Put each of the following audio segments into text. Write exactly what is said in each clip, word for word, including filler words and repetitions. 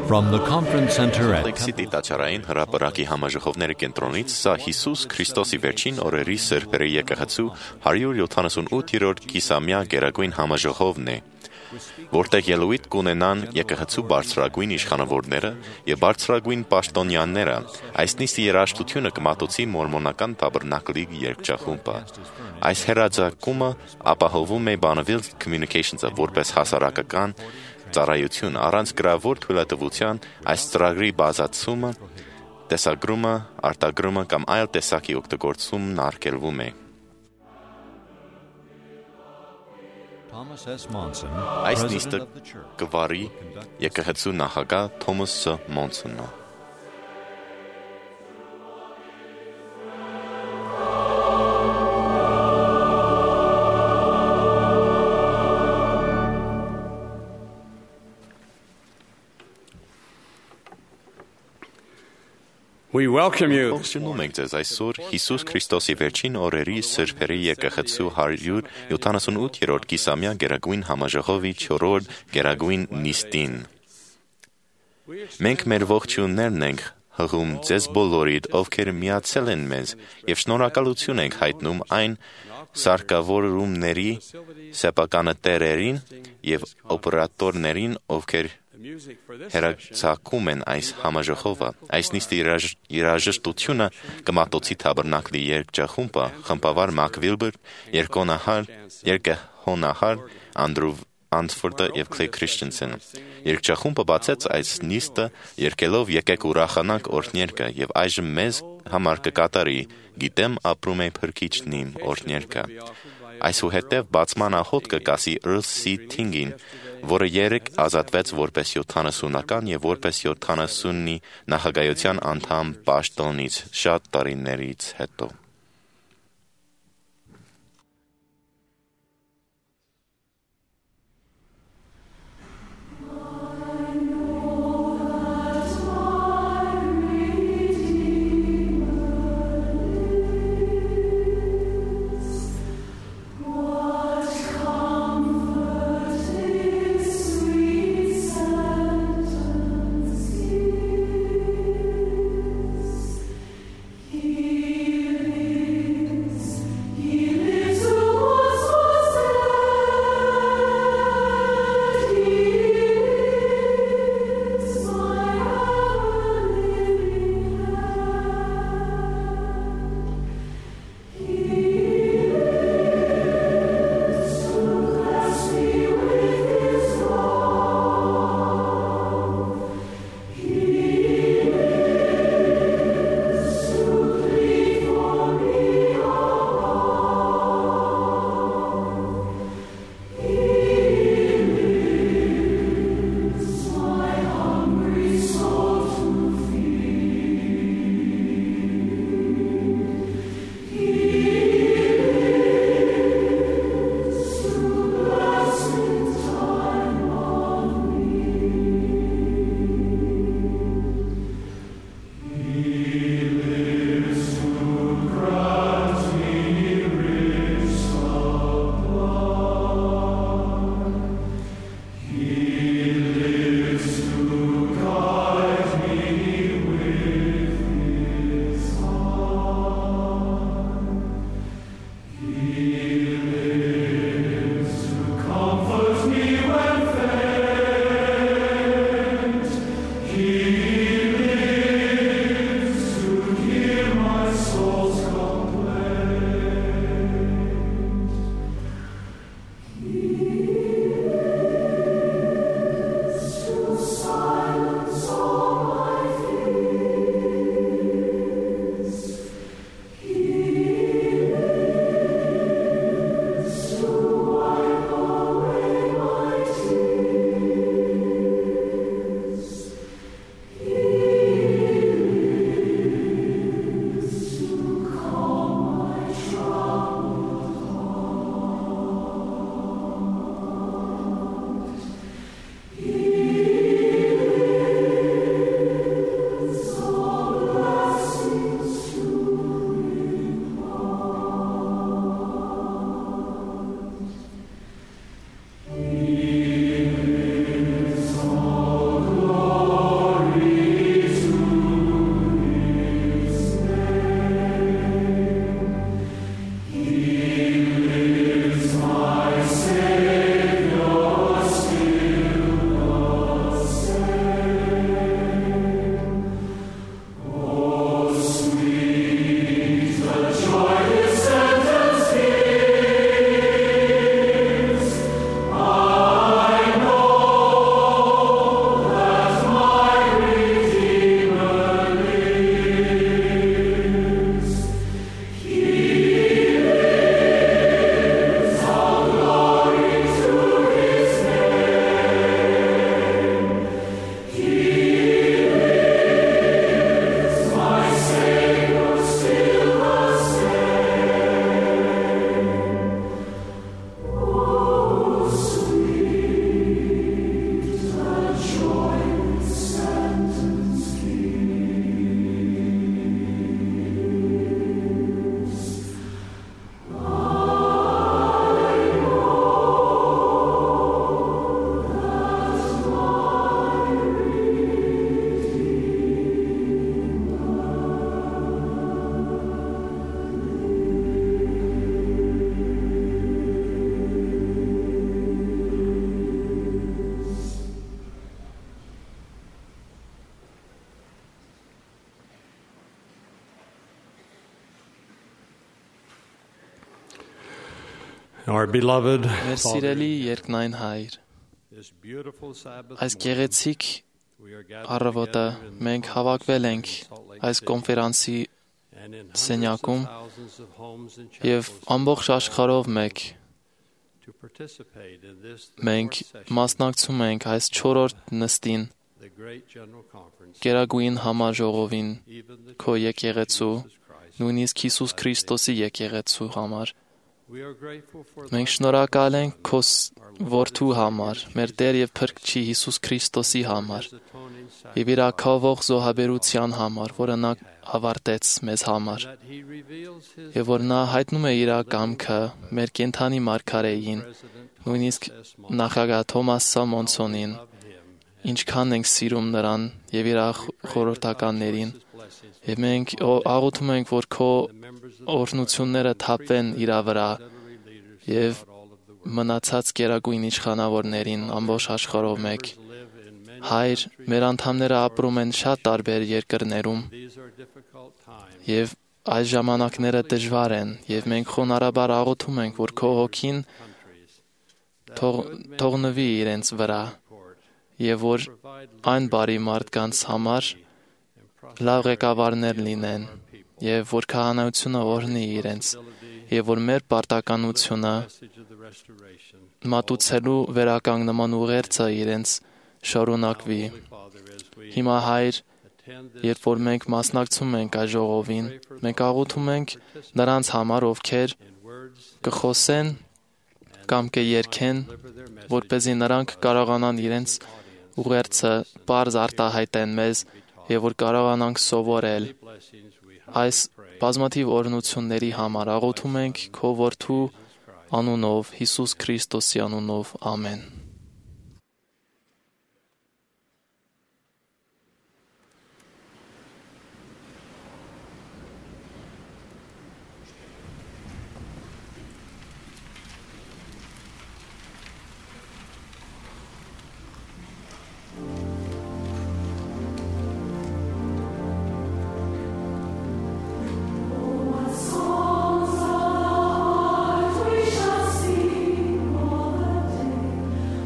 From the conference center at Լեքսիտի տաճարային հրապարակի համաժողովների կենտրոնից սա Հիսուս Քրիստոսի վերջին օրերի սրբերի եկեղեցու հարյուր յոթանասունութերորդ կիսամյա գերագույն համաժողովն է, որտեղ ելույթ կունենան եկեղեցու բարձրագույն իշխանավորները եւ բարձրագույն պաշտոնյաները, այս նիստի երաժշտությունը կմատուցի մորմոնական տաբերնակլի երգչախումբը։ Այս հերաձակումը ապահովում է Bonneville Communications-ը որպես հասարակական ծառայություն առանց գրավոր թույլատվության այս ծրագրի բազացումը, տեսագրումը, արտագրումը կամ այլ տեսակի օգտագործումն արգելվում է։ Thomas S. Monson, Այս president նիստը of the church. կվարի եկեղեցու նախագահ Թոմաս Ս. Մոնսոնը։ We welcome you. Ողջունում ենք ձեզ այսօր Հիսուս Քրիստոսի վերջին օրերի սրբերի եկեղեցու հարյուր յոթանասունութերորդ կիսամյա գերագույն համաժողովի չորրորդ գերագույն նիստին։ Մենք մեր ողջույններն ենք հղում ձեզ բոլորիդ, ովքեր միացել են մեզ, եւ շնորհակալություն ենք հայտնում այն սարքավորումների սեփականատերերին եւ օպերատորներին, ովքեր հերացակում են այս համաժողովը։ Այս նիստի երաժշտությունը կմատուցի Թաբերնակլի երգչախումբը, խմբավար Մակ Վիլբեր, երկոնահար, երկհոնահար Անդրու Անսֆորդը եւ Քլեյ Քրիշտենսեն։ Երգչախումբը բացեց այս նիստը երգելով «Եկեք ուրախանանք» օրհներգը եւ այժմ մեզ համար կկատարի «Գիտեմ ապրում է Փրկիչն իմ» օրհներգը։ Այսուհետև բացման աղոթ կկասի Earl C. Ting-ին, որը երեկ ազատվեց որպես յոթանասունական եւ որպես յոթանասունի նախագահության անդամ պաշտոնից շատ տարիներից հետո։ He Our beloved Մեր սիրելի երկնային Հայր, this beautiful Sabbath այս morning, գեղեցիկ we are gathered առավոտը together in մենք the հավաքվել Salt ենք Lake այս City կոնֆերանսի and in սենյակում hundreds of thousands of homes and եւ chapels ամբողջ աշխարհով մեկ to participate in this, the մենք fourth session, մասնակցում ենք այս չորրորդ նստին the great general conference, Գերագույն համաժողովին even the քո Church of եկեղեցու Jesus Christ. նույնիսկ Հիսուս Քրիստոսի եկեղեցու համար We are grateful for մենք thy շնորհակալ ենք Son, քո ս- our Lord որդու and համար Savior մեր Jesus Տեր եւ Christ, Փրկչի Հիսուս Քրիստոսի for համար his atoning եւ իր sacrifice, ակավող զոհաբերության համար որը նա ավարտեց մեզ համար that he reveals his եւ որ նա հայտնում է իր կամքը մեր կենթանի մարգարեին President նույնիսկ Thomas S. Monson, նախագահ Թոմաս Սամոնսոնին love him, ինչքան ենք սիրում նրան եւ իր խորհրդականներին եւ մենք ո- աղոթում ենք որ քո the members of the օրհնությունները թափվեն իր վրա auxiliary leaders եւ throughout all of the world. մնացած գերագույն իշխանավորներին ամբողջ աշխարհով մեկ Members live in many հայր countries. մեր անդամները ապրում են շատ տարբեր երկրներում These are difficult times. եւ այս ժամանակները դժվար են եւ մենք խոնարհաբար աղոթում ենք որ քո հոգին Countries թող թողնվի իրենց վրա support, եւ որ provide այն բարի մարդկանց համար and լավ ղեկավարներ լինեն եւ որ քահանայությունը օրհնի իրենց եւ որ մեր պարտականությունը message of the restoration. մատուցելու վերականգնման ուղերձը իրենց շարունակվի Holy Father, as we հիմա հայր attend this, երբ որ մենք մասնակցում ենք այս ժողովին մենք աղոթում ենք նրանց համար ովքեր in words կխոսեն կամ կերքեն deliver their message որպեսզի նրանք կարողանան իրենց audience. ուղերձը բարձ արտահայտեն մեզ եւ որ կարողանանք սովորել Blessings we այս բազմաթիվ օրհնությունների համար աղոթում ենք քո որդու անունով Հիսուս Քրիստոսի անունով ամեն Songs of heart we shall sing all the day.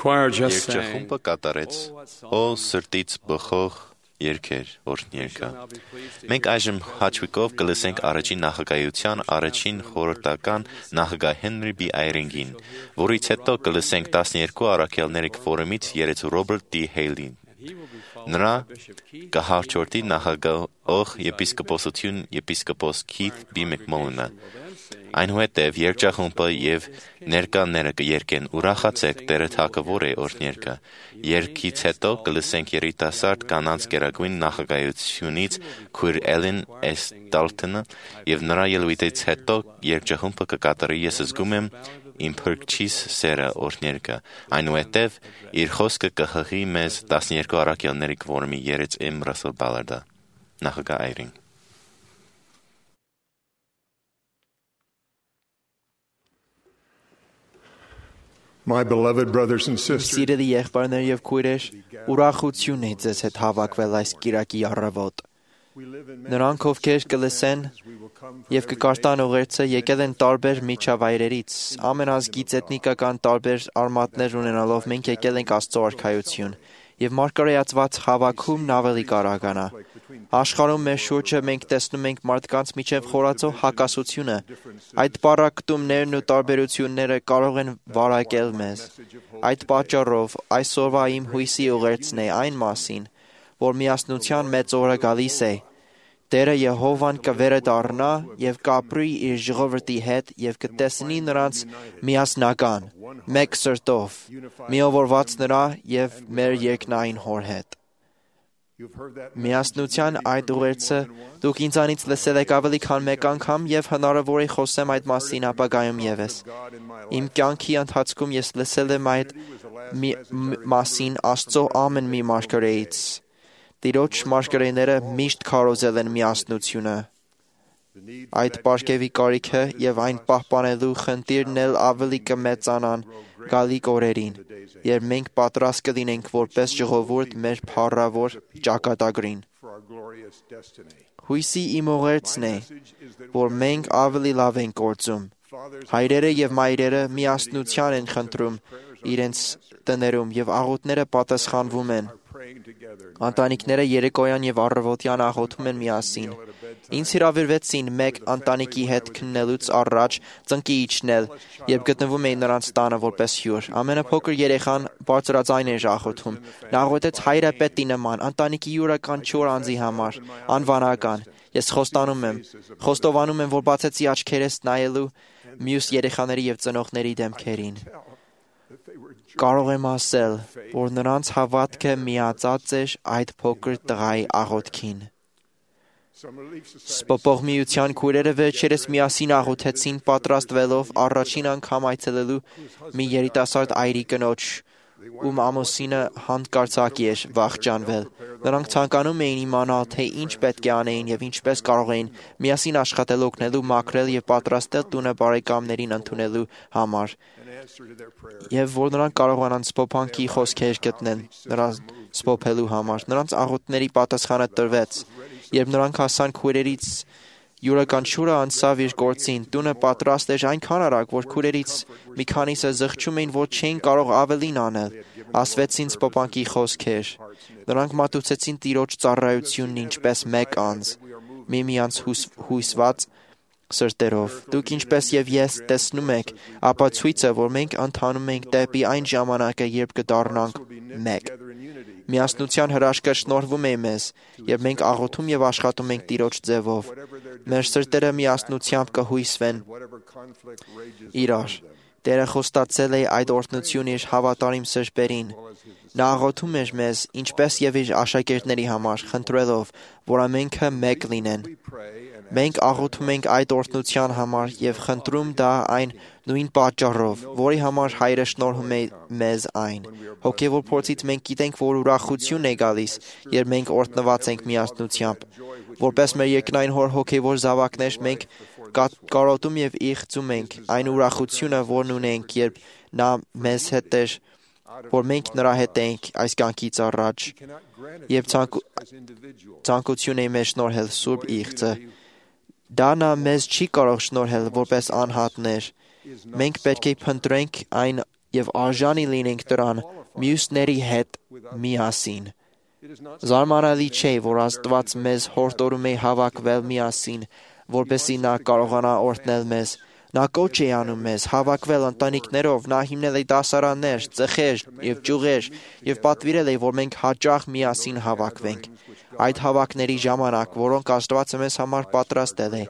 choir just sang, Երջախումբը կատարեց «Օ սրտից բխող երգեր» օրհներգը։ Մենք այժմ հաճույքով կլսենք առաջին նախագահության առաջին խորհրդական նախագահ Հենրի B. Այրինգին, որից հետո կլսենք տասներկու առաքյալների ֆորումից երեցու Ռոբերտ D. Հեյլին։ Նրա կհաջորդի նախագահող եպիսկոպոսություն եպիսկոպոս Քիթ B. Մակմոլոնը։ Այնուհետև երջախումբը և ներկաները կերկեն «Ուրախացեք, Տերը թագավոր է» օրհներգը։ Երգից հետո կլսենք երիտասարդ կանանց գերագույն նախագահությունից քույր Էլեն S. Դալթոնը և նրա ելույթից հետո երջախումբը կկատարի «Ես զգում եմ իմ փրկչիս սերը» օրհներգը։ Այնուհետև իր խոսքը կհղի մեզ տասներկու առաքյալների ֆորումի երեց M. Ռասել Բալարդը։ Նախագահ Այրինգ։ My beloved brothers and sisters, Սիրելի եղբայրներ եւ քույրեր, ուրախություն է ձեզ հետ հավաքվել այս կիրակի առավոտ։ Նրանք, ովքեր կլսեն եւ կկարտան ուղերձը, եկել են տարբեր միջավայրերից, ամենազգից էթնիկական տարբեր արմատներ ունենալով մենք եկել ենք Աստծո արքայություն եւ մարգարեացված հավաքում ավելի կարողանա։ Աշխարհում մեր շուրջը մենք տեսնում ենք մարդկանց միջև խորացող հակասությունը։ Այդ պարակտումներն ու տարբերությունները կարող են վարակել մեզ։ Այդ պատճառով այսօրվա իմ հույսի ուղերձն է այն մասին, որ միասնության մեծ օրը գալիս է։ Տերը Եհովան կվերադառնա եւ կապրի իր ժողովրդի հետ եւ կտեսնի նրանց միասնական, մեկ սրտով, միավորված նրա եւ մեր երկնային Հոր հետ։ Միասնության այդ ուղերձը դուք ինձանից լսել եք ավելի քան մեկ անգամ եւ հնարավոր է խոսեմ այդ մասին ապագայում եւս։ Իմ կյանքի ընթացքում ես լսել եմ այդ մասին Աստծո ամեն մի մարգարեից։ Տիրոջ մարգարեները միշտ քարոզել են միասնությունը։ Այդ պարգևի կարիքը եւ այն պահպանելու խնդիրն էլ ավելի կմեծանան գալիք օրերին, երբ մենք պատրաստ կլինենք որպես ժողովուրդ մեր փառավոր ճակատագրին։ Հույսի իմ ուղերձն է, որ մենք ավելի լավ ենք գործում։ Հայրերը եւ մայրերը միասնության են խնդրում իրենց տներում եւ աղոթները պատասխանվում են։ Ընտանիքները երեկոյան եւ առավոտյան աղոթում են միասին։ Ինձ հրավիրվեցին մեկ ընտանիքի հետ քննելուց առաջ ծնկի իջնել, երբ գտնվում էի նրանց տանը որպես հյուր։ Ամենափոքր երեխան բարձրաձայն էր աղոթում։ Նա աղոթեց հայրապետի նման, ընտանիքի յուրաքանչյուր անձի համար, անվանական։ Ես խոստանում եմ, խոստովանում եմ, որ բացեցի աչքերս նայելու մյուս երեխաների եւ ծնողների դեմքերին։ Կարող եմ ասել, որ նրանց հավատքը միացած էր այդ փոքր տղայի աղոթքին։ Սպոպողմիության քույրերը վերջերս միասին աղոթեցին պատրաստվելով առաջին անգամ այցելելու մի երիտասարդ այրի կնոջ, ում ամուսինը հանկարծակի էր վախճանվել։ Նրանք ցանկանում էին իմանալ, թե ինչ պետք է անեին եւ ինչպես կարող էին միասին աշխատել օգնելու, մաքրել եւ պատրաստել տունը բարեկամներին ընդունելու համար։ Եվ որ նրանք կարողանան սփոփանքի խոսքեր գտնեն նրանց սփոփելու համար։ Նրանց աղոթների պատասխանը տրվեց, երբ նրանք հասան քույրերից յուրաքանչյուրը անցավ իր գործին։ Տունը պատրաստ էր այնքան արագ, որ քույրերից մի քանիսը զղջում էին, որ չէին կարող ավելին անել։ Ասվեցին սփոփանքի խոսքեր։ Նրանք մատուցեցին Տիրոջ ծառայությունն ինչպես մեկ անձ, միմյանց հույսված սրտերով։ Դուք ինչպես եւ ես տեսնում եք, ապա ցույցը, որ մենք ընթանում ենք դեպի այն ժամանակը, երբ կդառնանք մեկ։ Միասնության հրաշքը շնորհվում է մեզ, եւ մենք աղոթում եւ աշխատում ենք Տիրոջ ձևով։ Մեր սրտերը միասնությամբ կհույսվեն իրար։ Տերը խոստացել է այդ օրհնությունը իր հավատարիմ սրբերին։ Նա աղոթում էր մեզ, ինչպես եւ իր աշակերտների համար, խնդրելով, որ ամենքը մեկ լինեն։ Մենք աղոթում ենք այդ օրհնության համար եւ խնդրում դա այն նույն պատճառով, որի համար Հայրը շնորհում է մեզ այն։ Հոգեվոր փորձից մենք գիտենք, որ ուրախություն է գալիս, երբ մենք օրհնված ենք միասնությամբ։ Որպես մեր երկնային Հոր հոգեվոր զավակներ մենք կարոտում եւ իղձում ենք այն ուրախությունը, որն ունենք, երբ նա մեզ հետ է, որ մենք նրա հետ ենք այս կյանքից առաջ եւ ցանկություն է մեզ շնորհել Սուրբ Իղձը։ Դա նա մեզ չի կարող շնորհել որպես անհատներ։ Մենք պետք է փնտրենք այն եւ արժանի լինենք դրան մյուսների հետ միասին։ Զարմանալի չէ, որ Աստված մեզ հորդորում է հավաքվել միասին, որպեսզի նա կարողանա օրհնել մեզ։ Նա կոչ է անում մեզ հավաքվել ընտանիքներով, նա հիմնել է դասարաններ, ծխեր եւ ճյուղեր եւ պատվիրել է, որ մենք հաճախ միասին հավաքվենք։ Այդ հավաքների ժամանակ, որոնք Աստվածը մեզ համար պատրաստել է,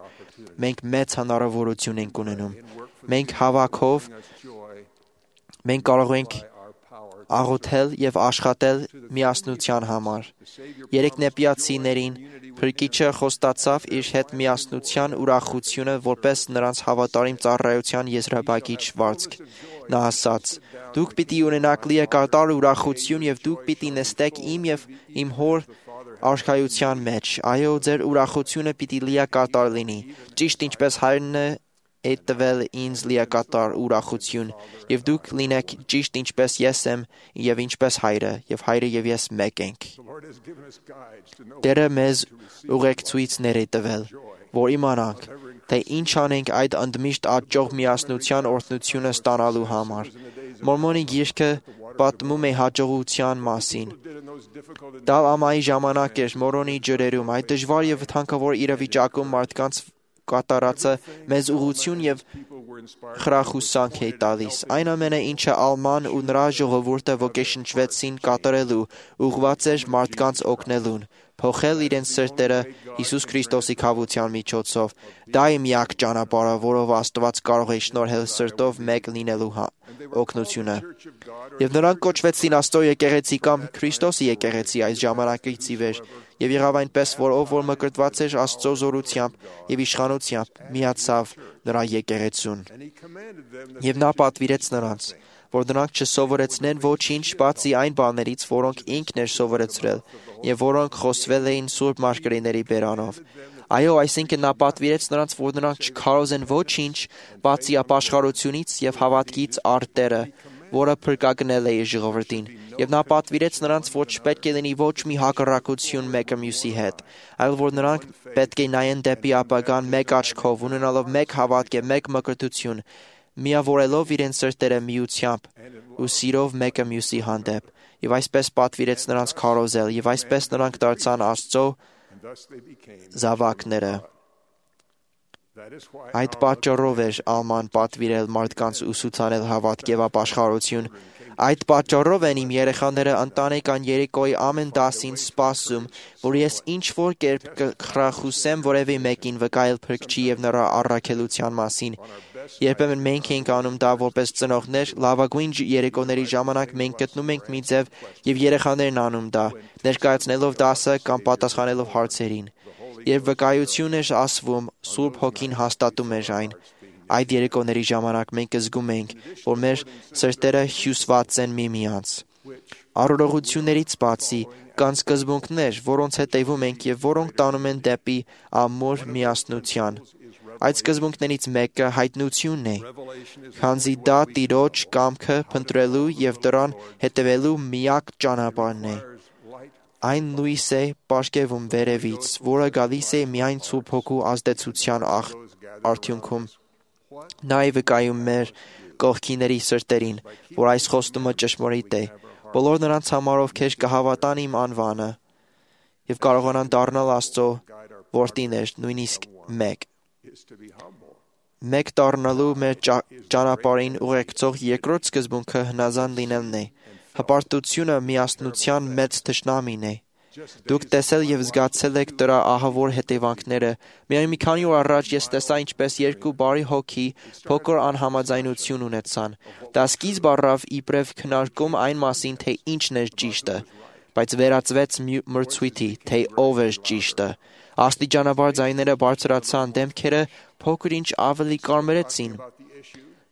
մենք մեծ հնարավորություն ենք ունենում։ Մենք հավաքով մենք կարող ենք աղոթել եւ աշխատել միասնության համար։ Երեք նեպիացիներին Փրկիչը խոստացավ իր հետ միասնության ուրախությունը որպես նրանց հավատարիմ ծառայության եզրափակիչ վարձք։ Նա ասաց. «Դուք պիտի ունենաք լիակատար ուրախություն եւ դուք պիտի նստեք իմ եւ իմ հոր արքայության մեջ։ Այո, ձեր ուրախությունը պիտի լիակատար լինի, ճիշտ ինչպես հայրն է տվել ինձ լիակատար ուրախություն, եւ դուք լինեք ճիշտ ինչպես ես եմ եւ ինչպես հայրը, եւ հայրը եւ ես մեկ ենք»։ Տերը մեզ ուղեկցույցներ է տվել, որ իմանանք, թե ինչ անենք այդ ընդմիշտ աճող միասնության օրհնությունը ստանալու համար։ Մորմոնի գիրքը պատմում է հաջողության մասին։ Դա ամայի ժամանակ էր Մորոնի ջրերում, այդ դժվար եւ վտանգավոր իրավիճակում մարդկանց կատարածը մեզ ուղղություն եւ խրախուսանք է տալիս։ Այն ամենը, ինչը Ալման ու նրա ժողովուրդը ոգեշնչվեցին կատարելու, ուղղված էր մարդկանց օգնելուն, փոխել իրենց սրտերը Հիսուս Քրիստոսի քավության միջոցով։ Դա է միակ ճանապարհը, որով Աստված կարող է շնորհել սրտով մեկ լինելու օգնությունը։ Եվ նրանք կոչվեցին Աստծո եկեղեցի կամ Քրիստոսի եկեղեցի այս ժամանակից ի վեր, եւ եղավ այնպես, որ ով որ մկրտված էր Աստծո զորությամբ եւ իշխանությամբ, միացավ նրա եկեղեցուն։ Եվ նա պատվիրեց նրանց, որ նրանք չսովորեցնեն ոչինչ բացի այն բաներից, որոնք ինքն էր սովորեցրել եւ որոնք խոսվել էին Սուրբ Մարգարեների բերանով։ Այո, այսինքն նա պատվիրեց նրանց, որ նրանք չքարոզեն ոչինչ բացի ապաշխարությունից եւ հավատքից առ Տերը, որը փրկագնել է իր ժողովրդին, եւ նա պատվիրեց նրանց, որ չպետք է լինի ոչ մի հակառակություն մեկը մյուսի հետ, այլ որ նրանք պետք է նայեն դեպի ապագան մեկ աչքով, ունենալով մեկ հավատք եւ մեկ մկրտություն, միավորելով իրենց սրտերը միությամբ ու սիրով մեկը մյուսի հանդեպ, եւ այսպես պատվիրեց նրանց քարոզել, եւ այսպես նրանք դարձան Աստծո զավակները։ Այդ պատճառով էր Ալման պատվիրել մարդկանց ուսուցանել հավատք եւ ապաշխարություն։ Այդ պատճառով են իմ երեխաները ընտանեկան երեկոյի ամեն դասին սպասում, որ ես ինչ-որ կերպ կխրախուսեմ որևէ մեկին վկայել Փրկչի եւ նրա առաքելության մասին։ Երբեմն մենք ենք անում դա որպես ծնողներ, լավագույն երեկոների ժամանակ մենք գտնում ենք մի ձև եւ երեխաներն անում դա, ներկայացնելով դասը կամ պատասխանելով հարցերին։ Երբ վկայություն էր ասվում, Սուրբ Հոգին հաստատում էր այն։ Այդ երեկոների ժամանակ մենք զգում ենք, որ մեր սրտերը հյուսված են միմյանց։ Առողջություններից բացի կան սկզբունքներ, որոնց հետևում ենք եւ որոնք տանում են դեպի ամուր միասնության։ Այդ սկզբունքներից մեկը հայտնությունն է, քանզի դա Տիրոջ կամքը փնտրելու եւ դրան հետևելու միակ ճանապարհն է։ Այն լույս է պարգևում վերևից, որը գալիս է միայն Սուրբ Հոգու ազդեցության արդյունքում։ Նա է վկայում մեր կողքիների սրտերին, որ այս խոստումը ճշմարիտ է։ Բոլոր նրանց համար, ովքեր կհավատան իմ անվանը եւ կարողանան դառնալ Աստծո որդիներ, նույնիսկ մեկ։ Մեկ դառնալու մեր ճանապարհին ուղեկցող երկրորդ սկզբունքը հնազանդ լինելն է։ Հպարտությունը միասնության մեծ թշնամին է։ Դուք տեսել եւ զգացել եք դրա ահավոր հետևանքները։ Միայն մի քանի օր առաջ ես տեսա, ինչպես երկու բարի հոգի փոքր անհամաձայնություն ունեցան։ Դա սկիզբ առավ իբրև քննարկում այն մասին, թե ինչն էր ճիշտը, բայց վերածվեց մրցույթի, թե ով էր ճիշտը։ Աստիճանաբար ձայները բարձրացան, դեմքերը փոքր-ինչ ավելի կարմրեցին։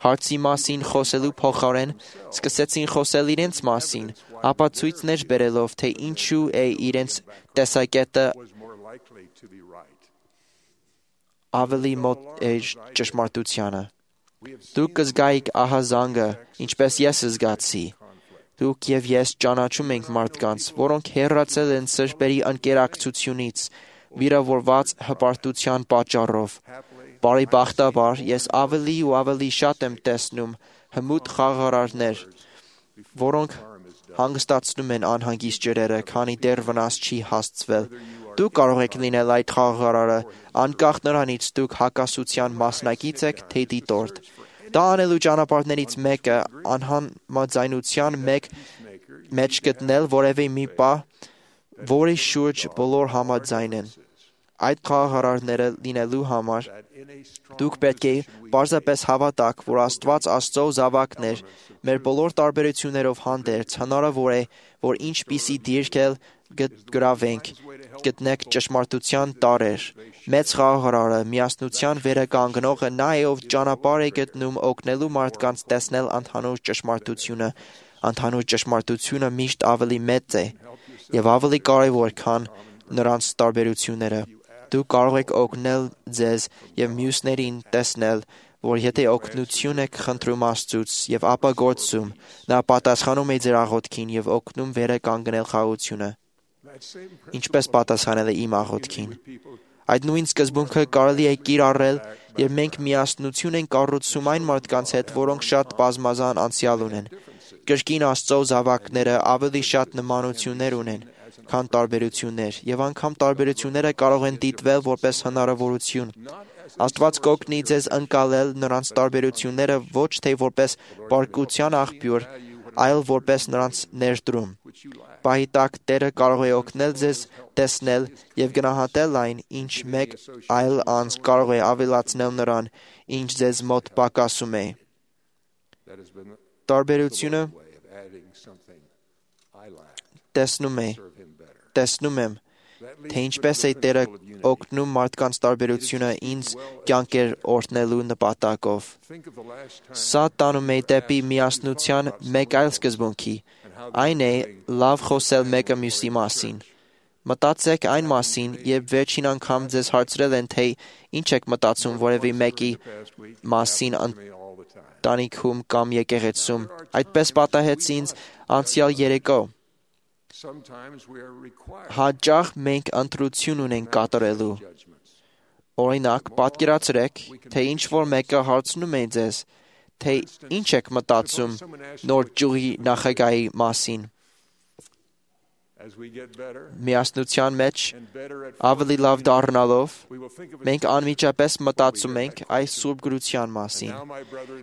Հարցի մասին խոսելու փոխարեն սկսեցին խոսել իրենց մասին, ապա ցույցներ բերելով, թե ինչու է իրենց տեսակետը ավելի մոտ է ճշմարտությանը։ Դուք կզգայիք ահազանգը, ինչպես ես զգացի։ Դուք եւ ես ճանաչում ենք մարդկանց, որոնք հեռացել են սրբերի ընկերակցությունից, վիրավորված հպարտության պատճառով։ Բարեբախտաբար, ես ավելի ու ավելի շատ եմ տեսնում, հմուտ խաղաղարարներ, որոնք հանգստացնում են անհանգիստ ջրերը, քանի դեռ վնաս չի հասցվել։ Դուք կարող եք լինել այդ խաղաղարարը, անկախ նրանից դուք հակասության մասնակից եք, թե դիտորդ։ Դա անելու ճանապարհներից մեկը անհամաձայնության մեկ մեջ գտնել որևէ մի բան, որի շուրջ բոլոր համաձայն են։ Այդ խաղաղարարները լինելու համար դուք պետք է պարզապես հավատաք, որ Աստված Աստծո զավակն է, մեր բոլոր տարբերություններով հանդերձ հնարավոր է, որ ինչպիսի դիրքել գրավենք, գտնեք ճշմարտության տարեր։ Մեծ խաղաղարարը, միասնության վերականգնողը նա է, ով ճանապարհ է գտնում օգնելու մարդկանց տեսնել ընդհանուր ճշմարտությունը։ Ընդհանուր ճշմարտությունը միշտ ավելի մեծ է եւ ավելի կարեւոր, քան նրանց տարբերությունները։ Դուք կարող եք օգնել ձեզ եւ մյուսներին տեսնել, որ եթե օգնություն եք խնդրում Աստծուց եւ ապա գործում, նա պատասխանում է ձեր աղոթքին եւ օգնում վերականգնել խաղաղությունը։ Ինչպես պատասխանել է իմ աղոթքին։ Այդ նույն սկզբունքը կարելի է կիրառել, երբ մենք միասնություն ենք կառուցում այն մարդկանց հետ, որոնք շատ բազմազան անցյալ ունեն։ Կրկին Աստծո զավակները ավելի շատ նմանություններ ունեն, քան տարբերություններ, եւ անգամ տարբերությունները կարող են դիտվել որպես հնարավորություն։ Աստված կօգնի ձեզ ընկալել նրանց տարբերությունները ոչ թե որպես պարկության աղբյուր, այլ որպես նրանց ներդրում։ Պահի տակ Տերը կարող է օգնել ձեզ տեսնել եւ գնահատել այն, ինչ մեկ այլ անձ կարող է ավելացնել նրան, ինչ ձեզ մոտ պակասում է։ Տարբերությունը տեսնում է, տեսնում եմ, թե ինչպես է Տերը օգնում մարդկանց տարբերությունը ինձ կյանքեր օրհնելու նպատակով։ Սա տանում է դեպի միասնության մեկ այլ սկզբունքի, այն է լավ խոսել մեկը մյուսի մասին։ Մտածեք այն մասին, երբ վերջին անգամ ձեզ հարցրել են, թե ինչ եք մտածում որևէ մեկի մասին ընտանիքում կամ եկեղեցում։ Այդպես պատահեց ինձ անցյալ երեկո։ Հաճախ մենք ընտրություն ունենք կատարելու։ Օրինակ, պատկերացրեք, թե ինչ-որ մեկը հարցնում է ձեզ, թե ինչ եք մտածում նոր ճյուղի նախագահի մասին։ Միասնության մեջ ավելի լավ դառնալով, մենք անմիջապես մտածում ենք այս Սուրբ գրության մասին։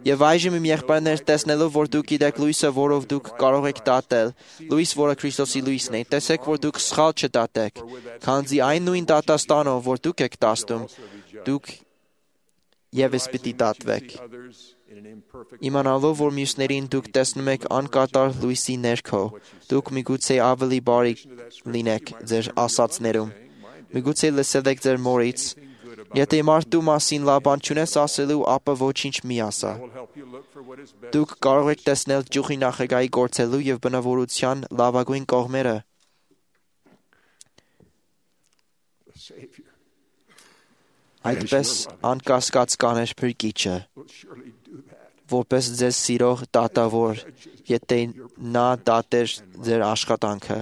Եվ այժմ իմ եղբայրներ, տեսնելով, որ դուք գիտեք լույսը, որով դուք կարող եք դատել, լույս, որը Քրիստոսի լույսն է, տեսեք, որ դուք սխալ չդատեք, քանզի այն նույն դատաստանով, որ դուք եք դաստում, դուք ևս պիտի դատվեք։ Իմանալով, որ մյուսներին դուք տեսնում եք անկատար լույսի ներքո, դուք միգուցե ավելի բարի լինեք ձեր ասածներում, միգուցե լսել եք ձեր մորից, եթե մարդու մասին լավ բան չունես ասելու, ապա ոչինչ մի ասա։ Դուք կարող եք տեսնել ճյուղի նախագահի գործելու եւ բնավորության լավագույն կողմերը։ Այդպես անկասկած կաներ Փրկիչը, որպես ձեզ սիրող դատավոր, եթե նա դատեր ձեր աշխատանքը։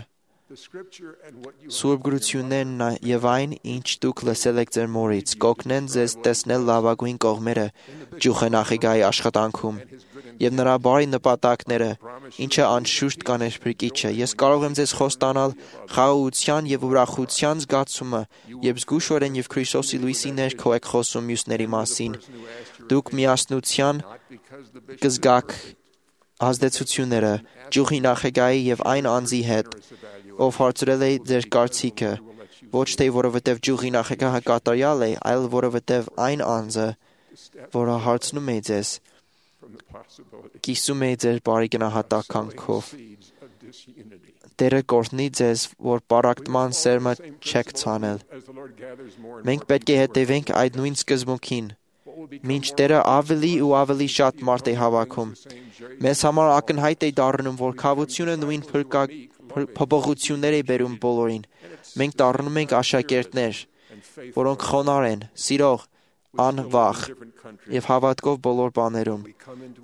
Սուրբ գրություններն եւ այն, ինչ դուք լսել եք ձեր մորից, կօգնեն ձեզ տեսնել լավագույն կողմերը ճյուղի նախագահի աշխատանքում եւ նրա բարի նպատակները, ինչը անշուշտ կաներ Փրկիչը։ Ես կարող եմ ձեզ խոստանալ խաղաղության եւ ուրախության զգացումը, երբ զգուշորեն եւ Քրիստոսի լույսի ներքո եք խոսում մյուսների մասին։ Դուք միասնության կզգաք ազդեցությունները ճյուղի նախագահի եւ այն անձի հետ, ով հարցրել է ձեր կարծիքը, ոչ թե որովհետև ճյուղի նախագահը կատարյալ է, այլ որովհետև այն անձը, որը հարցնում է ձեզ, կիսում է ձեր բարի գնահատականքով։ Տերը կօրհնի ձեզ, որ պառակտման սերմը չեք ցանել։ Մենք պետք է հետևենք այդ նույն սկզբունքին, մինչ Տերը ավելի ու ավելի շատ մարդ է հավաքում։ Մեզ համար ակնհայտ է դառնում, որ քավությունը նույն փոփոխություններ է բերում բոլորին։ Մենք դառնում ենք աշակերտներ, որոնք խոնարհ են, սիրող, անվախ եւ հավատքով բոլոր բաներում։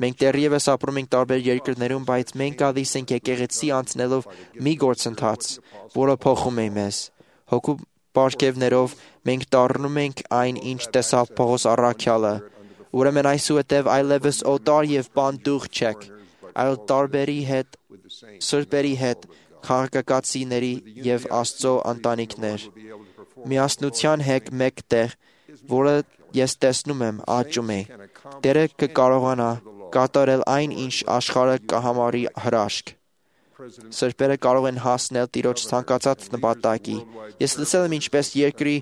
Մենք դեռևս ապրում ենք տարբեր երկրներում, բայց մենք գալիս ենք եկեղեցի անցնելով մի գործընթաց, որը փոխում է մեզ։ Հոգու պարգևներով մենք դառնում ենք այն, ինչ տեսավ Պողոս առաքյալը, Ուրեմն այսուհետև այլևս օտար եւ բանդուղ չեք, այլ տարբերի հետ, սրբերի հետ, քաղաքացիների եւ Աստծո ընտանիքներ։ Միասնության հետ մեկտեղ, որը ես տեսնում եմ, աճում է։ Տերը կկարողանա կատարել այն, ինչ աշխարհը կհամարի հրաշք։ Սրբերը կարող են հասնել Տիրոջ ցանկացած նպատակի։ Ես լսել եմ ինչպես երկրի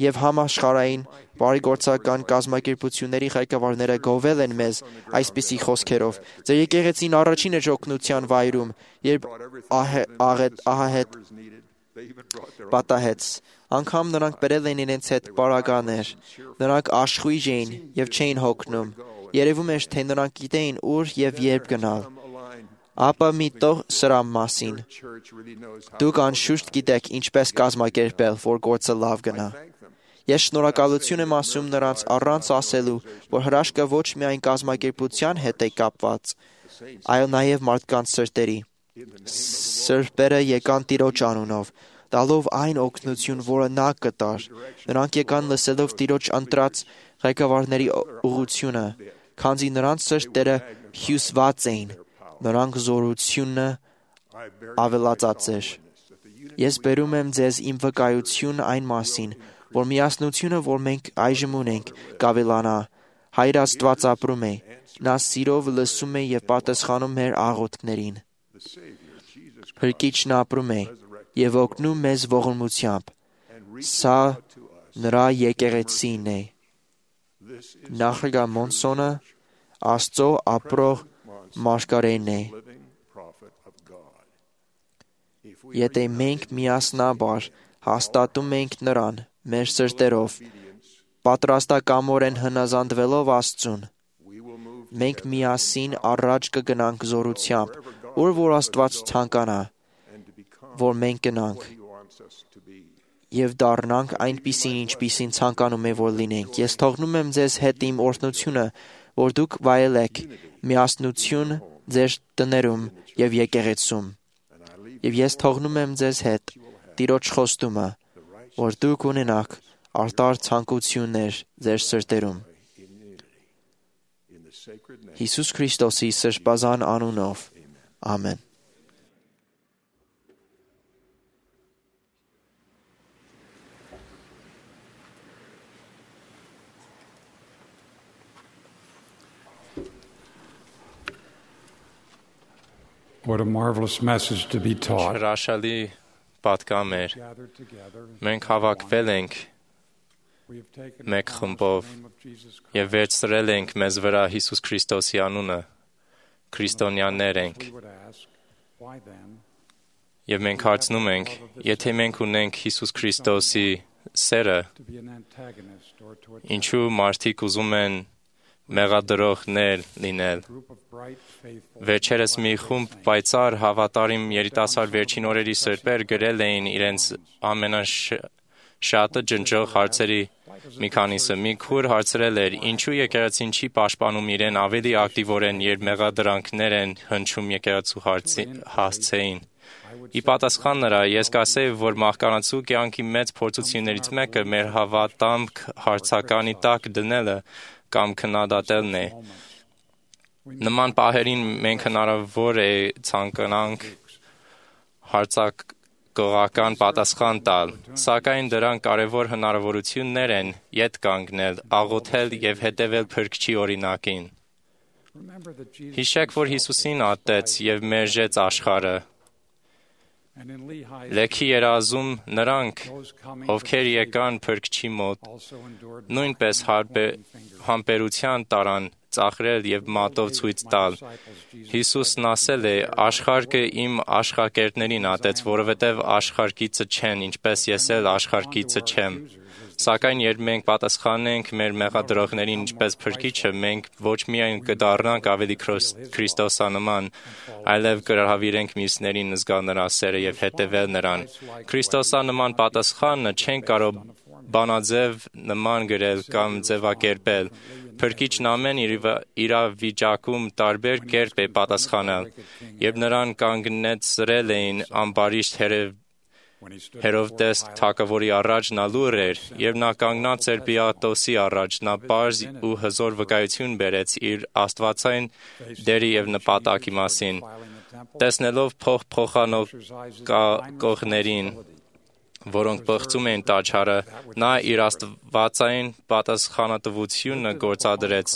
եւ համաշխարհային բարեգործական կազմակերպությունների ղեկավարները գովել են մեզ այսպիսի խոսքերով. «Ձեր եկեղեցին առաջինը օգնության վայրում, երբ ահահետ պատահեց, անգամ նրանք բերել են իրենց հետ պարագաներ, նրանք աշխույժ էին եւ չէին հոգնում, երևում էր, թե նրանք գիտեին ուր եւ երբ գնալ։ Ապա մի տող սրա մասին. դուք անշուշտ գիտեք ինչպես կազմակերպել, որ գործը լավ գնա։ Ես շնորհակալություն եմ ասում նրանց առանց ասելու, որ հրաշքը ոչ միայն կազմակերպության հետ է կապված, այլ նաև մարդկանց սրտերի։ Սրբերը եկան Տիրոջ անունով, տալով այն օգնություն, որը նա կտար։ Նրանք եկան լսելով Տիրոջ ընտրած ղեկավարների ուղղությունը, քանզի նրանց սրտերը հյուսված էին, նրանք զորությունը ավելացած էր։ Ես բերում եմ ձեզ իմ վկայություն այն մասին, որ միասնությունը, որ մենք այժմ ունենք, կավելանա։ Հայր Աստված ապրում է, նա սիրով լսում է եւ պատասխանում մեր աղոթքներին։ Փրկիչն ապրում է եւ օգնում մեզ ողորմությամբ։ Սա նրա եկեղեցին է։ Նախագահ Մոնսոնը Աստծո ապրող մարգարեն է։ Եթե մենք միասնաբար հաստատում ենք նրան մեր սրտերով, պատրաստակամորեն հնազանդվելով Աստծուն, մենք միասին առաջ կգնանք զորությամբ, ուր որ Աստված ցանկանա, որ մենք գնանք եւ դառնանք այնպիսին, ինչպիսին ցանկանում է, որ լինենք։ Ես թողնում եմ ձեզ հետ իմ օրհնությունը, որ դուք վայելեք միասնություն ձեր տներում եւ եկեղեցում։ Եվ ես թողնում եմ ձեզ հետ Տիրոջ խոստումը, որ դուք ունենաք արտար ցանկություններ ձեր սրտերում։ Հիսուս Քրիստոսի սրբազան անունով։ Ամեն։ What a marvelous message to be taught. Հրաշալի պատկամ էր։ Մենք հավաքվել ենք մեկ խմբով եւ վերցրել ենք մեզ վրա Հիսուս Քրիստոսի անունը, քրիստոնյաներ ենք։ Եվ մենք հարցնում ենք, եթե մենք ունենք Հիսուս Քրիստոսի սերը, ինչու մարդիկ ուզում են մեղադրողներ լինել։ Վերջերս մի խումբ պայծառ հավատարիմ երիտասարդ վերջին օրերի սրբեր գրել էին իրենց ամենաշատը ջնջող հարցերի մի քանիսը։ Մի քուր հարցրել էր, ինչու եկեղեցին չի պաշտպանում իրեն ավելի ակտիվորեն, երբ մեղադրանքներ են հնչում եկեղեցու հասցեին։ Ի պատասխան նրա, ես կասեի, որ մահկանացու կյանքի մեծ փորձություններից մեկը մեր հավատամք հարցականի տակ դնելը կամ քննադատելն է։ Նման պահերին մենք հնարավոր է ցանկանանք հարցակողական պատասխան տալ, սակայն դրանք կարևոր հնարավորություններ են ետ կանգնել, աղոթել եւ հետևել Փրկչի օրինակին։ Հիշեք, որ Հիսուսին ատեց եւ մերժեց աշխարհը։ Լեքի երազում նրանք, ովքեր եկան Փրկչի մոտ, նույնպես համբերության տարան ծաղրել եւ մատով ցույց տալ։ Հիսուսն ասել է. «Աշխարհը իմ աշխատերտներին ատեց, որովհետեւ աշխարհիցը չեն, ինչպես ես էլ աշխարհիցը չեմ»։ Սակայն երբ մենք պատասխանենք մեր մեղադրողներին ինչպես Փրկիչը, մենք ոչ միայն կդառնանք ավելի քրիստոսանման, այլև կհրավիրենք մյուսներին զգալ նրա սերը եւ հետևել նրան։ Քրիստոսանման պատասխանը չեն կարող բանաձև նման գրել կամ ձևակերպել։ Փրկիչն ամեն իրավիճակում տարբեր կերպ է պատասխանել, երբ նրան կանգնեցրել էին ամբարիշտ Հերովդես թագավորի առաջ նա լուր էր, եւ նա կանգնած էր Պիլատոսի առաջ, նա պարզ ու հզոր վկայություն բերեց իր աստվածային դերի եւ նպատակի մասին։ Տեսնելով փոխփոխանոկողներին, որոնք բղծում էին տաճարը, նա իր աստվածային պատասխանատվությունը գործադրեց,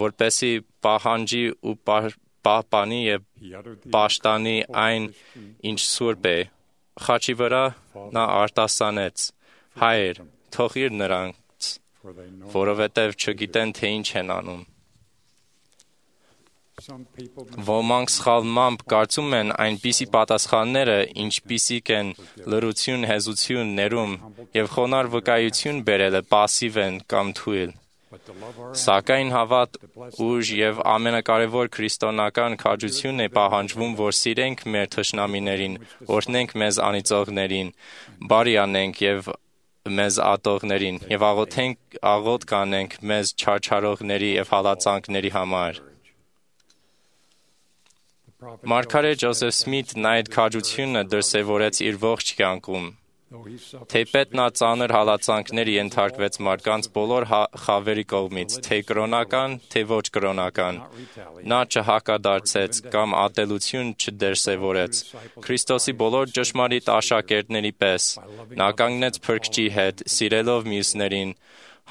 որպեսզի պահանջի ու պահպանի եւ պաշտանի այն, ինչ սուրբ է։ Խաչի վրա նա արտասանեց. «Հայր, թողիր նրանց, որովհետև չգիտեն, թե ինչ են անում»։ Ոմանք սխալմամբ կարծում են այնպիսի պատասխանները, ինչպիսիք են լռություն, հեզություն, ներում եւ խոնարհ վկայություն բերելը պասիվ են կամ թույլ։ Սակայն հավատ, ուժ եւ ամենակարևոր քրիստոնական քաջությունն է պահանջվում, որ սիրենք մեր թշնամիներին, օրհնենք մեզ անիծողներին, բարի անենք եւ մեզ ատողներին եւ աղոթենք աղոթ կանենք մեզ չարչարողների եւ հալածանքների համար։ Մարգարե Ջոզեֆ Սմիթն այդ քաջությունը դրսևորեց իր ողջ կյանքում։ Թեպետ նա ծանր հալածանքներ ենթարկվեց մարդկանց բոլոր խավերի կողմից, թե կրոնական, թե ոչ կրոնական։ Նա չհակադարձեց կամ ատելություն չդրսևորեց։ Քրիստոսի բոլոր ճշմարիտ աշակերտների պես նա կանգնեց Փրկչի հետ, սիրելով մյուսներին,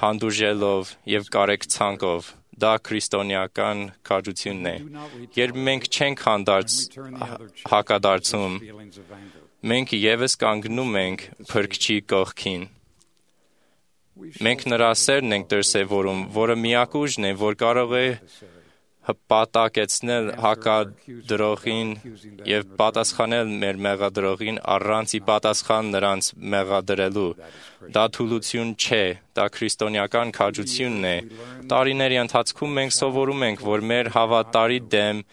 հանդուրժելով եւ կարեկցանքով։ Դա քրիստոնեական քաջությունն է։ Երբ մենք չենք հանդարտ հակադարձում, մենք ևս կանգնում ենք Փրկչի կողքին։ Մենք նրա սերն ենք դրսևորում, որը միակ ուժն է, որ կարող է հպատակեցնել հակադրողին եւ պատասխանել մեր մեղադրողին առանց ի պատասխան նրանց մեղադրելու։ Դա թուլություն չէ, դա քրիստոնեական քաջությունն է։ Տարիների ընթացքում մենք սովորում ենք, որ մեր հավատարի դեմ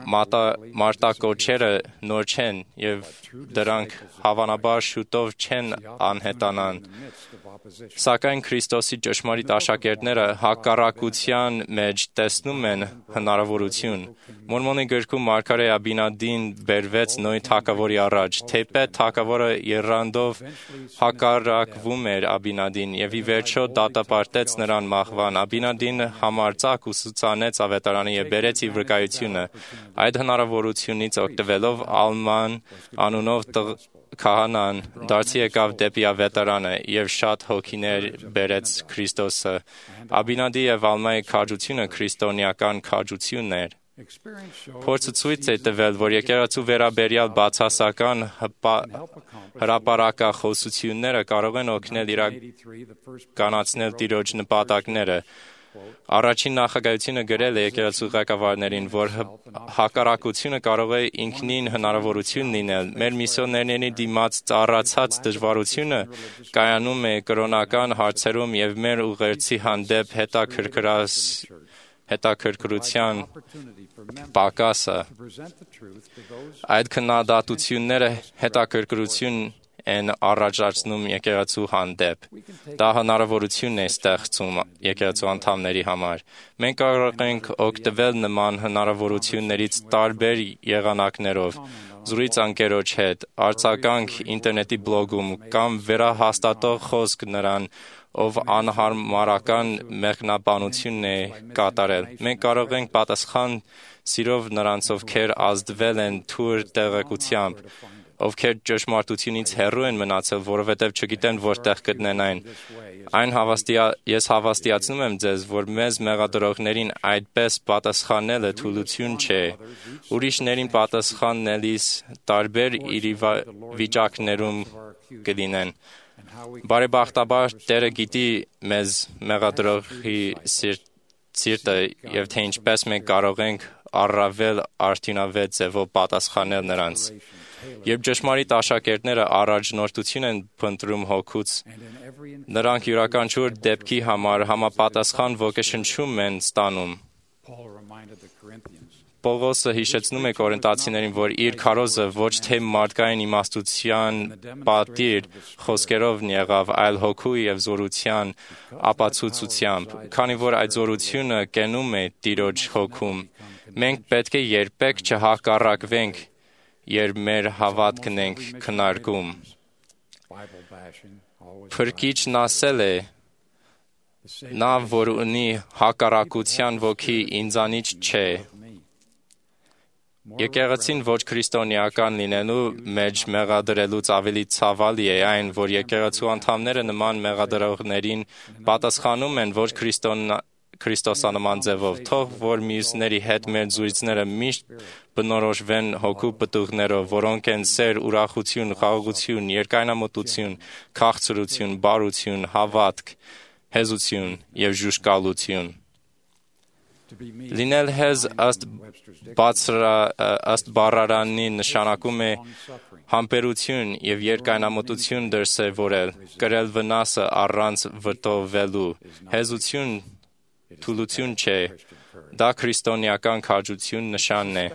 մարտակոչերը նոր չեն եւ դրանք հավանաբար շուտով չեն անհետանան։ Սակայն Քրիստոսի ճշմարիտ աշակերտները հակառակության մեջ տեսնում են հնարավորություն։ Մորմոնի գրքում մարգարե Աբինադին բերվեց Նոյի թագավորի առաջ, թեպետ թագավորը եռանդով հակառակվում էր Աբինադին եւ ի վերջո դատապարտեց նրան մահվան։ Աբինադին համարձակ ուսուցանեց ավետարանը եւ բերեց իր վկայությունը։ Այդ հնարավորությունից օգտվելով Ալման անունով քահանան դարձի եկավ դեպի ավետարանը եւ շատ հոգիներ բերեց Քրիստոսը։ Աբինադի եւ Ալմայի քաջությունը քրիստոնեական քաջությունն էր։ Փորձը ցույց է տվել, որ եկեղեցու վերաբերյալ բացասական հրապարակախոսությունները կարող են օգնել իրականացնել Տիրոջ նպատակները։ Առաջին նախագահությունը գրել է եկեղեցու ղեկավարներին, որ հակառակությունը կարող է ինքնին հնարավորություն լինել։ Մեր միսիոներների դիմաց ծառացած դժվարությունը կայանում է կրոնական հարցերում եւ մեր ուղերձի հանդեպ հետաքրքրության պակասը։ Այդ քննադատությունները հետաքրքրություն են առաջացնում եկեղեցու հանդեպ։ Դա հնարավորություն է ստեղծում եկեղեցու անդամների համար։ Մենք կարող ենք օգտվել նման հնարավորություններից տարբեր եղանակներով, զրույց ընկերոջ հետ, արձագանք ինտերնետի բլոգում կամ վերահաստատող խոսք նրան, ով անհարմարական մեկնաբանություն է կատարել։ Մենք կարող ենք պատասխան սիրով նրանց, ովքեր ազդվել են թույլ տեղեկությամբ, ովքեր ճշմարտությունից հեռու են մնացել, որովհետև չգիտեն որտեղ գտնեն այն։ Այն հավաստիա ես հավաստիացնում եմ ձեզ, որ մեզ մեղադրողներին այդպես պատասխանելը թուլություն չէ։ Ուրիշներին պատասխանելիս տարբեր իրավիճակներում կլինեն։ Բարեբախտաբար Տերը գիտի մեզ մեղադրողի սիրտը եւ թե ինչպես մենք կարող ենք առավել արդյունավետ ձևով պատասխանել նրանց։ Երբ ճշմարիտ աշակերտները առաջնորդություն են փնտրում հոգուց, նրանք յուրաքանչյուր դեպքի համար համապատասխան ոգեշնչում են ստանում։ Պողոսը հիշեցնում է կորինթացիներին, որ իր քարոզը ոչ թե մարդկային իմաստության պատիվ խոսքերով եղավ, այլ հոգու եւ զորության ապացուցությամբ, քանի որ այդ զորությունը կենում է Տիրոջ հոգում։ Մենք պետք է երբեք չհակառակվենք, երբ մեր հավատքն ենք քննարկում։ Փրկիչն ասել է. նա, որ ունի հակառակության ոգի, ինձանից չէ։ Եկեղեցին ոչ քրիստոնեական լինելու մեջ մեղադրելուց ավելի ցավալի է այն, որ եկեղեցու անդամները նման մեղադրողներին պատասխանում են ոչ քրիստոսանման ձևով, թող որ մյուսների հետ մեր զույցները միշտ բնորոշվեն հոգու պտուղներով, որոնք են սեր, ուրախություն, խաղաղություն, երկայնամտություն, քաղցրություն, բարություն, հավատք, հեզություն և ժուժկալություն։ Լինել հեզ ըստ ըստ բառարանի նշանակում է համբերություն և երկայնամտություն դրսևորել, կրել վնասը առանց վտովվելու։ Հեզություն թուլություն չէ, դա քրիստոնեական քաջություն նշանն է։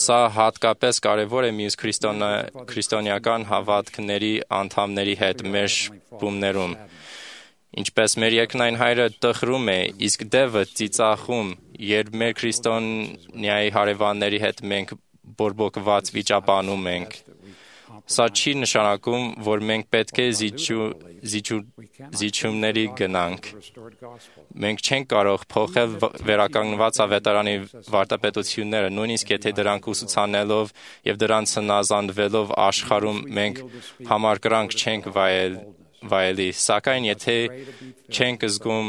Սա հատկապես կարևոր է մյուս քրիստոնեական հավատքների անդամների հետ մեր շփումներում։ Ինչպես մեր երկնային հայրը տխրում է, իսկ դևը ծիծաղում, երբ մեր քրիստոնյայի հարևանների հետ մենք բորբոքված վիճաբանում ենք։ Սա չի նշանակում, որ մենք պետք է զիջումների գնանք։ Մենք չենք կարող փոխել վերականգնված ավետարանի վարտապետությունները, նույնիսկ եթե դրանք ուսուցանելով և դրանց հնազանդվելով աշխարհում մենք համակրանք չենք վայելի, սակայն եթե չենք զգում,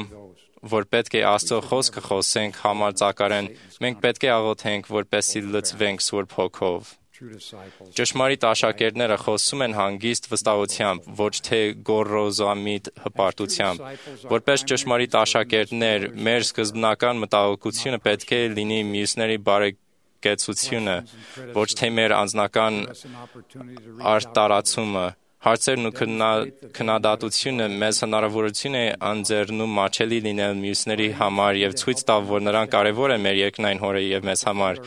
որ պետք է Աստծո խոսքը խոսենք համարձակորեն, մենք պետք է աղոթենք, որպեսզի լցվենք Սուրբ Հոգով։ Ճշմարիտ աշակերտները խոսում են հանգիստ վստահությամբ, ոչ թե գոռոզամիտ հպարտությամբ։ Որպես ճշմարիտ աշակերտներ, մեր սկզբնական մտահոգությունը պետք է լինի մյուսների բարեկեցությունը, ոչ թե մեր անձնական արտարացումը։ Հարցերն ու քննադատությունը մեզ հնարավորություն է ընձեռնում մատչելի լինել մյուսների համար և ցույց տալ, որ նրանք կարևոր են մեր երկնային Հորը և մեզ համար։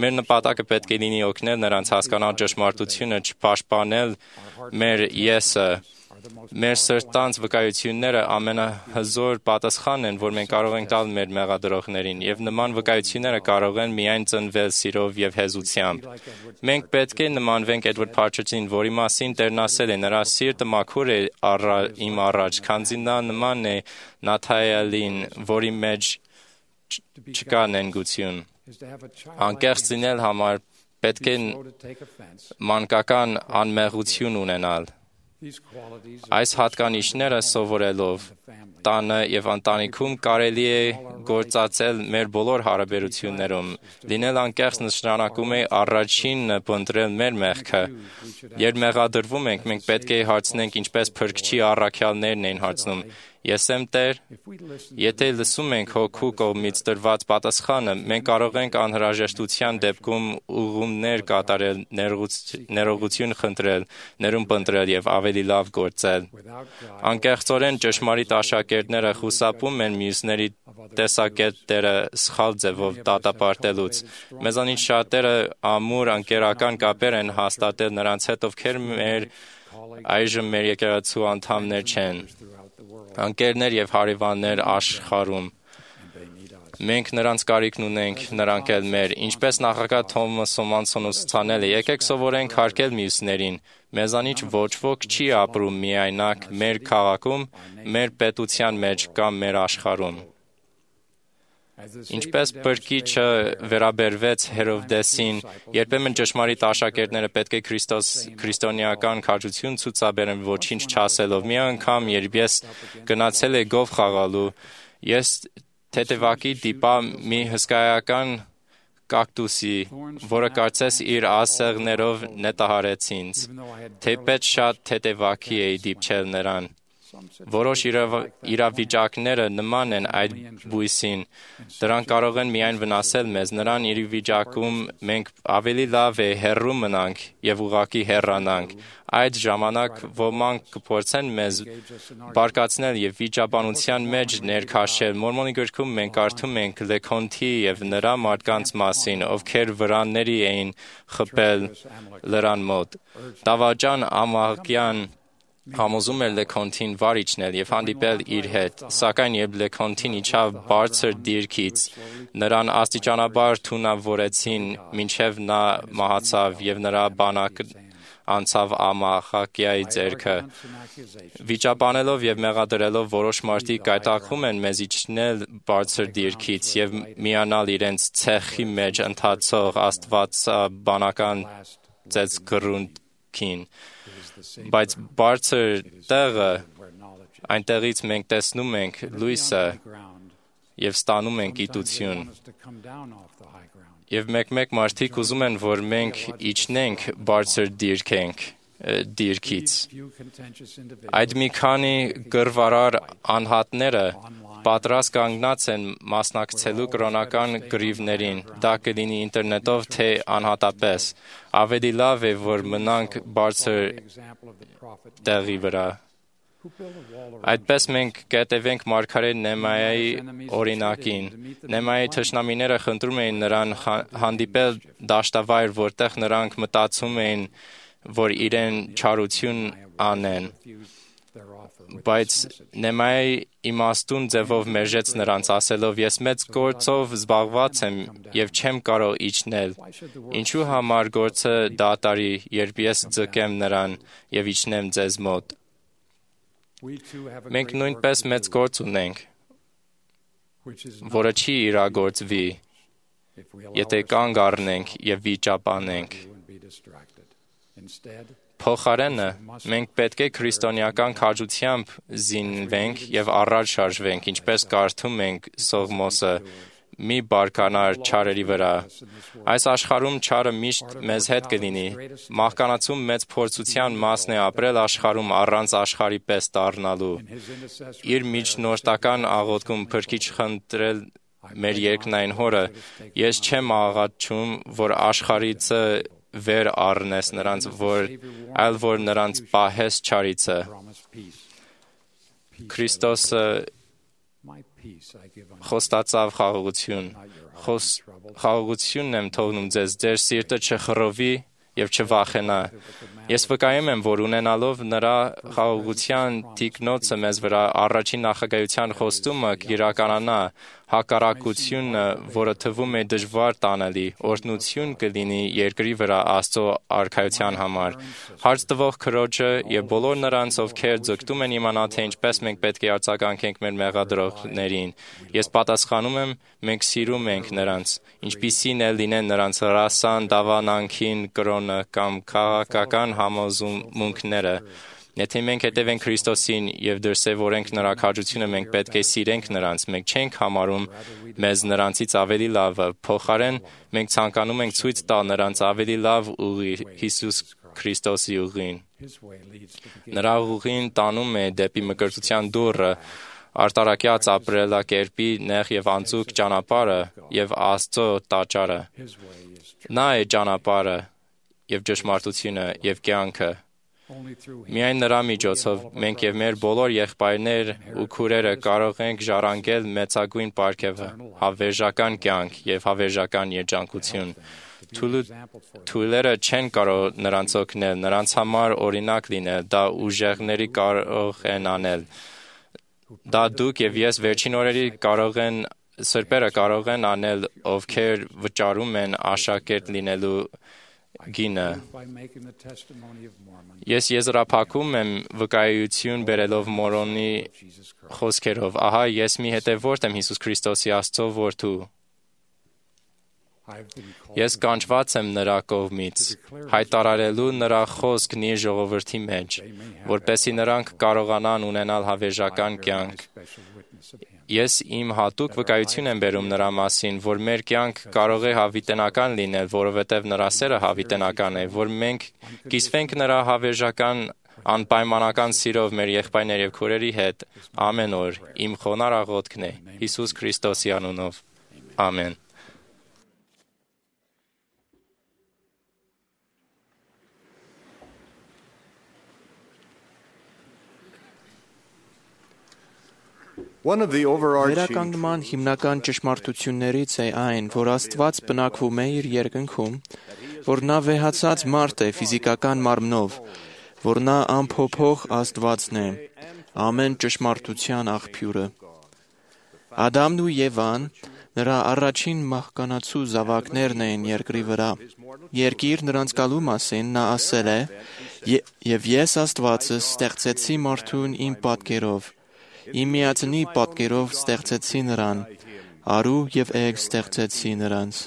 Մեր նպատակը պետք է լինի օգնել նրանց հասկանալ ճշմարտությունը, չպաշտպանել մեր եսը։ Մեր սրտանց վկայությունները ամենահզոր պատասխանն են, որ մենք կարող ենք տալ մեր մեղադրողներին, և նման վկայությունները կարող են միայն ծնվել սիրով և հեզությամբ։ Մենք պետք է նմանվենք Էդվարդ Փարչերին, որի մասին Տերն ասել է. նրա սիրտը մաքուր է իմ առաջ, քանզի նա նման է Նաթայելին, որի մեջ չկա նենգություն։ Անկեղծ լինել համար պետք է մանկական անմեղություն ունենալ։ Այս հատկանիշները սովորելով տանը և ընտանիքում կարելի է գործածել մեր բոլոր հարաբերություններում։ Լինել անկեղծ նշանակում է առաջինը փնտրել մեր մեղքը։ Երբ մեղադրվում ենք, մենք պետք է հարցնենք, ինչպես Փրկչի առաքյալներն էին հարցնում. Ես եմ Տեր։ Եթե լսում ենք Հոգու կողմից տրված պատասխանը, մենք կարող ենք անհրաժեշտության դեպքում ուղղումներ կատարել, ներողություն խնդրել, ներում փնտրել և ավելի լավ գործել։ Անկեղծորեն ճշմարիտ աշակերտները խուսափում են մյուսների տեսակետները սխալ ձևով դատապարտելուց։ Մեզանից շատերը ամուր ընկերական կապեր են հաստատել նրանց հետ, ովքեր մեր այժմ մեր եկեղեցու անդամներ չեն։ Ընկերներ և հարևաններ աշխարհում։ Մենք նրանց կարիքն ունենք, նրանք էլ մեր։ Ինչպես նախագահ Թոմաս Սոմանսոնը ցուցանել է, եկեք սովորենք հարգել մյուսներին։ Մեզանից ոչ ոք չի ապրում միայնակ մեր քաղաքում, մեր պետության մեջ կամ մեր աշխարհում։ Ինչպես Փրկիչը վերաբերվեց Հերովդեսին, երբեմն ճշմարիտ աշակերտները պետք է քրիստոնեական քաջություն ցուցաբերեն ոչինչ չասելով։ Մի անգամ, երբ ես գնացել էի գով խաղալու, ես թեթևակի դիպա մի հսկայական կակտուսի, որը կարծես իր ասեղներով նետահարեց ինձ, թեպետ շատ թեթևակի էի դիպչել նրան։ Որոշ իրավիճակները նման են այդ բույսին, դրանք կարող են միայն վնասել մեզ, նրան իրավիճակում մենք ավելի լավ է հեռու մնանք և ուղղակի հեռանանք։ Այդ ժամանակ ոմանք կփորձեն մեզ բարկացնել և վիճաբանության մեջ ներքաշել։ Մորմոնի գրքում մենք կարդում ենք Լեքոնթի և նրա մարդկանց մասին, ովքեր վրանների էին խփել լրան մոտ։ Դավաճան Ամաղյան համոզում էր Լեքոնթին վար իջնել և հանդիպել իր հետ, սակայն երբ Լեքոնթին իջավ բարձր դիրքից, նրան աստիճանաբար թունավորեցին, մինչև նա մահացավ, և նրա անցավ Ամախակիայի ձեռքը։ Վիճաբանելով եւ մեղադրելով որոշ մարդիկ կայտակվում են մեզ իջնել բարձր դիրքից եւ միանալ իրենց ցեխի մեջ ընթացող աստվածաբանական ծեծգռունքին, բայց բարձր տեղը, այնտեղից մենք տեսնում ենք լույսը եւ ստանում ենք գիտություն։ Եվ մեկ-մեկ մարդիկ ուզում են, որ մենք իջնենք բարձր դիրքենք դիրքից։ Այդ մի քանի գրվարար անհատները պատրաստ կանգնած են մասնակցելու կրոնական գրիվներին, դա կլինի ինտերնետով, թե անհատապես։ Ավելի լավ է, որ մնանք բարձր տեղի վրա։ Այդպես մենք կետևենք մարգարե Նեմայայի օրինակին։ Նեմայայի թշնամիները խնդրում էին նրան հանդիպել դաշտավայր, որտեղ նրանք մտածում էին, որ իրեն չարություն անեն։ Բայց Նեմայի իմաստուն ձևով մերժեց նրանց, ասելով. «Ես մեծ գործով զբաղված եմ եւ չեմ կարող իջնել։ Ինչու համար գործը դատարի, երբ ես ձգեմ նրան եւ իջնեմ ձեզ մոտ»։ Մենք նույնպես մեծ գործ ունենք, որը չի իրագործվի, եթե կանգ առնենք եւ վիճաբանենք։ Փոխարենը, մենք պետք է քրիստոնեական քաջությամբ զինվենք եւ առաջ շարժվենք, ինչպես կարդում ենք Սողմոսը. «Մի բարկանար չարերի վրա»։ Այս աշխարհում չարը միշտ մեզ հետ կլինի։ Մահկանացում մեծ փորձության մասն է ապրել աշխարհում առանց աշխարհի պես դառնալու։ Իր միջնորդական աղոթքում Փրկիչ խնդրել մեր երկնային Հորը. «Ես չեմ աղաչում, որ աշխարհիցը վեր առնես նրանց, որ այլ որ նրանց պահես չարիցը»։ Քրիստոսը խոստացավ խաղաղություն։ Խաղաղությունն եմ թողնում ձեզ, ձեր սիրտը չխռովի եւ չվախենա։ Ես վկայում եմ, որ ունենալով նրա խաղաղության թիկնոցը մեզ վրա, առաջին նախագահության խոստումը կիրականանա, հակառակությունը, որը թվում է դժվար տանելի, օրհնություն կլինի երկրի վրա Աստծո արքայության համար։ Հարց տվող Քրոջը եւ բոլոր նրանց, ովքեր ձգտում են իմանալ, թե ինչպես մենք պետք է արձագանքենք մեր մեղադրողներին, ես պատասխանում եմ. մենք սիրում ենք նրանց, ինչպիսին էլ լինեն նրանց ռասան, դավանանքին, կրոնը կամ քաղաքական համոզմունքները։ Եթե մենք հետևենք Քրիստոսին եւ դրսեւորենք նրա քաջությունը, մենք պետք է սիրենք նրանց, մենք չենք համարում մեզ նրանցից ավելի լավը, փոխարեն մենք ցանկանում ենք ցույց տալ նրանց ավելի լավ ուղի, Հիսուս Քրիստոսի ուղին։ Նրա ուղին տանում է դեպի մկրտության դուռը, արտարակյաց ապրելակերպի նեղ եւ անցուկ ճանապարհը եւ Աստծո տաճարը։ Նա է ճանապարհը եւ ճշմարտությունը եւ կյանքը։ Միայն նրա միջոցով մենք եւ մեր բոլոր եղբայրներ ու քուրերը կարող ենք ժառանգել մեծագույն պարգևը, հավերժական կյանք եւ հավերժական երջանկություն։ Թույլերը չեն կարող նրանց օգնել, նրանց համար օրինակ լինել, դա ուժեղների կարող են անել։ Դա դուք եւ ես վերջին օրերի կարող են սրբերը կարող են անել, ովքեր վճարում են աշակերտ լինելու գինը։ Ես եզրափակում եմ վկայություն բերելով Մորոնի խոսքերով. «Ահա ես մի հետևորդ եմ Հիսուս Քրիստոսի Աստծո որդու։ Ես կանչված եմ նրա կողմից, հայտարարելու նրա խոսքն իր ժողովրդի մեջ, որպեսզի նրանք կարողանան ունենալ հավերժական կյանք։ Ես իմ հատուկ վկայություն եմ բերում նրա մասին, որ մեր կյանք կարող է հավիտենական լինել, որովհետև նրա սերը հավիտենական է, որ մենք կիսվենք նրա հավերժական անպայմանական սիրով մեր եղբայրներ եւ քուրերի հետ ամեն օր։ Իմ խոնար աղոթքն է Հիսուս Քրիստոսի անունով։ Ամեն»։ Վերականգնման հիմնական ճշմարտություններից է այն, որ Աստված բնակվում է իր երկնքում, որ նա վեհացած մարդ է ֆիզիկական մարմնով, որ նա անփոփոխ Աստվածն է, ամեն ճշմարտության աղբյուրը։ Ադամն ու Եվան Նրա առաջին մահկանացու զավակներն էին երկրի վրա։ Երկիր նրանց գալու մասին նա ասել է. «Եվ ես Աստվածը ստեղծեցի մարդուն իմ պատկերով, իմ միածնի պատկերով ստեղծեցի նրան, արու և էգ ստեղծեցի նրանց»։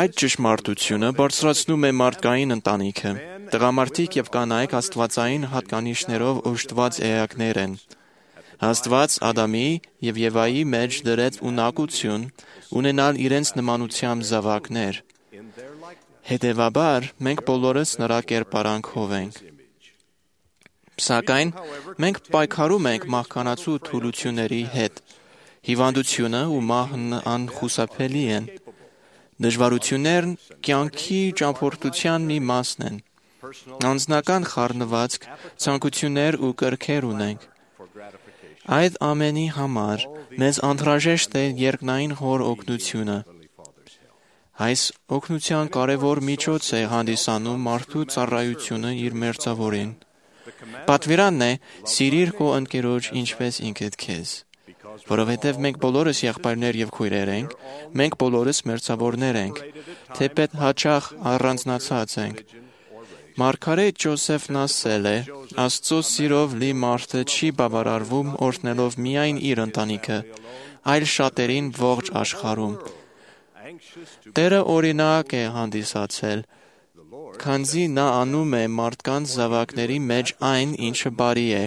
Այդ ճշմարտությունը բարձրացնում է մարդկային ընտանիքը։ Տղամարդիկ և կանայք աստվածային հատկանիշներով օժտված էակներ են։ Աստված Ադամի և Եվայի մեջ դրեց ունակություն ունենալ իրենց նմանությամբ զավակներ։ Հետևաբար, մենք բոլորս նրա կերպարանքով ենք։ Սակայն, մենք պայքարում ենք մահկանացու թուլությունների հետ։ Հիվանդությունը ու մահն անխուսափելի են։ Դժվարություններն կյանքի ճամփորդության մի մասն են։ Անձնական խառնվածք, ցանկություններ ու կրքեր ունենք։ Այդ ամենի համար մեզ անհրաժեշտ է երկնային Հոր օգնությունը։ Այս օգնության կարևոր միջոց է հանդիսանում մարդու ծառայությունը իր մերձավորին։ Պատվիրանն է սիրիր քո ընկերոջ ինչպես ինքդ քեզ։ Որովհետև մենք բոլորս եղբայրներ և քույրեր ենք, մենք բոլորս մերձավորներ ենք, թեպետ հաճախ առանձնացած ենք։ Մարգարետ Ջոսեֆն ասել է. «Աստծո սիրով լի մարդը չի բավարարվում օրհնելով միայն իր ընտանիքը, այլ շատերին ողջ աշխարհում»։ Տերը օրինակ է հանդիսացել, քանզի նա անում է մարդկանց զավակների մեջ այն, ինչը բարի է,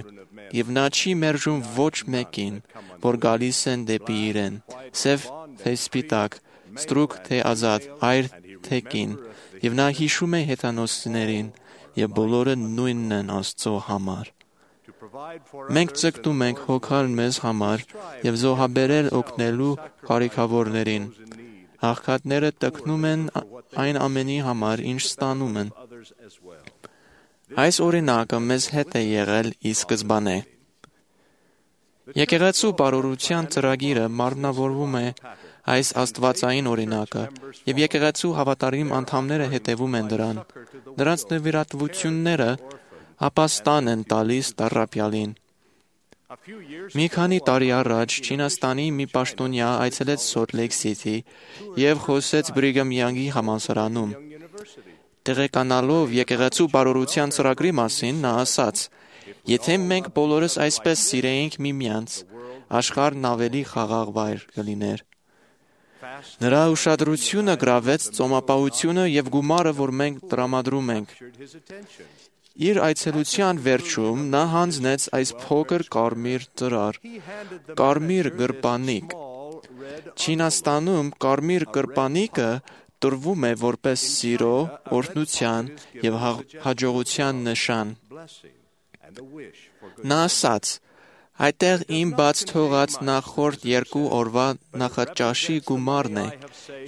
և նա չի մերժում ոչ մեկին, որ գալիս են դեպի իրեն, սև թե սպիտակ, ստրուկ թե ազատ, այր թե կին, և նա հիշում է հեթանոսներին, և բոլորը նույնն են Աստծո համար։ Մենք ձգտում ենք հոգալ մեզ համար և զոհաբերել օգնելու կարիքավորներին։ Աղքատները տքնում են այն ամենի համար, ինչ ստանում են։ Այս օրինակը մեզ հետ է եղել ի սկզբանե։ Եկեղեցու բարօրության ծրագիրը մարմնավորվում է այս աստվածային օրինակը, և եկեղեցու հավատարիմ անդամները հետևում են դրան։ Նրանց նվիրատվությունները ապաստան են տալիս տառապյալին։ Մի քանի տարի առաջ Չինաստանի մի պաշտոնյա այցելեց Սոլտ Լեյք Սիթի և խոսեց Բրիգհամ Յանգի համալսարանում։ Տեղեկանալով եկեղեցու բարօրության ծրագրի մասին, նա ասաց. «Եթե մենք բոլորս այսպես սիրեինք միմյանց, աշխարհն ավելի խաղաղ վայր կլիներ»։ Նրա ուշադրությունը գրավեց ծոմապահությունը և գումարը, որ մենք տրամադրում ենք։ Իր այցելության վերջում նա հանձնեց այս փոքր կարմիր ծրար՝ կարմիր գրպանիկ։ Չինաստանում կարմիր գրպանիկը տրվում է որպես սիրո, օրհնության և հաջողության նշան։ Նա ասաց. «Այդտեղ իմ բաց թողած նախորդ երկու օրվա նախաճաշի գումարն է։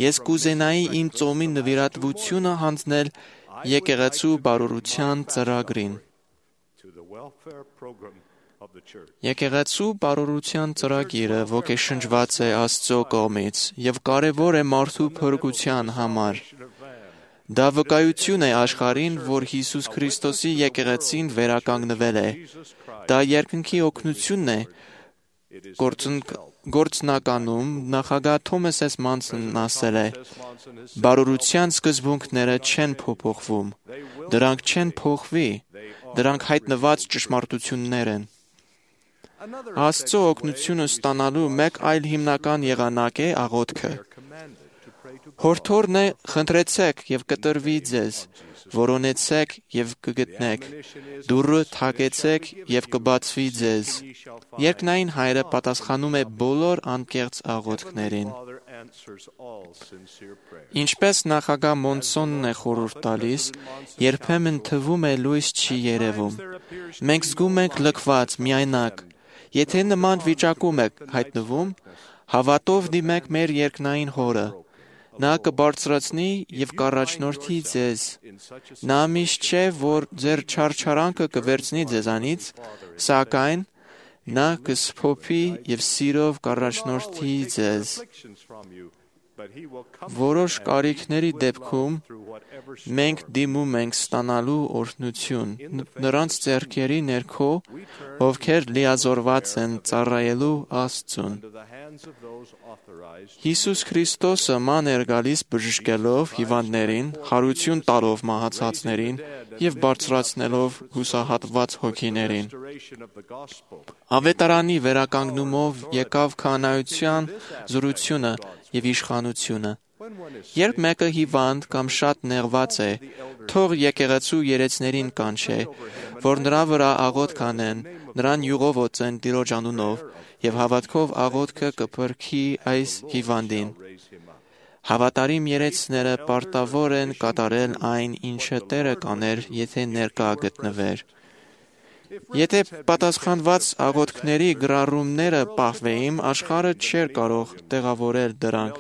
Ես կուզենայի իմ ծոմի նվիրատվությունը հանձնել եկեղեցու բարօրության ծրագրին»։ Եկեղեցու բարօրության ծրագիրը ոգեշնչված է Աստծո կողմից և կարևոր է մարդու փրկության համար։ Դա վկայություն է աշխարհին, որ Հիսուս Քրիստոսի եկեղեցին վերականգնվել է։ Դա երկնքի օգնությունն է։ Գործնականում նախագահ Թոմաս Էս Մանսոնն ասել է. «Բարօրության սկզբունքները չեն փոփոխվում, դրանք չեն փոխվի, դրանք հայտնված ճշմարտություններ են»։ Աստծո օգնությունը ստանալու մեկ այլ հիմնական եղանակ է աղոթքը։ Հորդորն է. «Խնդրեցեք և կտրվի ձեզ, որոնեցեք և կգտնեք, դուռը թակեցեք և կբացվի ձեզ»։ Երկնային Հայրը պատասխանում է բոլոր անկեղծ աղոթքներին։ Ինչպես նախագահ Մոնսոնն է խորհուրդ տալիս, երբեմն թվում է լույս չի երևում։ Մենք զգում ենք լքված, միայնակ։ Եթե նման վիճակում եք հայտնվում, հավատով դիմեք մեր երկնային Հորը։ Նա կբարձրացնի և կառաջնորդի ձեզ։ Նա միշտ չէ, որ ձեր չարչարանքը կվերցնի ձեզանից, սակայն նա կսփոփի և սիրով կառաջնորդի ձեզ։ Որոշ կարիքների դեպքում մենք դիմում ենք ստանալու օրհնություն նրանց ձեռքերի ներքո, ովքեր լիազորված են ծառայելու Աստծուն։ Հիսուս Քրիստոսը ման էր գալիս բժշկելով հիվանդներին, հարություն տալով մահացածներին և բարձրացնելով հուսահատված հոգիներին։ Ավետարանի վերականգնումով եկավ քահանայության զորությունը և իշխանությունը։ Երբ մեկը հիվանդ կամ շատ նեղված է, թող եկեղեցու երեցներին կանչե, որ նրա վրա աղոթք անեն, նրան յուղով օծեն Տիրոջ անունով և հավատքով աղոթքը կփրկի այս հիվանդին։ Հավատարիմ երեցները պարտավոր են կատարել այն, ինչը Տերը կաներ, եթե ներկա գտնվեր։ Եթե պատասխանված աղոթքների գրառումները պահվեին, աշխարհը չէր կարող տեղավորել դրանք։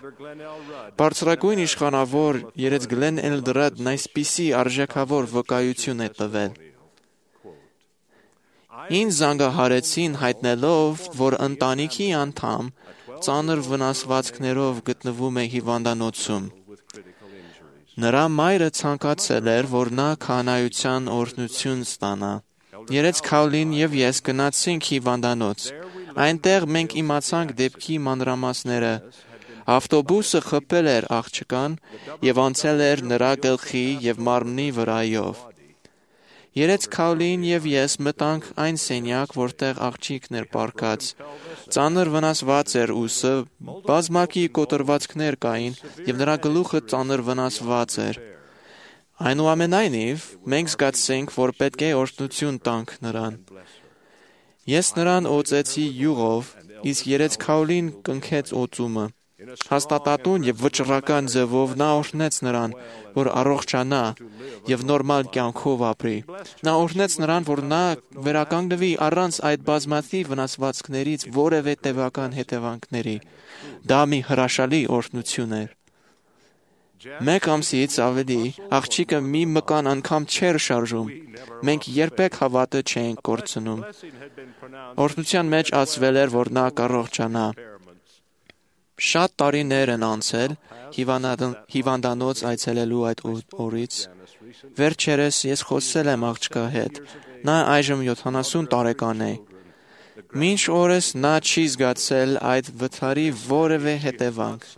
Բարձրագույն իշխանավոր երեց Գլեն Էլդրադն այսպիսի արժեքավոր վկայություն է տվել. Ինձ զանգահարեցին հայտնելով, որ ընտանիքի անդամ ծանր վնասվածքներով գտնվում է հիվանդանոցում։ Նրա մայրը ցանկացել էր, որ նա քահանայության օրհնություն ստանա։ Երեց Քավլին և ես գնացինք հիվանդանոց։ Այնտեղ մենք իմացանք դեպքի մանրամասները։ Ավտոբուսը խփել էր աղջկան և անցել էր նրա գլխի և մարմնի վրայով։ Երեց Քավլին և ես մտանք այն սենյակ, որտեղ աղջիկն էր պառկած։ Ծանր վնասված էր ուսը, բազմակի կոտրվածքներ կային և նրա գլուխը ծանր վնասված էր։ Այնուամենայնիվ, մենք զգացինք, որ պետք է օրհնություն տանք նրան։ Ես նրան օծեցի յուղով, իսկ երեց Քավլին կնքեց օծումը։ Հաստատատուն և վճռական ձևով նա օրհնեց նրան, որ առողջանա և նորմալ կյանքով ապրի։ Նա օրհնեց նրան, որ նա վերականգնվի առանց այդ բազմաթիվ վնասվածքներից որևէ տևական հետևանքների։ Դա մի հրաշալի օրհնություն էր։ Մեկ ամսից ավելի աղջիկը մի մկան անգամ չէր շարժում։ Մենք երբեք հավատը չէինք կորցնում։ Օրհնության մեջ ասվել էր, որ նա կառողջանա։ Շատ տարիներ են անցել հիվանդանոց այցելելու այդ օրից։ Վերջերս ես խոսել եմ աղջկա հետ։ Նա այժմ յոթանասուն տարեկան է։ Մինչ օրս նա չի զգացել այդ վթարի որևէ հետևանք։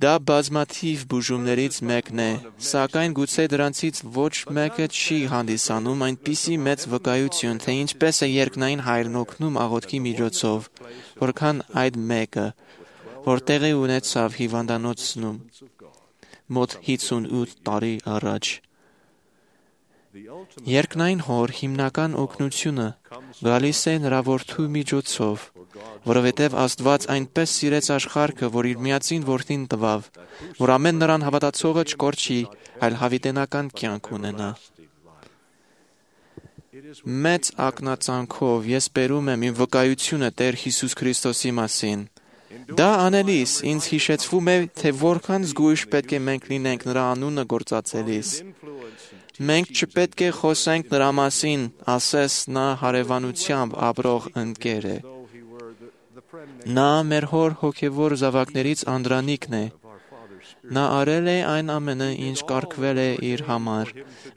Դա բազմաթիվ բուժումներից մեկն է, սակայն գուցե դրանցից ոչ մեկը չի հանդիսանում այնպիսի մեծ վկայություն, թե ինչպես է երկնային Հայրն օգնում աղոթքի միջոցով, որքան այդ մեկը, որ տեղի ունեցավ հիվանդանոցում մոտ հիսունութ տարի առաջ։ Երկնային Հոր հիմնական օգնությունը գալիս է նրա Որդու միջոցով, որովհետև Աստված այնպես սիրեց աշխարհը, որ իր միածին Որդին տվավ, որ ամեն նրան հավատացողը չկորչի, այլ հավիտենական կյանք ունենա։ Մեծ ակնածանքով ես բերում եմ իմ վկայությունը Տեր Հիսուս Քրիստոսի մասին։ Դա անելիս ինձ հիշեցվում է, թե որքան զգույշ պետք է մենք լինենք նրա անունը գործածելիս։ Մենք չպետք է խոսենք նրա մասին, ասես նա հարևանությամբ ապրող ընկեր է։ Նա մեր հոր հոգևոր զավակներից անդրանիկն է։ Նա արել է այն ամենը, ինչ կարգվել է իր համար,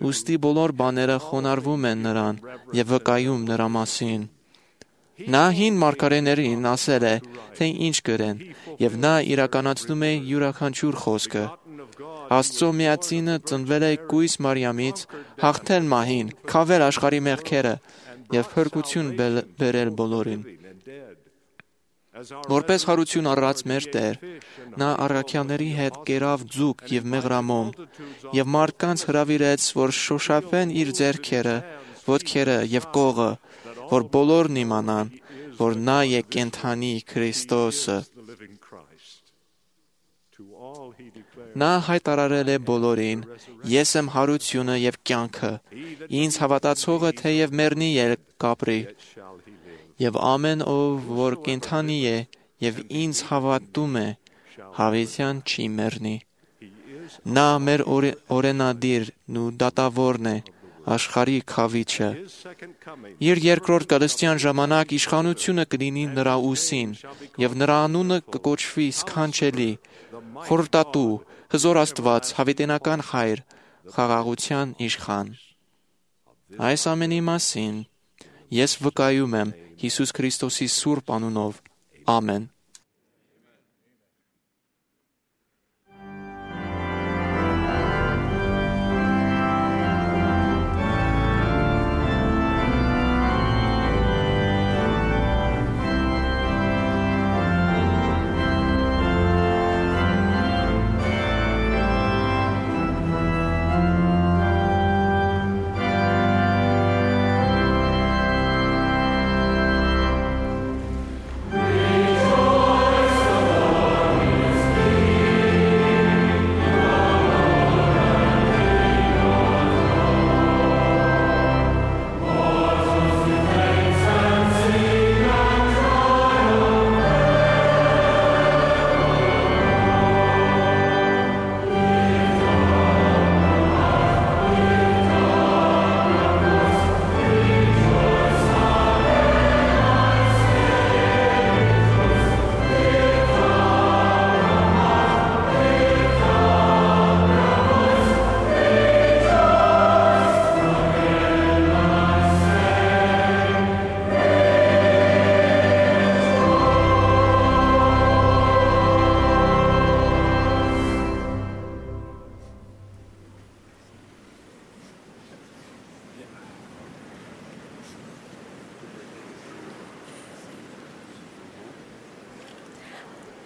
ուստի բոլոր բաները խոնարհվում են նրան և վկայում նրա մասին։ Նա հին մարգարեներին ասել է, թե ինչ գրեն, և նա իրականացնում է յուրաքանչյուր խոսքը։ Աստծո միածինը ծնվել է կույս Մարիամից, հաղթել մահին, քավել աշխարհի մեղքերը և փրկություն բերել բոլորին։ Որպես հարություն առած մեր Տեր, նա առաքյալների հետ կերավ ձուկ և մեղրամոմ և մարդկանց հրավիրեց, որ շոշափեն իր ձեռքերը, ոտքերը և կողը, որ բոլորն իմանան, որ նա է կենդանի Քրիստոսը։ Նա հայտարարել է բոլորին. «Ես եմ հարությունը և կյանքը, ինձ հավատացողը թեև մեռնի էլ կապրի, և ամեն ով, որ կենդանի է և ինձ հավատում է, հավիտյան չի մեռնի»։ Նա մեր օրենադիրն ու դատավորն է, աշխարհի քավիչը։ Իր երկրորդ գալստյան ժամանակ իշխանությունը կլինի նրա ուսին, եւ նրա անունը կկոչվի սքանչելի, խորհրդատու, հզոր Աստված, հավիտենական Հայր, խաղաղության իշխան։ Այս ամենի մասին ես վկայում եմ Հիսուս Քրիստոսի սուրբ անունով։ Ամեն։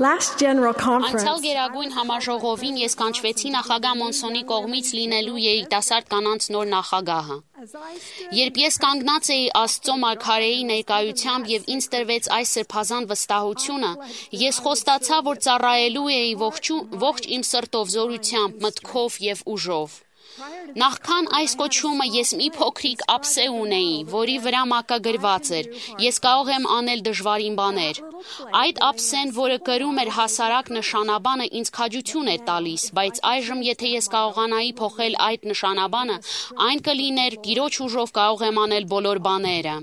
Last General Conference, Անցյալ գերագույն համաժողովին ես կանչվեցի նախագահ Մոնսոնի կողմից լինելու երիտասարդ կանանց նոր նախագահը։ Երբ ես կանգնած էի Աստծո մարգարեի ներկայությամբ եւ ինձ տրվեց այս սրբազան վստահությունը, ես խոստացա, որ ծառայելու էի ողջ իմ սրտով, զորությամբ, մտքով եւ ուժով։ Նախքան այս կոչումը ես մի փոքրիկ ափսե ունեի, որի վրա մակագրված էր. ես կարող եմ անել դժվարին բաներ։ Այդ ափսեն, որը կրում էր հասարակ նշանաբանը, ինձ քաջություն էր տալիս, բայց այժմ եթե ես կարողանայի փոխել այդ նշանաբանը, այն կլիներ Տիրոջ ուժով կարող եմ անել բոլոր բաները։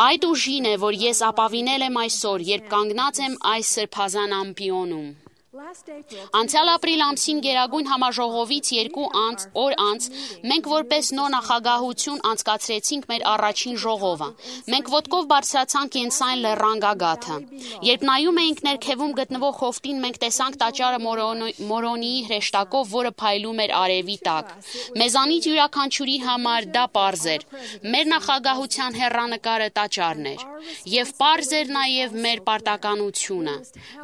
Այդ ուժին է, որ ես ապավինել եմ այսօր, երբ կանգնած եմ այս սրբազան ամբիոնում։ Անցյալ ապրիլ ամսին գերագույն համաժողովից երկու անց, օր անց, մենք որպես նոր նախագահություն անցկացրեցինք մեր առաջին ժողովը։ Մենք ոտքով բարձրացանք Կենսայն լեռան գագաթը։ Երբ նայում էինք ներքևում գտնվող հովտին, մենք տեսանք տաճարը Մորոնիի հրեշտակով, որը փայլում էր արևի տակ։ Մեզանից յուրաքանչյուրի համար դա պարզ էր։ Մեր նախագահության հեռանկարը տաճարն էր։ Եվ պարզ էր նաև մեր պարտականությունը։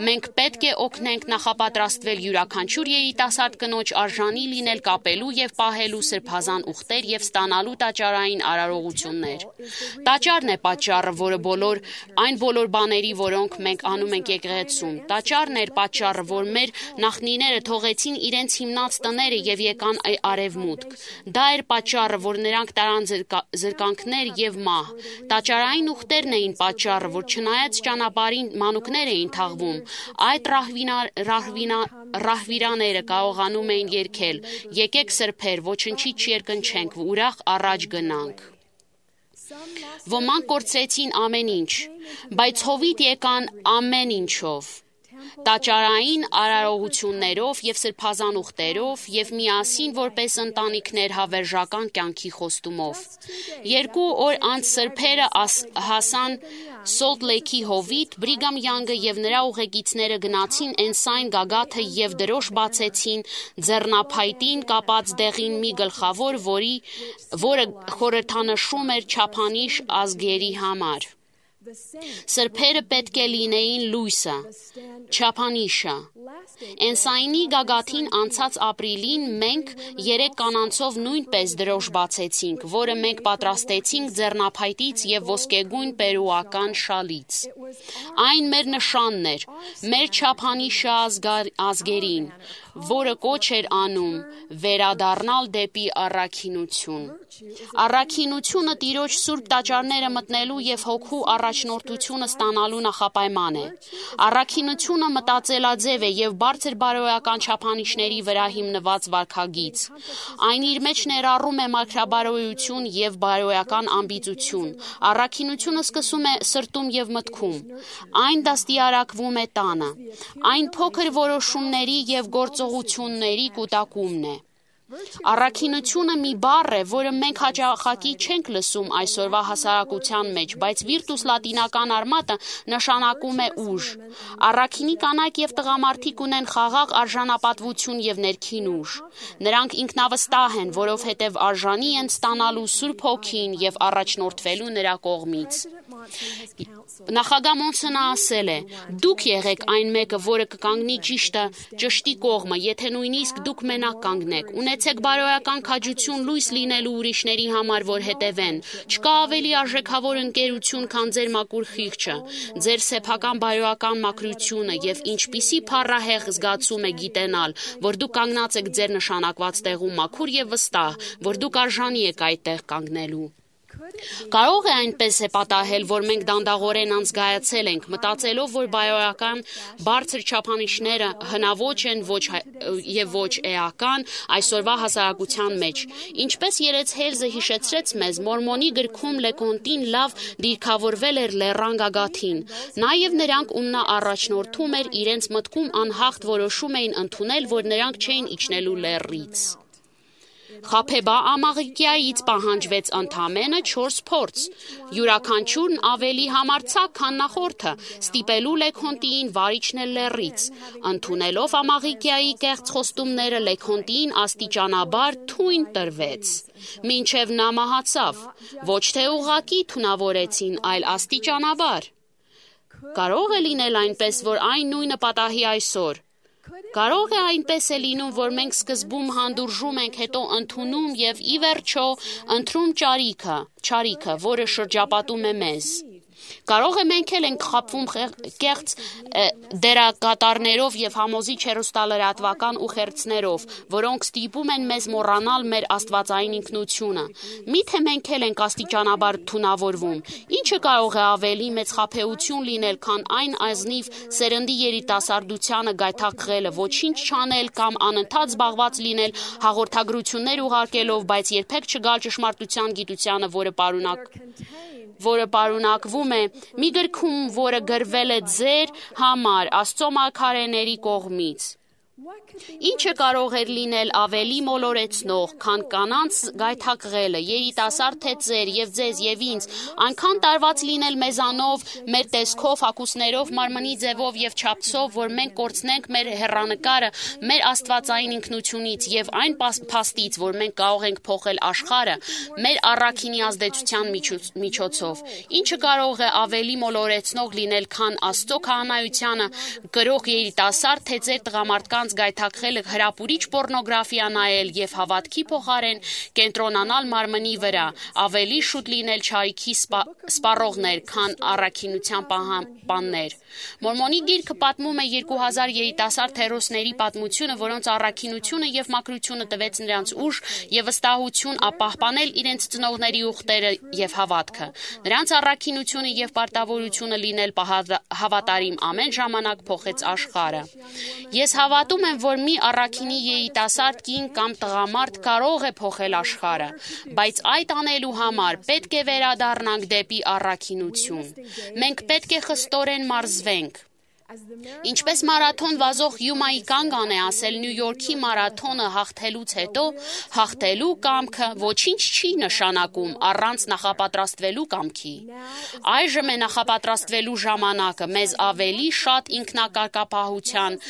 Մենք պետք է օգնենք նախապատրաստվել յուրաքանչյուր երիտասարդ կնոջ արժանի լինել կապելու եւ պահելու սրբազան ուխտեր եւ ստանալու տաճարային արարողություններ։ Տաճարն է պատճառը, որը բոլոր այն բոլոր բաների, որոնք մենք անում ենք եկեղեցում։ Տաճարն էր պատճառը, որ մեր նախնիները թողեցին իրենց հիմնած տները եւ եկան արևմուտք։ Դա էր պատճառը, որ նրանք տարան զրկանքներ եւ մահ։ Տաճարային ուխտերն էին պատճառը, որ չնայած ճանապարհին մանուկներ էին թաղվում, այդ ռահվիրաները կարողանում էին երգել. «Եկեք սրբեր, ոչնչից չերկնչենք, ուրախ առաջ գնանք»։ Ոմանք կորցրեցին ամեն ինչ, բայց հովիտ եկան ամեն ինչով։ Տաճարային արարողություններով եւ սրբազան ուխտերով եւ միասին որպես ընտանիքներ հավերժական կյանքի խոստումով։ Երկու օր անց սրբերը հասան Սոլտ Լեյքի հովիտ, Բրիգամ Յանգը եւ նրա ուղեկիցները գնացին Էնսայն գագաթը եւ դրոշ բացեցին ձեռնափայտին կապած դեղին մի գլխավոր, որի որը խորհրդանշում էր չափանիշ ազգերի համար։ Սրբերը պետք է լինեին լույսը, չափանիշը։ Էնսայնի գագաթին անցած ապրիլին մենք երեք կանանցով նույնպես դրոշ բացեցինք, որը մենք պատրաստեցինք ձեռնափայտից եւ ոսկեգույն պերուական շալից։ Այն մեր նշանն էր, մեր չափանիշը ազգերին։ որը կոչ էր անում վերադառնալ դեպի առաքինություն։ Առաքինությունը Տիրոջ սուրբ տաճարները մտնելու եւ հոգու առաջնորդությունը ստանալու նախապայման է։ Առաքինությունը մտածելաձև է եւ բարձր բարոյական չափանիշների վրա հիմնված վարքագիծ։ Այն իր մեջ ներառում է մաքրաբարոյություն եւ բարոյական ամբիծություն։ Առաքինությունը սկսում է սրտում եւ մտքում։ Այն դաստիարակվում է տանը։ Այն փոքր որոշումների եւ գործողությունների կուտակումն է։ Առաքինությունը մի բառ է, որը մենք հաճախակի չենք լսում այսօրվա հասարակության մեջ, բայց վիրտուս լատինական արմատը նշանակում է ուժ։ Առաքինի կանայք եւ տղամարդիկ ունեն խաղաղ արժանապատվություն եւ ներքին ուժ։ Նրանք ինքնավստահ են, որովհետեւ արժանի են ստանալու Սուրբ Հոգին եւ առաջնորդվելու նրա կողմից։ Նախագահ Մոնսոնը ասել է. «Դուք եղեք այն մեկը, որը կկանգնի ճիշտը ճշտի կողմը, եթե նույնիսկ դուք մենակ կանգնեք։ Ունեցեք բարոյական քաջություն լույս լինելու ուրիշների համար, որ հետևեն։ Չկա ավելի արժեքավոր ընկերություն, քան ձեր մաքուր խիղճը, ձեր սեփական բարոյական մաքրությունը եւ ինչպիսի փառահեղ զգացում է գիտենալ, որ դուք կանգնած եք ձեր նշանակված տեղում մաքուր եւ վստահ, որ դուք արժանի եք այդտեղ կանգնելու։ Կարող է այնպես է պատահել, որ մենք դանդաղորեն անզգայացել ենք, մտածելով, որ բարոյական բարձր չափանիշները հնաոճ են ոչ եւ ոչ էական այսօրվա հասարակության մեջ։ Ինչպես Երեց Հելզը հիշեցրեց մեզ, Մորմոնի գրքում Լեկոնտին լավ դիրքավորվել էր լեռան գագաթին։ Նաեւ նրանք, ում նա առաջնորդում էր, իրենց մտքում անհաղթ որոշում էին ընդունել, որ նրանք չէին իջնելու լեռից։ Խաբեբա Ամաղիկյայից պահանջվեց ընդամենը չորս փորձ։ Յուրաքանչյուրն ավելի համարձակ, քան նախորդը, ստիպելու Լեքոնտիին վար իջնել լեռից։ Ընդունելով Ամաղիկյայի կեղծ խոստումները, Լեքոնտիին աստիճանաբար թույն տրվեց, մինչև նա մահացավ։ Ոչ թե ուղղակի թունավորեցին, այլ աստիճանաբար։ Կարող է լինել այնպես, որ այն նույնը պատահի այսօր։ Կարող է այնպես է լինում, որ մենք սկզբում հանդուրժում ենք, հետո ընդունում եւ ի վերջո ընտրում ճարիքը, ճարիքը, որը շրջապատում է մեզ։ Կարող է մենք էլ ենք խաբվում կեղծ դերակատարներով եւ համոզիչ հեռուստալրատվական ուղերձներով, որոնք ստիպում են մեզ մոռանալ մեր աստվածային ինքնությունը։ Միթե մենք էլ ենք աստիճանաբար թունավորվում։ Ինչը կարող է ավելի մեծ խաբեություն լինել, քան այն ազնիվ սերնդի երիտասարդությանը գայթակղելը, ոչինչ չանել կամ անընդհատ զբաղված լինել հաղորդագրություններ ուղարկելով, բայց երբեք չգալ ճշմարտության գիտությանը, որը պարունակ որը պարունակվում է մի գրքում, որը գրվել է ձեր համար Աստծո մարգարեների կողմից։ Ինչը կարող էր լինել ավելի մոլորեցնող, քան կանանց գայթակղելը, երիտասարդ թե ձեր եւ ձեզ եւ ինձ, այնքան տարված լինել մեզանով, մեր տեսքով, հագուստներով, մարմնի ձևով եւ չափսով, որ մենք կորցնենք մեր հեռանկարը, մեր աստվածային ինքնությունից եւ այն փաստից, որ մենք կարող ենք փոխել աշխարհը մեր առաքինի ազդեցության միջոցով։ Ինչը կարող է ավելի մոլորեցնող լինել, քան Աստծո քահանայությանը գրող երիտասարդ թե ձեր տղամարդկանց գայթակղել հրապուրիչ պոռնոգրաֆիա նայել եւ հավատքի փոխարեն կենտրոնանալ մարմնի վրա, ավելի շուտ լինել չարիքի սպառողներ, քան առաքինության պահապաններ։ Մորմոնի գիրքը պատմում է երկու հազար երիտասարդ հերոսների պատմությունը, որոնց առաքինությունը եւ մաքրությունը տվեց նրանց ուժ եւ վստահություն ապահպանել իրենց ծնողների ուխտերը եւ հավատքը։ Նրանց առաքինությունը եւ պարտավորությունը լինել հավատարիմ ամեն ժամանակ փոխեց աշխարհը։ Ես հավատում եմ, որ մի առաքինի երիտասարդ կին կամ տղամարդ կարող է փոխել աշխարհը, բայց այդ անելու համար պետք է վերադառնանք դեպի առաքինություն։ Մենք պետք է խստորեն մարզվենք։ Ինչպես մարաթոն վազող Յումայի Կանգան է ասել Նյու Յորքի մարաթոնը հաղթելուց հետո, հաղթելու կամքը ոչինչ չի նշանակում առանց նախապատրաստվելու կամքի։ Այժմ է նախապատրաստվելու ժամանակը մեզ ավելի շատ ինքնակարգապահության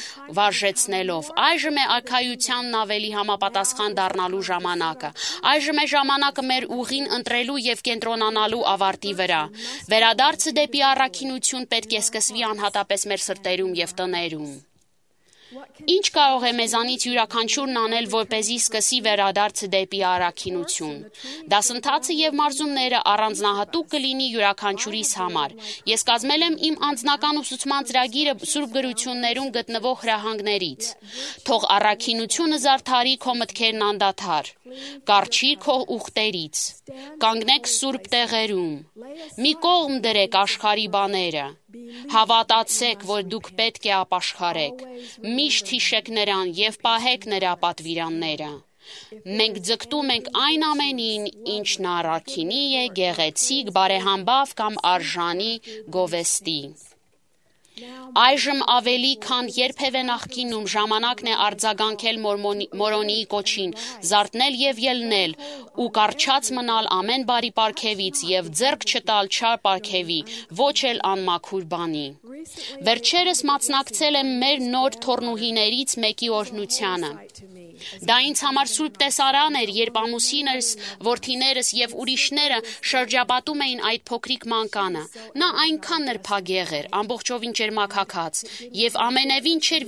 վարժեցնելով։ Այժմ է արքայությանն ավելի համապատասխան դառնալու ժամանակը։ Այժմ է ժամանակը մեր ուղին ընտրելու եւ կենտրոնանալու ավարտի վրա։ Վերադարձը դեպի առաքինություն պետք է սկսվի անհատապես մեր սրտերում եւ տներում։ Ինչ կարող է մեզանից յուրաքանչյուրն անել, որպեսզի սկսի վերադարձը դեպի առաքինություն։ Դասընթացը եւ մարզումները առանձնահատուկ կլինի յուրաքանչյուրիս համար։ Ես կազմել եմ իմ անձնական ուսուցման ծրագիրը Սուրբ գրություններում գտնվող հրահանգներից։ Թող առաքինությունը զարդարի քո մտքերն անդադար։ Կառչիր քո ուխտերից։ Կանգնեք սուրբ տեղերում։ Մի կողմ դրեք աշխարհի բաները։ Հավատացեք, որ դուք պետք է ապաշխարեք։ Միշտ հիշեք նրան եւ պահեք նրա պատվիրանները։ Մենք ձգտում ենք այն ամենին, ինչն առաքինի է, գեղեցիկ, բարեհամբավ կամ արժանի գովեստի։ Այժմ ավելի քան երբևէ նախկինում ժամանակն է արձագանքել Մորոնիի կոչին, զարթնել եւ ելնել ու կառչած մնալ ամեն բարի պարգևից եւ ձեռք չտալ չար պարգևի, ոչ էլ անմաքուր բանի։ Վերջերս մասնակցել եմ մեր նոր թոռնուհիներից մեկի օրհնությանը։ Դա ինձ համար սուրբ տեսարան էր, երբ ամուսինս, որդիներս եւ ուրիշները շրջապատում էին այդ փոքրիկ մանկանը։ Նա այնքան նրբագեղ էր, ամբողջովին ջերմաքաքած, եւ ամենևին չէր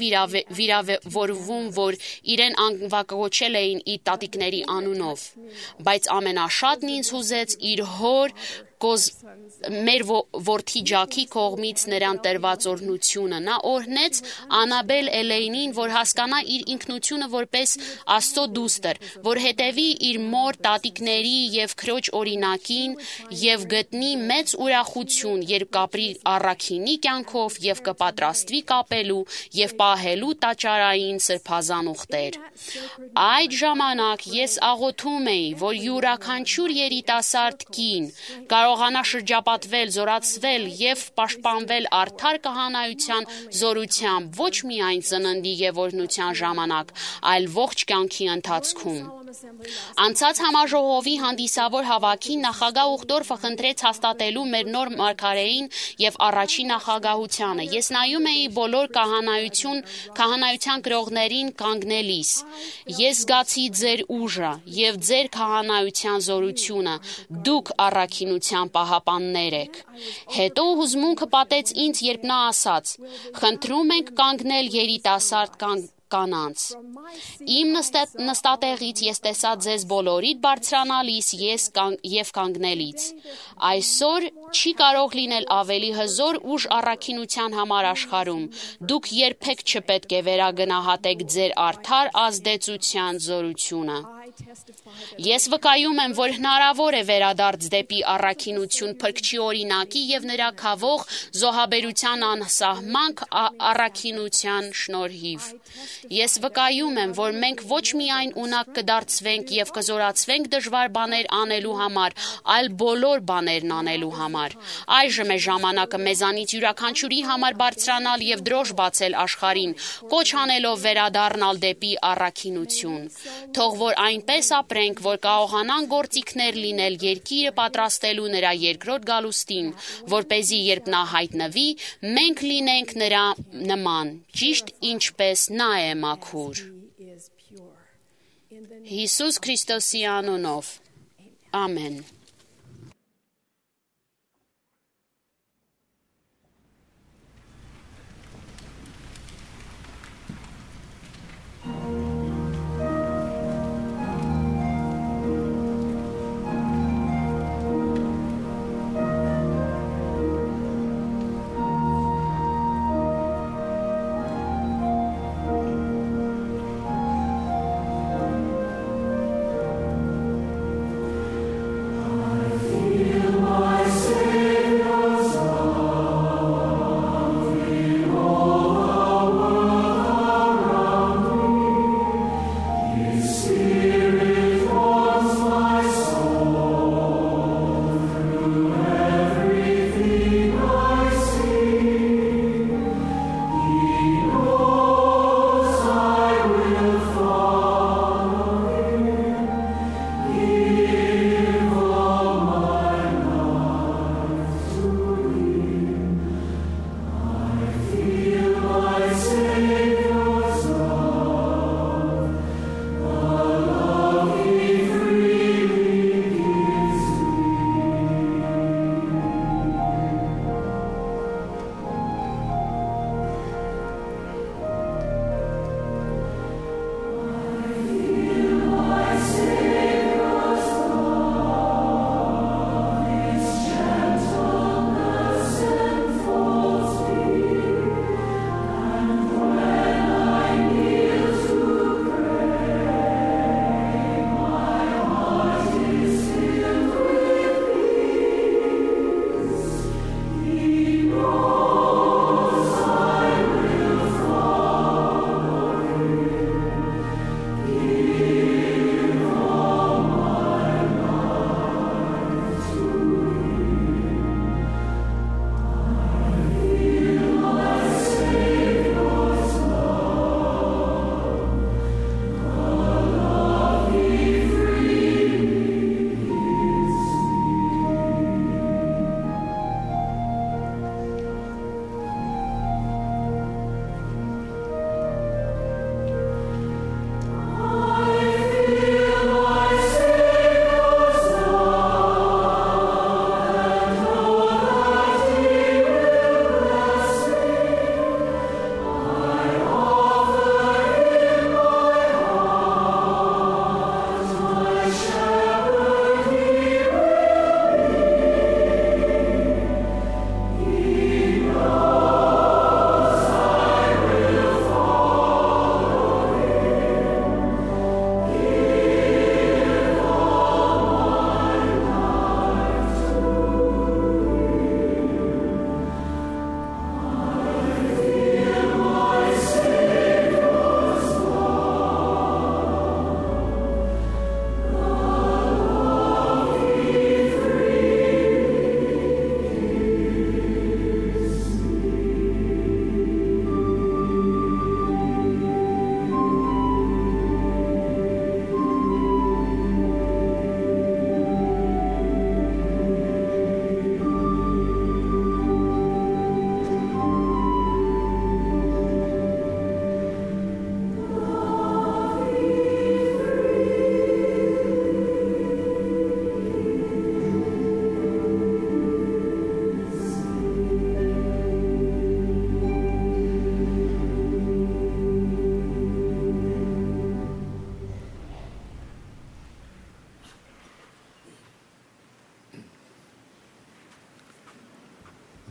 վիրավորվում, որ իրեն անվակոչել էին իր տատիկների անունով, բայց ամենաշատն ինձ հուզեց իր հոր Կոզ մեր որդի Ջաքի կողմից նրան տրված օրհնությունը։ Նա օրհնեց Անաբել Էլեյնին, որ հասկանա իր ինքնությունը որպես Աստծո դուստր, որ հետևի իր մոր տատիկների եւ քրոջ օրինակին եւ գտնի մեծ ուրախություն, երբ կապրի առաքինի կյանքով եւ կպատրաստվի կապելու եւ պահելու տաճարային սրբազան ուխտեր։ Այդ ժամանակ ես աղոթում էի, որ յուրաքանչյուր երիտասարդ կին կարողանա շրջապատվել, զորացվել եւ պաշտպանվել արդար կահանայության զորությամբ ոչ միայն ծննդի եւ օրհնության ժամանակ, այլ ողջ կյանքի ընթացքում։ Անցած համաժողովի հանդիսավոր հավաքին նախագահ Ուխտորֆը խնդրեց հաստատելու մեր նոր մարգարեին եւ առաջին նախագահությանը։ Ես նայում էի բոլոր կահանայություն, կահանայության գրողներին կանգնելիս։ Ես զգացի ձեր ուժը եւ ձեր կահանայության զորությունը։ Դուք առաքինության պահապաններ եք։ Հետո հուզմունքը պատեց ինձ, երբ նա ասաց. «Խնդրում ենք կանգնել երիտասարդ կանգ կանանց։ Իմ նստատեղից ես տեսա ձեզ բոլորիդ բարձրանալիս ես եւ կանգնելից։ Այսօր չի կարող լինել ավելի հզոր ուժ առաքինության համար աշխարհում։ Դուք երբեք չպետք է վերագնահատեք ձեր արդար ազդեցության զորությունը։ Ես վկայում եմ, որ հնարավոր է վերադարձ դեպի առաքինություն Փրկչի օրինակի եւ նրա քավող զոհաբերության անսահման առաքինության շնորհիվ։ Ես վկայում եմ, որ մենք ոչ միայն ունակ կդարձվենք եւ կզորացվենք դժվար բաներ անելու համար, այլ բոլոր բաներն անելու համար։ Այժմ է ժամանակը մեզանից յուրաքանչյուրի համար բարձրանալ եւ դրոշ բացել աշխարհին, կոչ անելով վերադառնալ դեպի առաքինություն։ Թող որ այնպես ապրենք, որ կարողանան գործիքներ լինել երկիրը պատրաստելու նրա երկրորդ գալուստին, որպեսզի երբ նա հայտնվի, մենք լինենք նրա նման, ճիշտ ինչպես նա է մաքուր։ Հիսուս Քրիստոսի անունով։ Ամեն։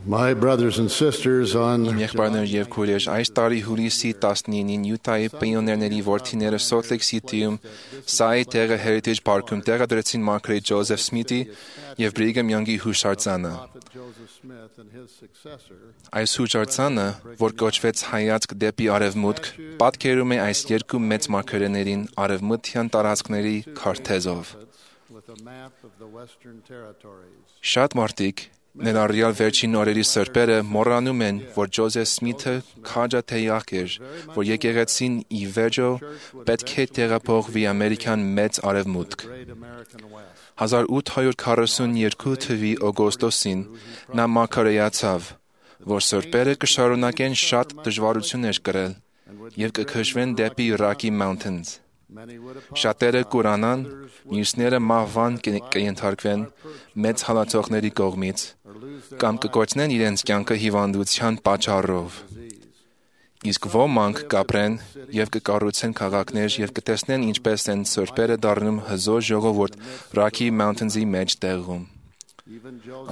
My brothers and sisters, on Իմ եղբայրներ եւ քույրեր, այս տարի հուլիսի տասնինին Յուտայի պիոներների որդիները Salt Lake City-ում Սայի տեղը Heritage Park-ում տեղադրեցին մարգարետ Ջոզեֆ Սմիթի եւ Բրիգեմ Յոնգի հուշարձանը։ Այս հուշարձանը, որ կոչվեց Հայացք դեպի արևմուտք, պատկերում է այս երկու մեծ մարգարեներին արևմտյան տարածքների քարտեզով։ Շատ մարդիկ ներառյալ վերջին օրերի սրբերը մոռանում են, որ Ջոզեֆ Սմիթը քաջատեյակ էր, որ եկեղեցին ի վերջո պետք է տեղափոխվի Ամերիկան մեծ արևմուտք։ հազար ութ հարյուր քառասունյոթ թվականի օգոստոսին նա մարգարեացավ, որ սրբերը կշարունակեն շատ դժվարություններ կրել եւ կքշվեն դեպի Rocky Mountains։ Շատերը կուրանան, մյուսները մահվան կենթարկվեն մեծ հալածողների կողմից կամ կկորցնեն իրենց կյանքը հիվանդության պատճառով։ Իսկ ոմանք կապրեն եւ կկառուցեն քաղաքներ եւ կտեսնեն ինչպես են սրբերը դառնում հզոր ժողովուրդ Rocky Mountains-ի մեջ տեղում։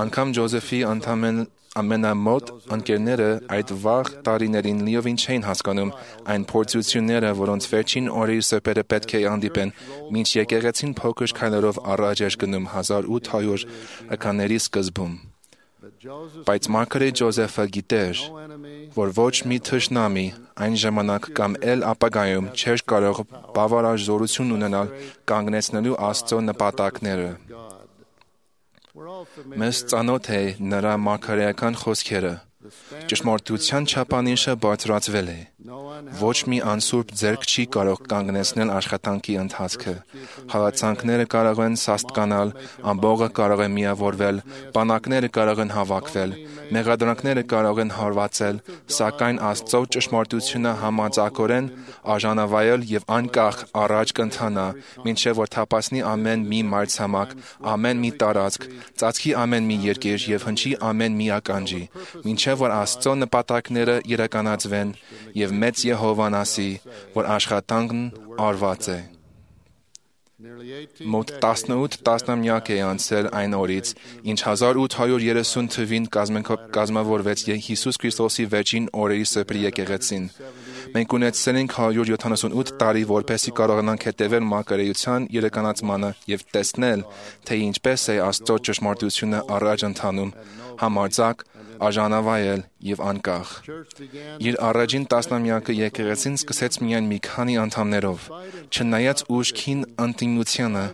Անկամ Ջոզեֆի անդամեն ամենամոտ ընկերները այդ վաղ տարիներին լիովին չէին հասկանում այն փորձությունները, որոնց վերջին օրերի սրբերը պետք է հանդիպեն, մինչ եկեղեցին փոքր քայլերով առաջ էր գնում հազար ութ հարյուրականների սկզբում։ Բայց մարգարետ Ջոզեֆը գիտեր, որ ոչ մի թշնամի այն ժամանակ կամ էլ ապագայում չէր կարող բավարար զորություն ունենալ կանգնեցնելու Աստծո նպատակները։ Մեզ ծանոթ է նրա մարգարեական խոսքերը. ճշմարտության չափանիշը բարձրացվել է։ Ոչ մի անսուրբ ձեռք չի կարող կանգնեցնել աշխատանքի ընթացքը։ Հալածանքները կարող են սաստկանալ, ամբողը կարող է միավորվել, բանակները կարող են հավաքվել, մեղադրանքները կարող են հարվածել, սակայն Աստծո ճշմարտությունը համաձակորեն արժանավայել եւ անկախ առաջ կընթանա, մինչեւ որ թափանցի ամեն մի մայրցամաք, ամեն մի տարածք, ծածկի ամեն մի երկիր եւ հնչի ամեն մի ականջի, մինչեւ որ Աստծո նպատակները իրականացվեն եւ մեծ Եհովան ասի, որ աշխատանքն արված է։ Մոտ տասնութ տասնամյակ է անցել այն օրից, ինչ հազար ութ հարյուր երեսուն թվականին կազմավորվեց Հիսուս Քրիստոսի վերջին օրերի սրբի եկեղեցին։ Մենք ունեցել ենք հարյուր յոթանասունութ տարի, որպեսզի կարողանանք հետևել մարգարեության իրականացմանը եւ տեսնել, թե ինչպես է Աստծո ճշմարտությունը առաջ ընթանում, համարձակ, արժանավայել եւ անկախ։ Իր առաջին տասնամյակը եկեղեցին սկսեց միայն մի քանի անդամներով, չնայած ուժքին ընդդիմությանը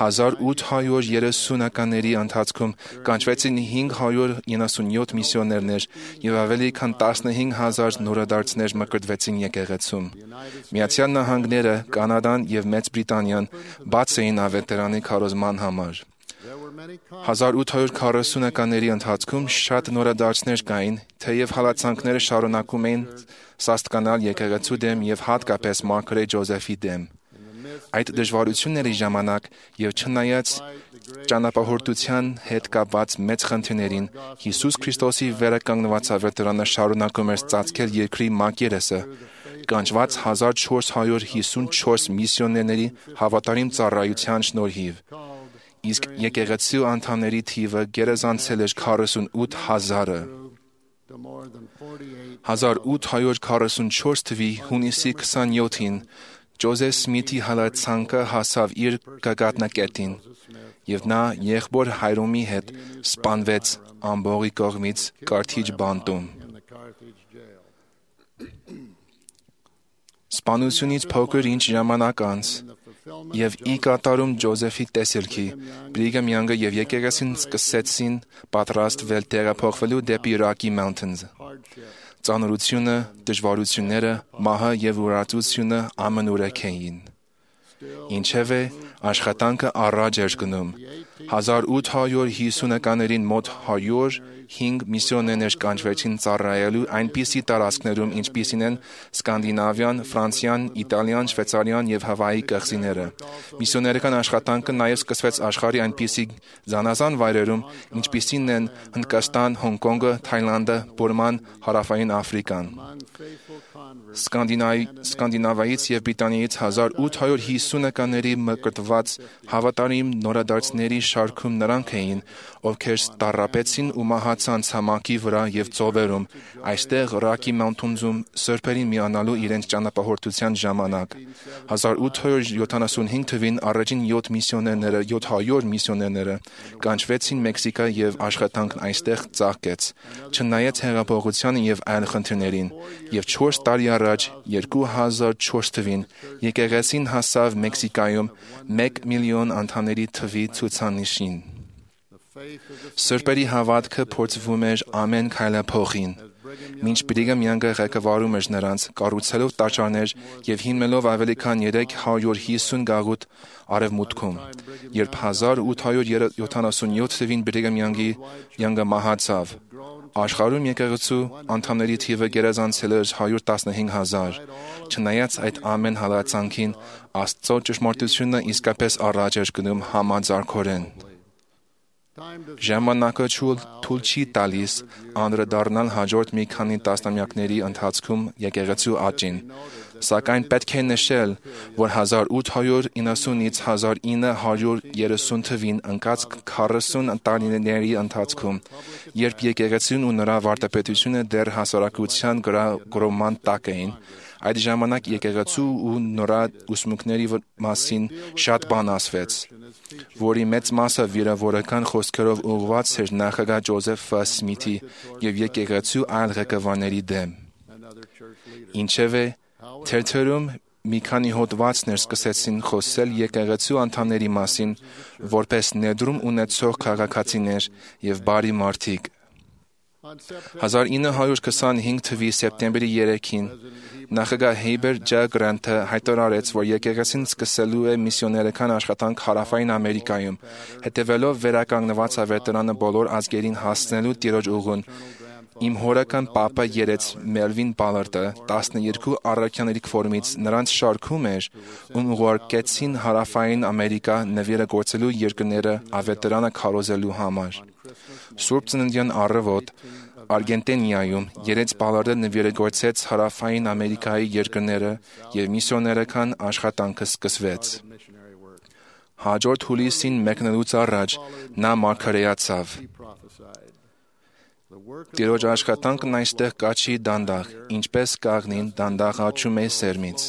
հազար ութ հարյուր երեսունականների ընթացքում կանչվեցին հինգ հարյուր իննսունյոթ միսիոներներ եւ ավելի քան տասնհինգ հազար նորադարձներ մկրտվեցին եկեղեցում։ Միացյալ Նահանգները, Կանադան եւ Մեծ Բրիտանիան բաց էին ավետարանի քարոզման համար։ հազար ութ հարյուր քառասունականների ընթացքում շատ նորադարձներ կային, թեև հալածանքները շարունակում էին սաստկանալ եկեղեցու դեմ եւ հատկապես մարգարետ Ջոզեֆի դեմ։ Այդ դժվարությունների ժամանակ եւ չնայած ճանապարհորդության հետ կապված մեծ խնդիրներին, Հիսուս Քրիստոսի վերականգնված ավետարանը շարունակում էր ծածկել երկրի մակերեսը, կանչված հազար չորս հարյուր հիսունչորս միսիոներների հավատարիմ ծառայության շնորհիվ։ Իսկ եկեղեցու անդամների թիվը գերազանցել էր քառասունութ հազարը։ հազար ութ հարյուր քառասունչորս թվականի հունիսի քսանյոթին Ջոզեֆ Սմիթի հալածանքը հասավ իր գագաթնակետին, եւ նա եղբոր Հայրոմի հետ սպանվեց ամբողի կողմից Կարթիջ բանտում։ Սպանությունից փոքր ինչ ժամանակ անց եւ ի կատարում Ջոզեֆի տեսիլքի, Բրիգեմ Յոնգը եւ եկեղեցին սկսեցին պատրաստվել տեղափոխվելու դեպի Rocky Mountains։ Ծանրությունը, դժվարությունները, մահը եւ ուրացությունը ամենուրեք էին։ Ինչևէ, աշխատանքը առաջ էր գնում։ հազար ութ հարյուր հիսունականներին մոտ հարյուր հինգ միսիոներներ կանչվեցին ծառայելու այնպիսի տարածքներում, ինչպիսին են Սկանդինավիան, Ֆրանսիան, Իտալիան, Շվեյցարիան եւ Հավայի կղզիները։ Միսիոներական աշխատանքը նաեւ սկսվեց աշխարհի այնպիսի զանազան վայրերում, ինչպիսին են Հնդկաստան, Հոնկոնգը, Թայլանդը, Բուրման, Հարավային Աֆրիկան։ Սկանդինավիայից եւ Բրիտանիայից հազար ութ հարյուր հիսունականների մկրտված հավատարիմ նորադարձների շարքում նրանք էին, ովքեր տառապեցին ու մահացան ցամաքի վրա եւ ծովերում, այստեղ Rocky Mountains-ում սրբերին միանալու իրենց ճանապարհորդության ժամանակ։ հազար ութ հարյուր յոթանասունհինգ թվին առաջին յոթ միսիոներները, յոթ հարյուր միսիոներները կանչվեցին Մեքսիկա եւ աշխատանքն այստեղ ծաղկեց։ Չնայած հեղափոխությանը եւ այլ խնդիրներին, եւ չորս տարի առաջ երկու հազար չորս թվին եկեղեցին հասավ Մեքսիկայում մեկ միլիոն անդամների թվի ցուցանիշին։ Սրբերի հավատքը փորձվում էր ամեն քայլափոխին։ Մինչ Բրիգամ Յանգը ղեկավարում էր նրանց, կառուցելով տաճարներ եւ հիմնելով ավելի քան երեք հարյուր հիսուն գաղութ արևմուտքում, երբ հազար ութ հարյուր յոթանասունյոթ թվին Բրիգամ Յանգի Յանգը մահացավ, աշխարհում եկեղեցու անդամների թիվը գերազանցել էր հարյուր տասնհինգ հազար։ Չնայած այդ ամեն հալածանքին, Աստծո ճշմարտությունը իսկապես առաջ էր գնում համաձարքորեն։ Ժամանակը թույլ չի տալիս անդրադառնալ հաջորդ մի քանի տասնամյակների ընթացքում եկեղեցու աճին, սակայն պետք է նշել, որ հազար ութ հարյուր իննսունից հազար ինը հարյուր երեսուն թվին ընկած քառասուն տարիների ընթացքում, երբ եկեղեցին ու նրա վարդապետությունը դեռ հասարակության գրոհման տակ էին, այդ ժամանակ եկեղեցու ու նրա ուսմունքների մասին շատ բան ասվեց, որի մեծ մասը վիրավորական խոսքերով ուղղված էր նախագահ Ջոզեֆ Սմիթի եւ եկեղեցու այլ ղեկավարների դեմ։ Ինչևէ, թերթերում մի քանի հոդվածներ սկսեցին խոսել եկեղեցու անդամների մասին, որպես ներդրում ունեցող քաղաքացիներ եւ բարի մարդիկ։ հազար ինը հարյուր քսանհինգ թվականի սեպտեմբերի երեքին նախագահ Հեյբեր Ջ. Գրանտը հայտարարեց, որ եկեղեցին սկսելու է միսիոներական աշխատանք Հարավային Ամերիկայում, հետևելով վերականգնված ավետարանը բոլոր ազգերին հասցնելու տիրոջ ուղուն։ Իմ հորական պապը երեց Մելվին Բալարդը տասներկու առաքյաների կողմից նրանց շարքում էր, ում ուղարկեցին Հարավային Ամերիկա նվիրը գործելու երկրները ավետարանը քարոզելու համար։ Սուրբ Ծննդյան առավոտ Արգենտինայում երեց Բալարդը նվիրագործեց Հարավային Ամերիկայի երկրները եւ միսիոներական աշխատանքը սկսվեց։ Հաջորդ հուլիսին մեկնելուց առաջ նա մարգարեացավ։ Տիրոջ աշխատանքն այստեղ կաչի դանդաղ, ինչպես կաղնին դանդաղ աճում է սերմից։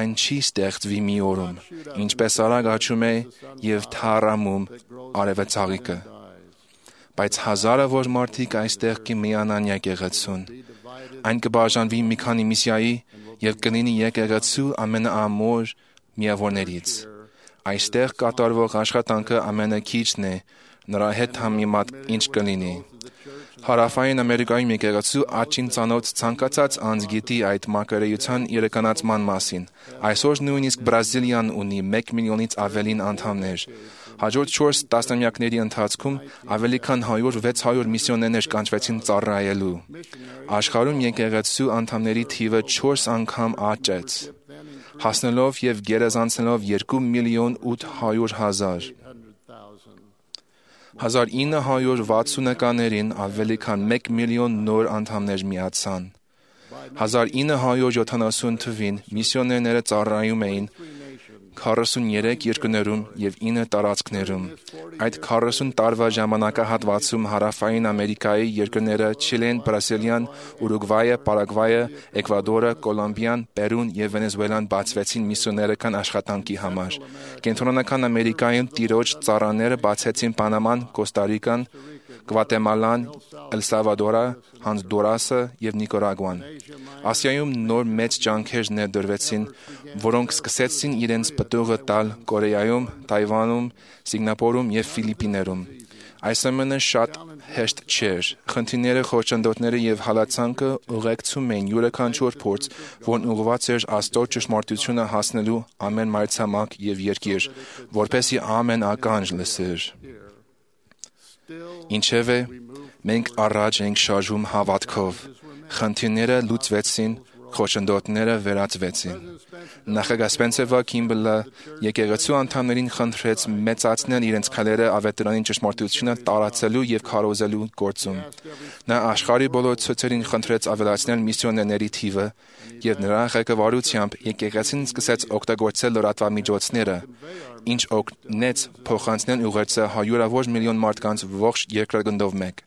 Այն չի ստեղծվի մի օրում, ինչպես արագ աճում է եւ թառամում արևածաղիկը։ Բայց հազարավոր մարդիկ այստեղ կմիանան եկեղեցուն։ Այն կբաժանվի մի քանի միսիայի եւ կլինի եկեղեցու ամենաամոր միավորներից։ Այստեղ կատարվող աշխատանքը ամենակիչն է, նրա հետ համեմատ ինչ կլինի։ Հարավային Ամերիկայում եկեղեցու աճին ծանոթ ցանկացած անձ գիտի այդ մարգարեության իրականացման մասին։ Այսօր նույնիսկ Բրազիլիան ունի մեկ միլիոնից ավելին անդամներ։ Հաջորդ չորս տասնամյակների ընթացքում ավելի քան հարյուր վեց հարյուր միսիոներներ կանչվեցին ծառայելու։ Աշխարհում եկեղեցու անդամների թիվը չորս անգամ աճեց, հասնելով եւ գերազանցելով երկու միլիոն ութ հարյուր հազար։ հազար ինը հարյուր վաթսունականներին ավելի քան մեկ միլիոն նոր անդամներ միացան։ հազար ինը հարյուր յոթանասուն թվին միսիոներները ծառայում էին քառասուներեք երկրներում եւ ինը տարածքներում։ Այդ քառասուն տարվա ժամանակահատվածում Հարավային Ամերիկայի երկրները Չիլեն, Բրազիլիան, Ուրուգվայը, Պարագվայը, Էկվադորը, Կոլումբիան, Պերուն եւ Վենեսուելան բացվեցին միսիոներական աշխատանքի համար։ Կենտրոնական Ամերիկայում տիրոջ ծառաները բացեցին Պանաման, Կոստարիկան, Գվատեմալան, Էլ Սալվադորը, Հոնդուրասը եւ Նիկարագուան։ Ասիայում նոր մեծ ջանքեր ներդրվեցին, որոնք սկսեցին իրենց պտուղը տալ Կորեայում, Թայվանում, Սինգապուրում եւ Ֆիլիպիներում։ Այսօր շատ հեշտ չէր։ Խնդիրները, խոչընդոտները եւ հալածանքը ուղեկցում էին յուրաքանչյուր փորձ, որն ուղղված էր Աստծո ճշմարտությունը հասնելու ամեն մայրցամաք եւ երկիր, որպեսզի ամեն ականջ լսեր։ Ինչևէ, մենք առաջ ենք շարժում հավատքով։ Խնդիրները լուծվեցին, խոչընդոտները վերացվեցին։ Նախագահ Սպենսեր Քիմբլը եկեղեցու անդամներին խնդրեց մեծացնել իրենց քայլերը ավետարանի ճշմարտությունը տարածելու եւ քարոզելու գործում։ Նա աշխարհի բոլոր ցուցերին խնդրեց ավելացնել միսիոներների թիվը եւ նրա ղեկավարությամբ եկեղեցին սկսեց օգտագործել լրատվամիջոցները ինչ օգնեց փոխանցնել ուղերձը հարյուրավոր միլիոն մարդկանց ողջ երկրագնդով մեկ։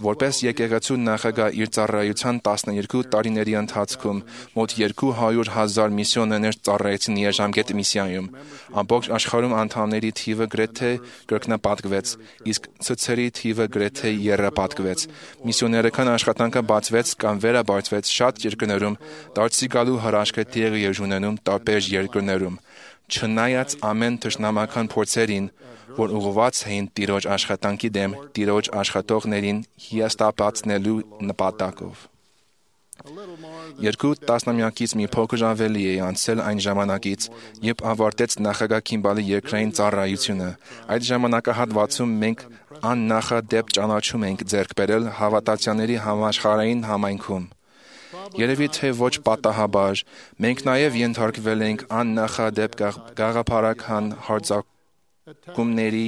Որպես եկեղեցու նախագահ իր ծառայության տասներկու տարիների ընթացքում մոտ երկու հարյուր հազար միսիոներներ ծառայեցին երաժամկետ միսիայում։ Ամբողջ աշխարհում անդամների թիվը գրեթե կրկնապատկվեց, իսկ ցուցերի թիվը գրեթե եռապատկվեց։ Միսիոներական աշխատանքը բացվեց կամ վերաբարձվեց շատ երկրներում, դարձի գալու հրաշքը տեղի է ունենում տարբեր երկրներում։ Չնայած ամեն թշնամական փորձերին, որ ուղղված էին Տիրոջ աշխատանքի դեմ, Տիրոջ աշխատողներին հիասթափացնելու նպատակով։ Երկու տասնամյակից մի փոքր ավելի է անցել այն ժամանակից, երբ ավարտեց նախագահ Քիմբալի երկրային ծառայությունը։ Այդ ժամանակահատվածում մենք աննախադեպ ճանաչում ենք ձեռք բերել հավատացյալների համաշխարհային համայնքում։ Երևի թե ոչ պատահաբար, մենք նաև ենթարկվել ենք աննախադեպ գաղափարական հարձակումների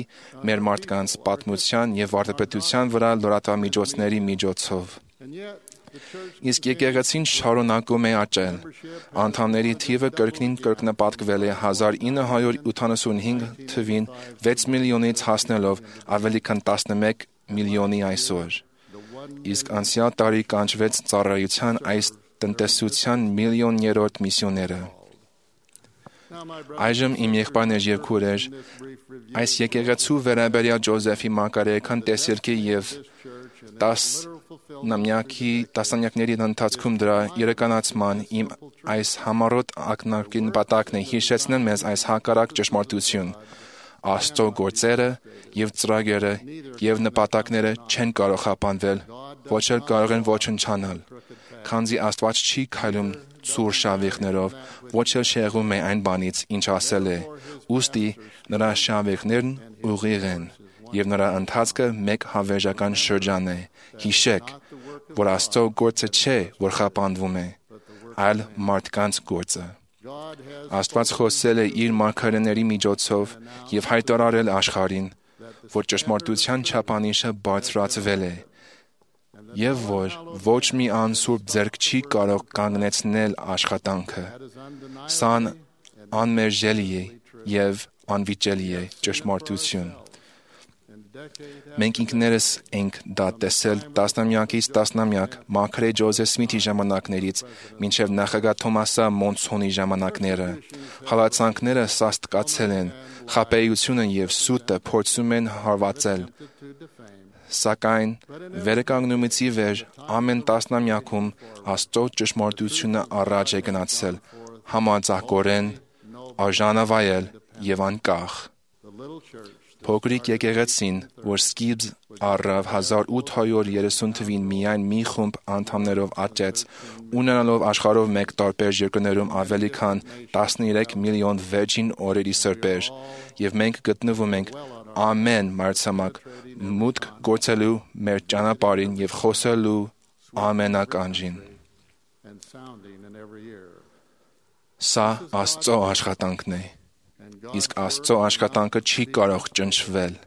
մեր մարդկանց պատմության և վարդապետության վրա լրատվամիջոցների միջոցով։ Իսկ եկեղեցին շարունակում է աճել։ Անդամների թիվը կրկին կրկնապատկվել է հազար ինը հարյուր ութանասունհինգ թվին վեց միլիոնից հասնելով ավելի քան տասնմեկ միլիոնի այսօր։ Իսկ անցյալ տարի կանչվեց ծառայության այս տնտեսության միլիոներորդ միսիոները։ Այժմ իմ եղբայրներ և քույրեր, այս եկեղեցու վերաբերյալ Ջոզեֆի մակարեական տեսիլքի և տասնամյակների ընթացքում դրա իրականացման իմ այս համառոտ ակնարկի նպատակն է հիշեցնել մեզ այս հակառակ ճշմարտություն. Աստծո գործերը և ծրագրերը և նպատակները չեն կարող խափանվել, ոչ էլ կարող են ոչնչանալ, քանզի Աստված չի քայլում ցուր շավիղներով, ոչ էլ շեղում է այն բանից, ինչ ասել է, ուստի նրա շավիղներն ուղիղ են, և նրա ընթացքը մեկ հավերժական շրջան է։ Հիշեք, որ Աստծո գործը չէ, որ խափանվում է, այլ մարդկանց գործը։ Աստված խոսել է իր մարգարեների միջոցով և հայտարարել աշխարհին, որ ճշմարտության չափանիշը բարձրացվել է, և որ ոչ մի անսուրբ ձեռք չի կարող կանգնեցնել աշխատանքը։ Սա անմերժելի է և անվիճելի է ճշմարտություն։ Մենք ինքներս ենք դա տեսել տասնամյակից տասնամյակ մարգարե Ջոզեֆ Սմիթի ժամանակներից մինչև նախագահ Թոմասա Մոնսոնի ժամանակները։ Հալածանքները սաստկացել են, խաբեությունը և սուտը փորձում են հարվածել։ Սակայն վերականգնումից ի վեր ամեն տասնամյակում Աստծո ճշմարտությունը առաջ է գնացել, համարձակորեն, արժանավայել և անկախ։ Փոքրիկ եկեղեցին, որ սկիզբ առավ հազար ութ հարյուր երեսուն թվին միայն մի խումբ անդամներով աճեց, ունենալով աշխարհով մեկ տարբեր երկրներում ավելի քան տասներեք միլիոն վերջին օրերի սրբեր, և մենք գտնվում ենք ամեն մայրցամաք մուտք գործելու մեր ճանապարհին և խոսելու ամենականջին։ Սա Աստծո աշխատանքն է, իսկ Աստծո աշխատանքը չի կարող ճնշվել։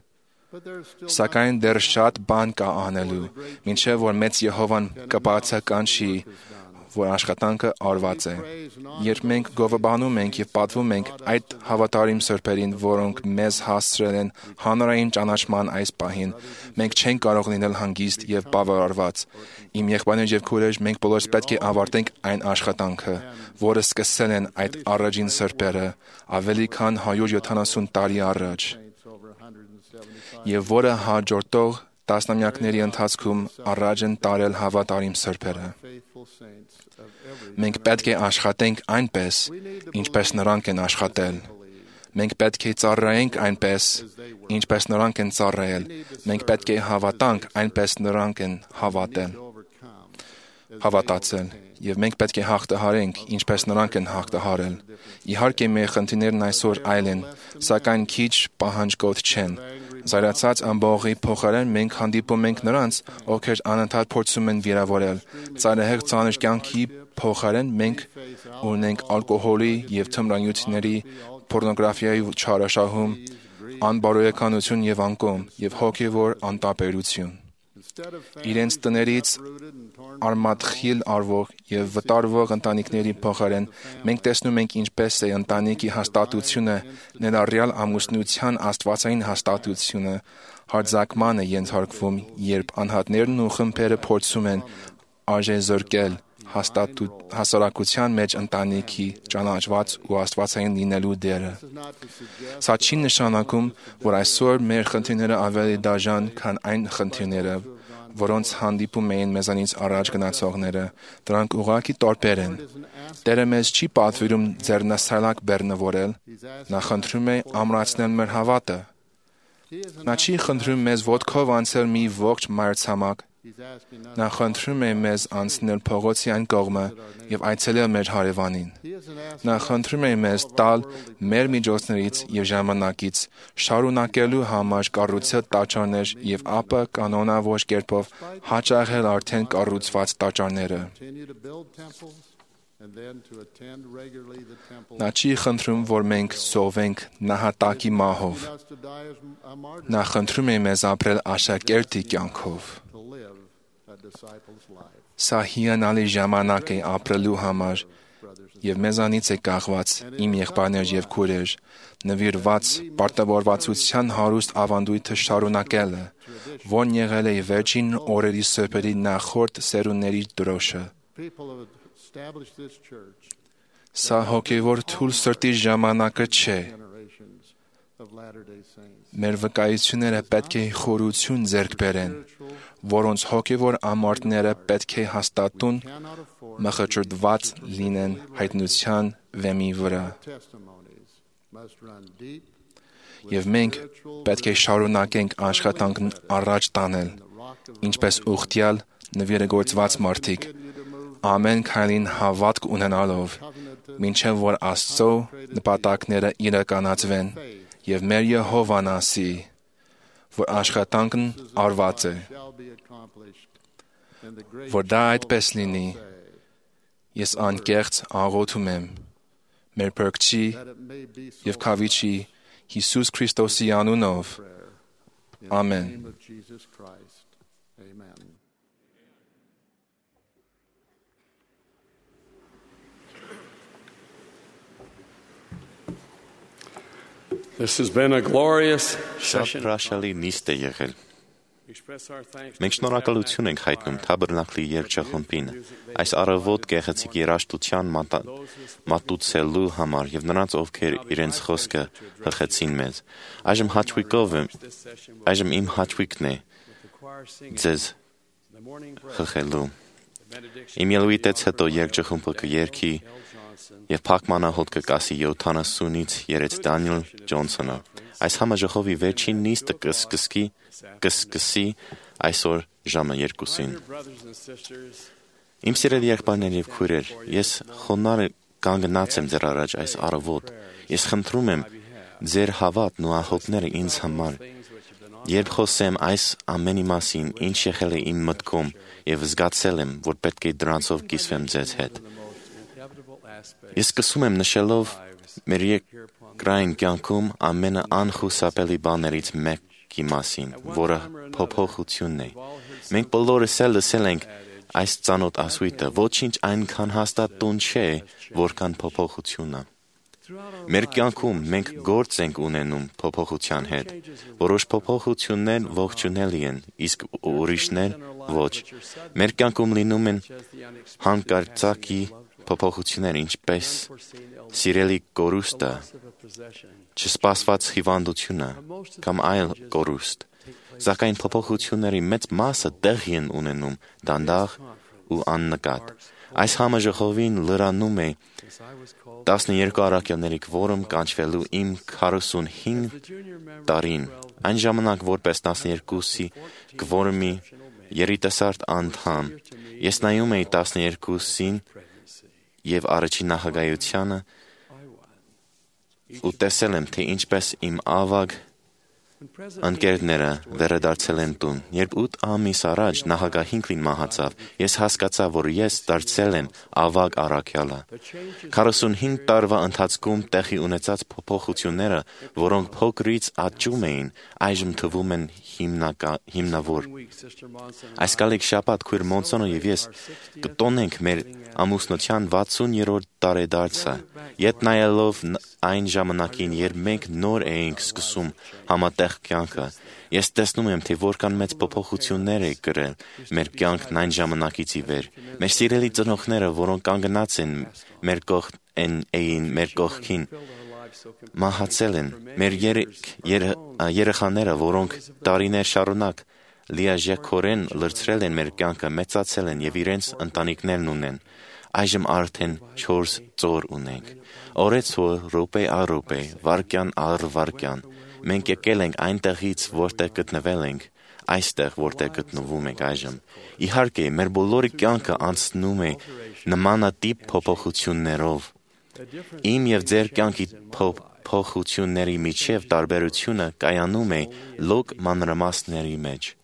Սակայն դեռ շատ բան կա անելու, մինչև որ մեծ Եհովան կբացականչի, որ աշխատանքը արված է։ Երբ մենք գովաբանում ենք և պատվում ենք այդ հավատարիմ սրբերին, որոնք մեզ հասցրել են հանրային ճանաչման այս պահին, մենք չենք կարող լինել հանգիստ և բավարարված։ Իմ եղբայրներ և քույրեր, մենք բոլորս պետք է ավարտենք այն աշխատանքը, որը սկսել են այդ առաջին սրբերը ավելի քան հարյուր յոթանասուն տարի առաջ, և որը հաջորդող տասնամյակների ընթացքում առաջ են տարել հավատարիմ սրբերը։ Մենք պետք է աշխատենք այնպես, ինչպես նրանք են աշխատել։ Մենք պետք է ծառայենք այնպես, ինչպես նրանք են ծառայել։ Մենք պետք է հավատանք այնպես նրանք են հավատել, հավատացել, և մենք պետք է հաղթահարենք, ինչպես նրանք են հաղթահարել։ Իհարկե, մեր խնդիրներն այսօր այլ են, սակայն քիչ պահանջկոտ չեն։ Զայրացած ամբողջի փոխարեն մենք հանդիպում ենք նրանց, ովքեր անընդհատ փորձում են վիրավորել։ Ծայրահեղ ծանր կյանքի փոխարեն մենք ունենք ալկոհոլի և թմրանյութերի, պոռնոգրաֆիայի չարաշահում, անբարոյականություն և անկում, և հոգևոր անտարբերություն։ Իրենց տներից արմատխիլ արվող եւ վտարվող ընտանիքների փոխարեն մենք տեսնում ենք ինչպես է ընտանիքի հաստատությունը, ներառյալ ամուսնության աստվածային հաստատությունը, հարձակման է ենթարկվում, երբ անհատներն ու խմբերը փորձում են արժեզրկել հասարակության մեջ ընտանիքի ճանաչված ու աստվածային լինելու դերը։ Սա չի նշանակում, որ այսօր մեր խնդիրները ավելի դաժան, քան այն խնդիրները, որոնց հանդիպում էին մեզանից առաջ գնացողները, դրանք ուղղակի տարբեր են։ Տերը մեզ չի պատվիրում ձեռնասայլակ բեռնավորել, նա խնդրում է ամրացնել մեր հավատը։ Նա չի խնդրում մեզ ոտքով անցել մի ողջ մայրցամաք, նա խնդրում է մեզ անցնել փողոցի այն կողմը եւ այցելել մեր հարևանին։ Նա խնդրում է մեզ տալ մեր միջոցներից եւ ժամանակից շարունակելու համար կառուցել տաճարներ եւ ապա կանոնավոր կերպով հաճախել արդեն կառուցված տաճարները։ Նա չի խնդրում, որ մենք սովենք նահատակի մահով։ Նա խնդրում է մեզ ապրել աշակերտի կյանքով։ Սա հիանալի ժամանակ է ապրելու համար եւ մեզանից է կախված իմ եղբայրներ եւ քույրեր նվիրված պարտավորվածության հարուստ ավանդույթը շարունակելը, որն եղել է վերջին օրերի սրբերի նախորդ սերունդների դրոշը։ Սա հոգևոր թույլ սրտի ժամանակը չէ։ Մեր վկայությունները պետք է խորություն ձեռք բերեն, որոնց հոգևոր ամարտները պետք է հաստատուն մխճրդված լինեն հայտնության վեմի վրա։ Եվ մենք պետք է շարունակենք աշխատանքն առաջ տանել, ինչպես ուխտյալ նվիրագործված մարդիկ, ամեն քայլին հավատք ունենալով, մինչև որ Աստծո նպատակները իրականացվեն եւ մեր Եհովան ասի, որ աշխատանքն արված է։ Որ դա այդպես լինի, ես անկեղծ աղոթում եմ մեր Փրկչի եւ Քավիչի Հիսուս Քրիստոսի անունով։ Ամեն։ This has been a glorious session. Շարժալի նիստ է եղել։ Մենք շնորհակալություն ենք հայտնում Թաբերնակլի երգչախմբին այս առավոտ գեղեցիկ երաժշտության մատուցելու համար եւ նրանց, ովքեր իրենց խոսքը հղեցին մեզ։ Այժմ հաճույքով եմ, այժմ իմ հաճույքն է ձեզ հղելու։ Իմ ելույթից հետո երգչախմբը կերգի եւ փակմանահոտ կկասի յոթանասունից երեց Դանիել Ջոնսոնը։ Այս համաժողովի վերջին նիստը կսկսի կսկսի այսօր ժամը երկուսին։ Իմ սիրելի եղբայրներ եւ քույրեր, ես խոնարհ կանգնած եմ ձեր առաջ այս առավոտ։ Ես խնդրում եմ ձեր հավատն ու աղոթքները ինձ համար։ Երբ խոսեմ այս ամենի մասին, ինչ եղել է իմ մտքում եւ զգացել եմ, որ պետք է դրանցով կիսվեմ ձեզ հետ։ Ես սկսում եմ նշելով մեր երկրային կյանքում ամենաանխուսափելի բաներից մեկի մասին, որը փոփոխությունն է։ Մենք բոլորս էլ լսել ենք այս ծանոթ ասույթը, ոչինչ այնքան հաստատ տուն չէ, որքան փոփոխությունը։ Մեր կյանքում մենք գործ ենք ունենում փոփոխության հետ։ Որոշ փոփոխություններ ողջունելի են, իսկ ուրիշներ ոչ։ Մեր կյանքում լինում են հանկարծակի փոփոխություններ, ինչպես սիրելի կորուստը, չսպասված հիվանդությունը կամ այլ կորուստ, սակայն փոփոխությունների մեծ մասը տեղի են ունենում դանդաղ ու աննկատ։ Այս համաժողովին լրանում է տասներկու առաքյալների կվորում կանչվելու իմ քառասունհինգ տարին, այն ժամանակ որպես տասներկուսի կվորումի երիտասարդ անդամ, ես նայում էի տասներկուսին եւ առաջին նախագահությանը ու տեսել եմ, թե ինչպես իմ ավագ ընկերները վերադարձել են տուն։ Երբ ութ ամիս առաջ նախագահ Հինքլին մահացավ, ես հասկացա, որ ես դարձել եմ ավագ առաքյալը։ քառասունհինգ տարվա ընթացքում տեղի ունեցած փոփոխությունները, որոնք փոքրից աճում էին, այժմ թվում են հիմնավոր։ Այս կալիք շաբաթ քույր Մոնսոնը եւ ես կտոնենք մեր ամուսնության վաթսուներորդ տարեդարձը, ետ նայելով այն ժամանակին, երբ մենք նոր էինք սկսում համատեղ կյանքը, ես տեսնում եմ, թե որքան մեծ փոփոխություններ է կրել մեր կյանքն այն ժամանակից ի վեր։ Մեր սիրելի ծնողները, որոնք կանգնած են մեր կողքին, էին մեր կողքին, մահացել են։ Մեր երեք երեխաները, որոնք տարիներ շարունակ լիարժեքորեն լրացրել են մեր կյանքը, մեծացել են եւ իրենց ընտանիքներն ունեն։ Այժմ արդեն չորս ծոր ունենք։ Օրեցօր, րոպե առ րոպե, վայրկյան առ վայրկյան, մենք եկել ենք այնտեղից, որտեղ գտնվել ենք, այստեղ, որտեղ գտնվում ենք այժմ։ Իհարկե, մեր բոլորի կյանքը անցնում է նմանատիպ փոփոխություններով։ Իմ եւ ձեր կյանքի փոփոխությունների միջև տարբերությունը կայանում է լոկ մանրամասների մեջ։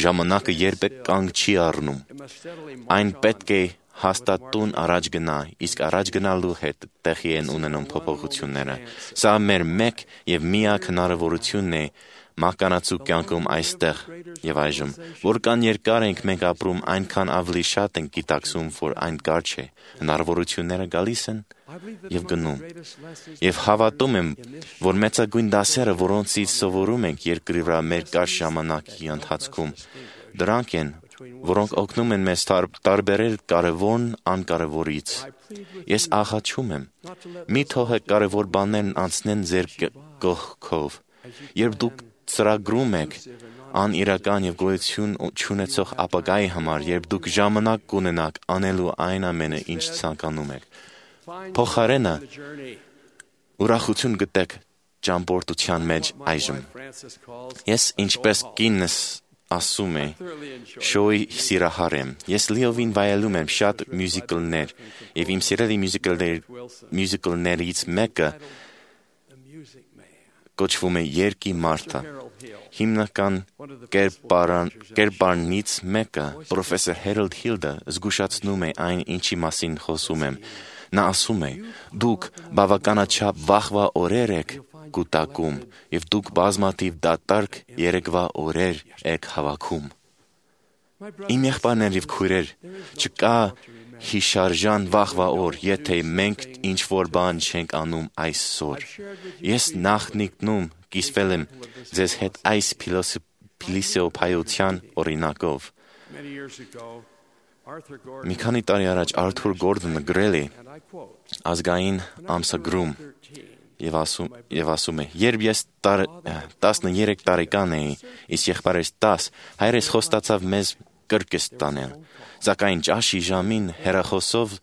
Ժամանակը երբեք կանգ չի առնում։ Այն պետք է հաստատուն առաջ գնա, իսկ առաջ գնալու հետ տեղի են ունենում փոփոխությունները։ Սա մեր մեկ եւ միակ հնարավորությունն է մահկանացու կյանքում այստեղ եւ այժմ։ Որքան երկար ենք մենք ապրում, այնքան ավելի շատ ենք գիտակցում, որ այն կարճ է։ Հնարավորությունները գալիս են եւ գնում։ Եվ հավատում եմ, որ մեծագույն դասերը, որոնցից սովորում ենք երկրի վրա մեր կարճ ժամանակի ընթացքում, դրանք են, որոնք օգնում են մեզ տարբերել կարևորն անկարևորից։ Ես աղաչում եմ, մի թողեք կարևոր բաներն անցնեն ձեր կողքով։ Երբ դուք ծրագրում եք անիրական եւ գոյություն չունեցող ապագայի համար, երբ դուք ժամանակ կունենաք անելու այն ամենը, ինչ ցանկանում եք, փոխարենը ուրախություն գտեք ճամփորդության մեջ այժմ։ Ես ինչպես կինս ասում է, շոուի սիրահար եմ։ Ես լիովին վայելում եմ շատ մյուզիկլներ, եւ իմ սիրելի մյուզիկլներից մեկը կոչվում է Երկի մարդը։ Հիմնական կերպարնից մեկը, պրոֆեսոր Հերոլդ Հիլդը, զգուշացնում է այն, ինչի մասին խոսում եմ։ Նա ասում է. դուք բավականաչափ վաղվա օրեր եք կուտակում, եւ դուք բազմաթիվ դատարկ երեկվա օրեր եք հավաքում։ Իմ եղբայրներ եւ քույրեր, չկա հիշարժան վաղվա օր, եթե մենք ինչ-որ բան չենք անում այսօր։ Ես նախնիկնում կիսվել եմ ձեզ հետ այս փիլիսոփայության օրինակով։ Մի քանի տարի առաջ Արթուր Գորդոնը գրել է ազգային ամսագրում եւ ասում եւ ասում է. երբ ես տասներեք տարեկան էի, իսկ եղբայրս տասը, հայրս խոստացավ մեզ կրկես տանել, սակայն ճաշի ժամին հեռախոսով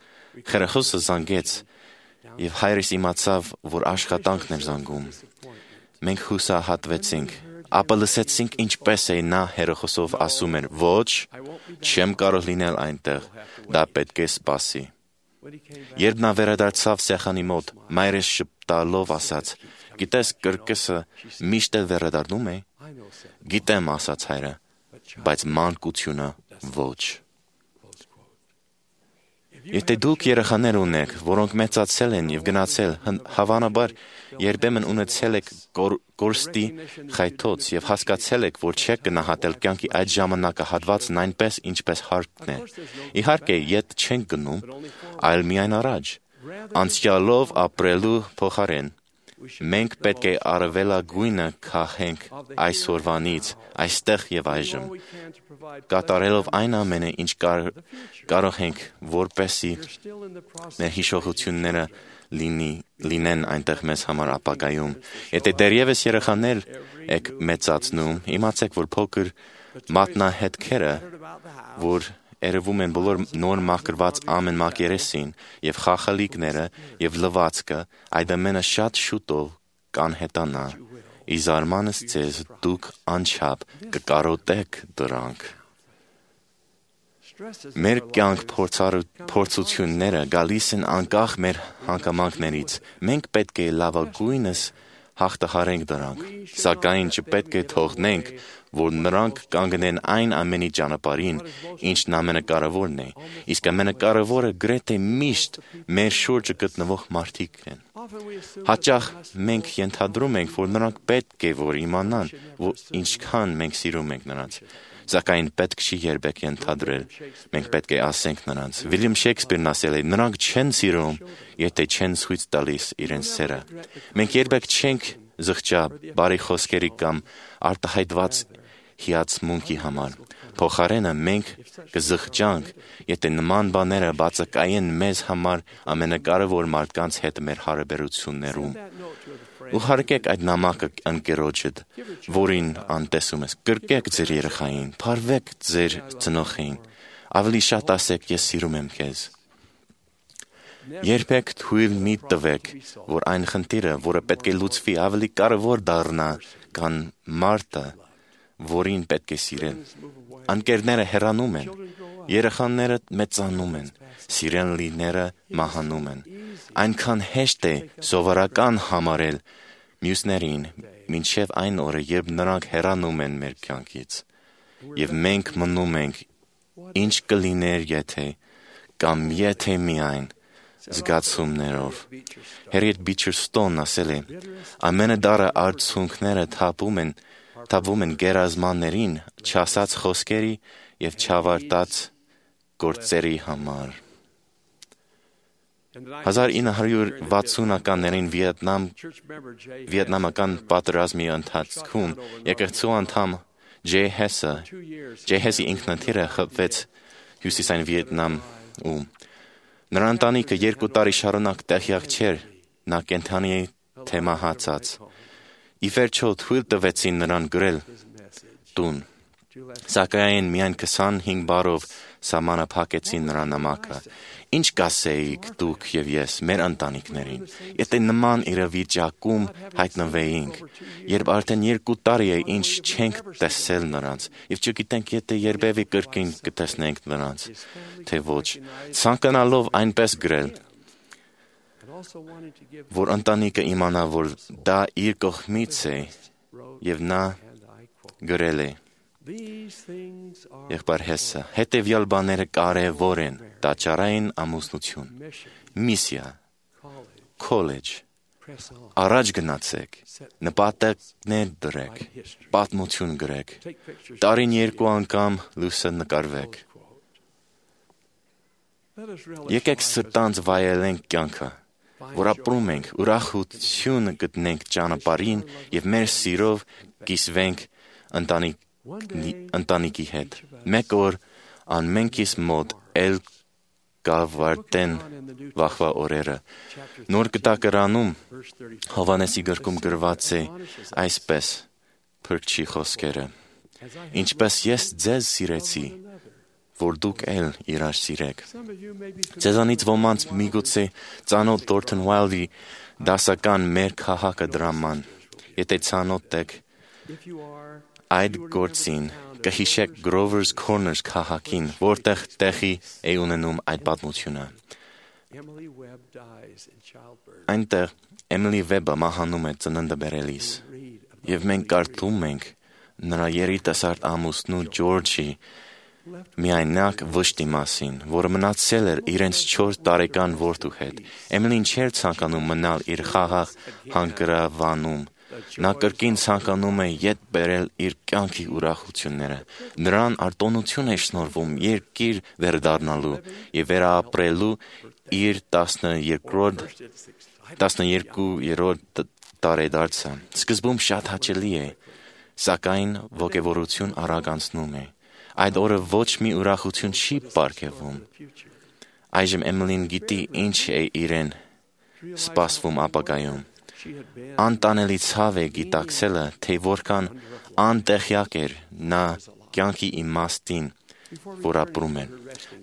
հեռախոսը զանգեց եւ հայրս իմացավ, որ աշխատանքն էր զանգում։ Մենք հուսահատվեցինք, ապա լսեցինք ինչպես է նա հեռախոսով ասում էր. ոչ, չեմ կարող լինել այնտեղ, դա պետք է սպասի։ Երբ նա վերադարձավ սեղանի մոտ, մայրս շպտալով ասաց. գիտես, կրկեսը միշտ էլ վերադառնում է։ Գիտեմ, ասաց հայրը, բայց մանկությունը ոչ։ Եթե դուք երեխաներ ունեք, որոնք մեծացել են եւ գնացել, հավանաբար երբեմն ունեցել եք կորստի խայթոց եւ հասկացել եք, որ չեք գնահատել կյանքի այդ ժամանակահատվածն այնպես, ինչպես հարկն է։ Իհարկե, ետ չենք գնում, այլ միայն առաջ, անցյալով ապրելու փոխարեն։ Մենք պետք է առավելագույնը քաղենք այսօրվանից, այստեղ եւ այժմ, կատարելով այն ամենը, ինչ կարող ենք, որպեսզի մեր հիշողությունները լինեն այնտեղ մեզ համար ապագայում։ Եթե դեռևս երեխաներ եք մեծացնում, իմացեք, որ փոքր մատնահետքերը, որ երևում են բոլոր նոր մաքրված ամեն մակերեսին եւ խախալիկները եւ լվացքը, այդ ամենը շատ շուտով կանհետանա։ Ի զարմանս ձեզ դուք անչափ կկարոտեք դրանք։ Մեր կյանք փորձությունները գալիս են անկախ մեր հանգամանքներից։ Մենք պետք է լավագույնս հաղթահարենք դրանք, սակայն չպետք է թողնենք, որ նրանք կանգնեն այն ամենի ճանապարհին, ինչն ամենակարևորն է, իսկ ամենակարևորը գրեթե միշտ մեր շուրջը գտնվող մարդիկ են։ Հաճախ մենք ենթադրում ենք, որ նրանք պետք է որ իմանան, որ ինչքան մենք սիրում ենք նրանց, սակայն պետք չի երբեք ենթադրել, մենք պետք է ասենք նրանց։ Վիլյամ Շեքսպիրն ասել է. նրանք չեն սիրում, եթե չեն ցույց տալիս իրենց սերը։ Մենք երբեք չենք զղջա բարի խոսքերի կամ արտահայտված հիացմունքի համար։ Փոխարենը մենք կզղջանք, եթե նման բաները բացակայեն մեզ համար ամենակարևոր մարդկանց հետ մեր հարաբերություններում։ Ուղարկեք այդ նամակը ընկերոջդ, որին անտեսում ես, կրկեք ձեր երեխային, փարվեք ձեր ծնողին, ավելի շատ ասեք ես սիրում եմ քեզ։ Երբեք թույլ մի տվեք, որ այն խնդիրը, որը պետք է լուծվի, ավելի կարևոր դառնա, քան մարդը, որին պետք է սիրել։ Անկերները հեռանում են, երեխաները մեծանում են, սիրելիները մահանում են։ Այնքան հեշտ է սովորական համարել մյուսներին, մինչև այն օրը, երբ նրանք հեռանում են մեր կյանքից, եւ մենք մնում ենք, ինչ կլիներ եթե, կամ եթե միայն զգացումներով։ Harriet Beecher Stoneն ասել է. ամենադառը արդյունքները թափում են, թափվում են գերազմաններին, չասած խոսքերի եւ չավարտած գործերի համար։ հազար ինը հարյուր վաթսունականներին Վիետնամ Վիետնամական պատերազմի ընթացքում եկեղեցու անդամ Ջեյ Հեսը Ջեյ Հեսի ինքնաթիռը խփվեց հյուսիսային Վիետնամում։ Նրա ընտանիքը երկու տարի շարունակ տեղյակ չէր, նա կենդանի է թե մահացած։ Ի վերջո թույլ տվեցին նրան գրել տուն, սակայն միայն քսանհինգ բարով սահմանափակեցին նրա նամակը։ Ինչ կասեիք դուք եւ ես մեր ընտանիքներին, եթե նման իրավիճակում հայտնվեինք, երբ արդեն երկու տարի է ինչ չենք տեսել նրանց, եւ չգիտենք եթե երբևէ կրկին կտեսնենք նրանց, թե ոչ, ցանկանալով այնպես գրել, որ ընտանիքը իմանա, որ դա իր կողմից է, եւ նա գրել է. Եղբայր Հեսը, հետևյալ բաները կարևոր են՝ տաճարային ամուսնություն, միսիա, քոլեջ, առաջ գնացեք, նպատակներ դրեք, պատմություն գրեք, տարին երկու անգամ լուսանկարվեք։ Եկեք սրտանց վայելենք կյանքը, որ ապրում ենք, ուրախություն գտնենք ճանապարհին եւ մեր սիրով կիսվենք ընտանիք ընտանիքի հետ։ Մեկ օր անմենքիս մոտ էլ կավարտեն վաղվա օրերը։ Նոր կտակարանում Հովհաննեսի գրքում գրված է այսպես փրկչի խոսքերը. ինչպես ես ձեզ սիրեցի, որ դուք էլ իրար սիրեք։ Ձեզանից ոմանց միգուցե ծանոթ Thornton Wilder-ի դասական մեր քաղաքը դրաման, եթե ծանոթ եք այդ գործին, կհիշեք Grover's Corners քաղաքին, որտեղ տեղի է ունենում այդ պատմությունը։ Այնտեղ Emily Webb-ը մահանում է ծննդը բերելիս, եւ մենք կարդում ենք նրա երիտասարդ ամուսնու Ջորջի միայնակ վշտի մասին, որը մնացել էր իրենց չորս տարեկան որդու հետ։ Էմիլին չէր ցանկանում մնալ իր խաղաղ հանգրավանում։ Նա կրկին ցանկանում է ետ բերել իր կյանքի ուրախությունները։ Նրան արտոնություն է շնորհվում երկիր վերադառնալու եւ վերապրելու իր տասներկուերորդ տարեդարձը։ Սկզբում շատ հաճելի է, սակայն ոգևորություն արագ անցնում է։ Այդ օրը ոչ մի ուրախություն չի պարգևում։ Այժմ Էմիլին գիտի ինչ է իրեն սպասվում ապագայում։ Անտանելի ցավ է գիտակցելը, թե որքան անտեղյակ էր նա կյանքի իմաստին, որ ապրում է։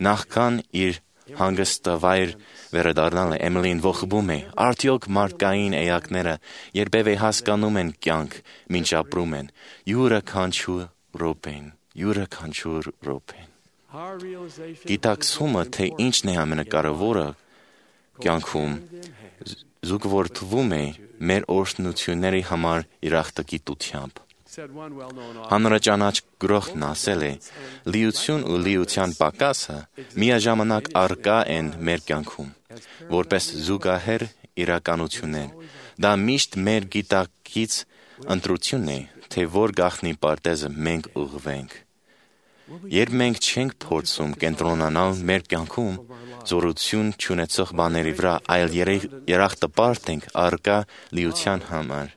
Նախքան իր հանգստավայր վերադառնալը Էմիլին ողբում է, արդյոք մարդկային էակները երբևէ հասկանում են կյանք, մինչ ապրում են, յուրաքանչյուր րոպեն, յուրաքանչյուր րոպեն։ Գիտակցումը, թե ինչն է ամենակարևորը, կյանքում զուգորդվում է մեր օրհնությունների համար երախտագիտությամբ։ Հանրաճանաչ գրողն ասել է. լիություն ու լիության պակասը միաժամանակ առկա են մեր կյանքում, որպես զուգահեռ իրականություններ։ Դա միշտ մեր գիտակից ընտրություն է, թե որ գաղտնի պարտեզը մենք ուղղվենք։ Երբ մենք չենք փորձում կենտրոնանալ մեր կյանքում զորություն չունեցող բաների վրա, այլ երախտապարտ ենք առկա լիության համար,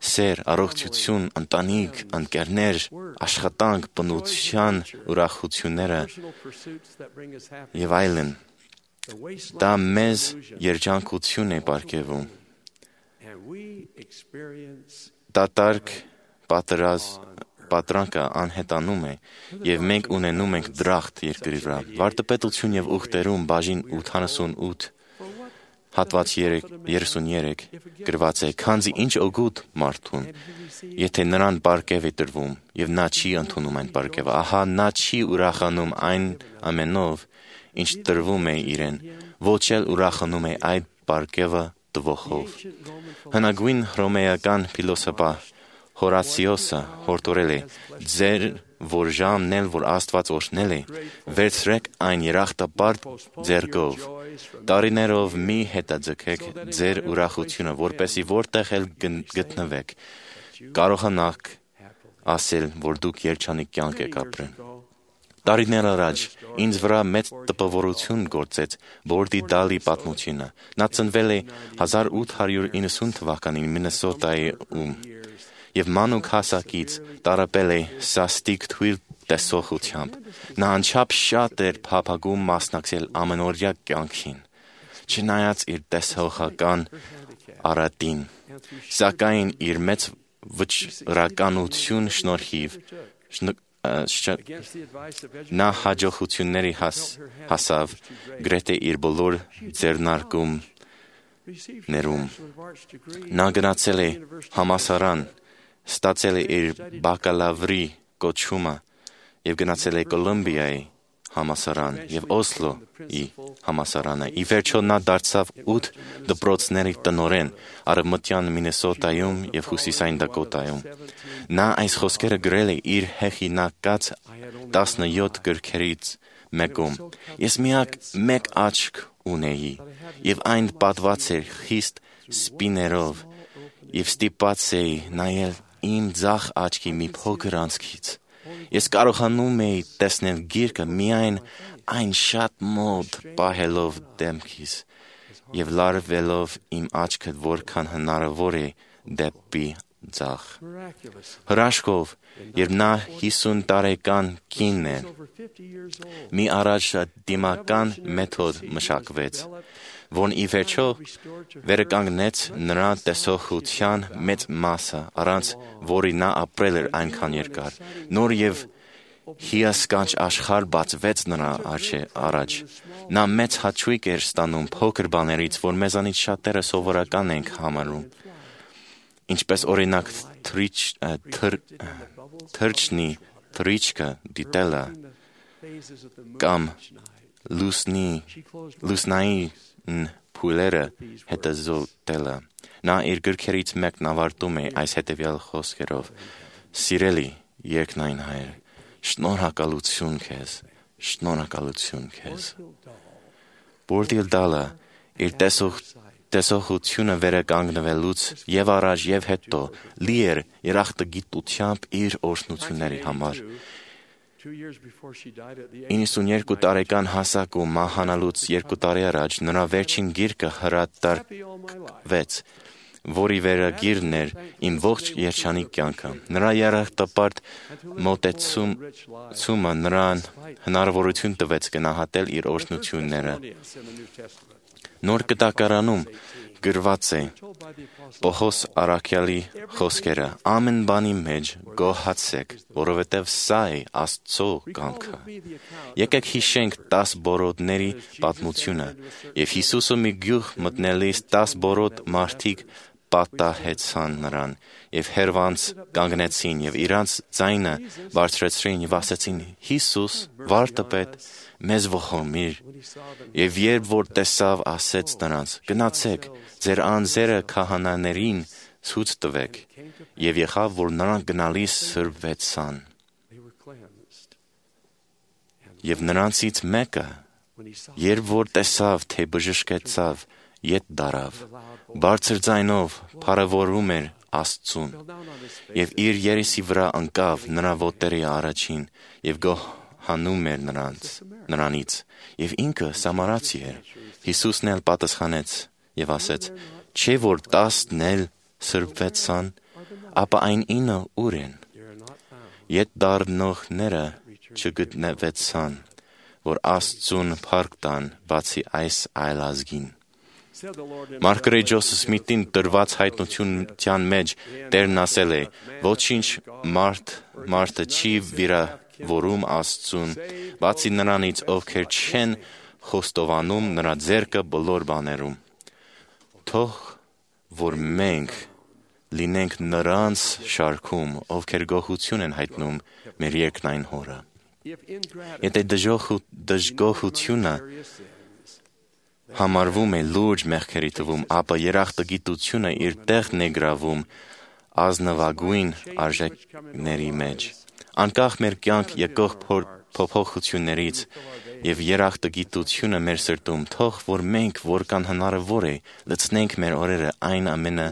սեր, առողջություն, ընտանիք, ընկերներ, աշխատանք, բնության ուրախությունները եւ այլն, դա մեզ երջանկություն է պարգևում։ Դատարկ պատրանքը անհետանում է եւ մենք ունենում ենք դրախտ երկրի վրա։ Վարդապետություն եւ ուխտերում բաժին ութանասունութ հատված երեսուններեք գրված է. քանզի ինչ օգուտ մարդուն, եթե նրան պարգև է տրվում եւ նա չի ընդունում այն պարգևը, ահա նա չի ուրախանում այն ամենով, ինչ տրվում է իրեն, ոչ էլ ուրախանում է այդ պարգևը տվողով։ Հնագույն հռոմեական փիլոսոփա Հորացիոսը հորդորել է. ձեր որ ժամն էլ որ Աստված օրհնել է, վերցրեք այն երախտապարտ ձեռքով։ Տարիներով մի հետաձգեք ձեր ուրախությունը, որպեսզի որտեղ էլ գտնվեք, կարողանաք ասել, որ դուք երջանիկ կյանք եք ապրել։ Տարիներ առաջ ինձ վրա մեծ տպավորություն գործեց Բորդի Դալի պատմությունը։ Նա ծնվել է հազար ութ հարյուր իննսուն թվականին Մինեսոտայում եւ մանուկ հասակից տարապել է սաստիկ թույլ տեսողությամբ։ Նա անչափ շատ էր փափագում մասնակցել ամենօրյա կյանքին, չնայած իր տեսողական արատին, սակայն իր մեծ վճռականություն շնորհիվ նա հաջողությունների հասավ գրեթե իր բոլոր ձեռնարկումներում։ Նա գնացել է համալսարան, ստացել է իր բակալավրի կոչումը եւ գնացել է Կոլումբիայի համալսարան եւ Օսլոյի համալսարանը։ Ի վերջո նա դարձավ ութ դպրոցների տնօրեն Արևմտյան Մինեսոտայում եւ Հյուսիսային Դակոտայում։ Նա այս խոսքերը գրել է իր հեղինակած տասնյոթ գրքերից մեկում. Ես միակ մեկ աչք ունեի եւ այն պատված էր խիստ սպիներով եւ ստիպված էի նայել իմ ձախ աչքի մի փոքր անցքից։ Ես կարողանում էի տեսնել գիրքը միայն այն շատ մոտ պահելով դեմքիս եւ լարվելով իմ աչքը որքան հնարավոր է դեպի ձախ։ Հրաշքով, երբ նա հիսուն տարեկան կին էր, մի առաջադիմական մեթոդ մշակվեց, որն ի վերջո վերականգնեց նրա տեսողության մեծ մասը, առանց որի նա ապրել էր այնքան երկար։ Նոր եւ հիասքանչ աշխարհ բացվեց նրա առաջ։ Նա մեծ հաճույք էր ստանում փոքր բաներից, որ մեզանից շատերը սովորական ենք համարում, ինչպես օրինակ թռչնի թռիչքը դիտելը կամ լուսնային փուլերը հետազոտելը։ Նա իր գրքերից մեկն ավարտում է այս հետևյալ խոսքերով. «Սիրելի երկնային Հայր, շնորհակալություն քեզ, շնորհակալություն քեզ»։ Բորդի Դալը իր տեսողությունը վերականգնվելուց եւ առաջ եւ հետո լի էր երախտագիտությամբ իր օրհնությունների համար։ իննսունյոթ տարեկան հասակում մահանալուց երկու տարի առաջ նրա վերջին գիրքը հրատարակվեց, որի վերագիրն էր «Իմ ողջ երջանիկ կյանքը»։ Նրա երախտապարտ մոտեցումը նրան հնարավորություն տվեց գնահատել իր օրհնությունները։ Նոր Կտակարանում գրված է Պողոս առաքյալի խոսքերը. «Ամեն բանի մեջ գոհացեք, որովհետև սա է Աստծո կամքը»։ Եկեք հիշենք տաս բորոտների պատմությունը, եւ Հիսուսը մի գյուղ մտնելիս տաս բորոտ մարդիկ պատահեցան նրան եւ հերվանց կանգնեցին եւ իրանց ձայնը բարձրացրին եւ ասեցին. Հիսուս, վարդապետ, մեզ ողորմիր։ Եվ երբ որ տեսավ, ասեց նրանց. գնացեք, ձեր անձերը քահանաներին ցույց տվեք։ Եվ եղավ, որ նրանք գնալիս սրբվեցան։ Եվ նրանցից մեկը, երբ որ տեսավ, թե բժշկեցավ, ետ դարավ, բարձր ձայնով փառավորում էր Աստծուն, եւ իր երեսի վրա ընկավ նրա ոտերի առաջին եւ գոհանում էր նրանց, նրանից, եւ ինքը սամարացի էր։ Հիսուսն էլ պատասխանեց եւ ասեց. չէ՞ որ տասն էլ սրբվեցան, ապա այն ինը ուր են։ Ետ դառնողները չգտնվեցան, որ Աստծուն փառք տան, բացի այս այլազգին։ Մարգարետ Ջոսեֆ Սմիթին տրված հայտնության մեջ Տերն ասել է. ոչինչ մարդ մարդը չի վիրավորում Աստծուն, բացի նրանից, ովքեր չեն խոստովանում նրա ձեռքը բոլոր բաներում։ Թող որ մենք լինենք նրանց շարքում, ովքեր գոհություն են հայտնում մեր երկնային Հորը։ Եթե դժգոհությունը համարվում է լուրջ մեղքերի թվում, ապա երախտագիտությունը իր տեղն է գրավում ազնվագույն արժեքների մեջ։ Անկախ մեր կյանք եկող փոփոխություններից եւ երախտագիտությունը մեր սրտում, թող որ մենք, որքան հնարավոր է, լցնենք մեր օրերը այն ամենը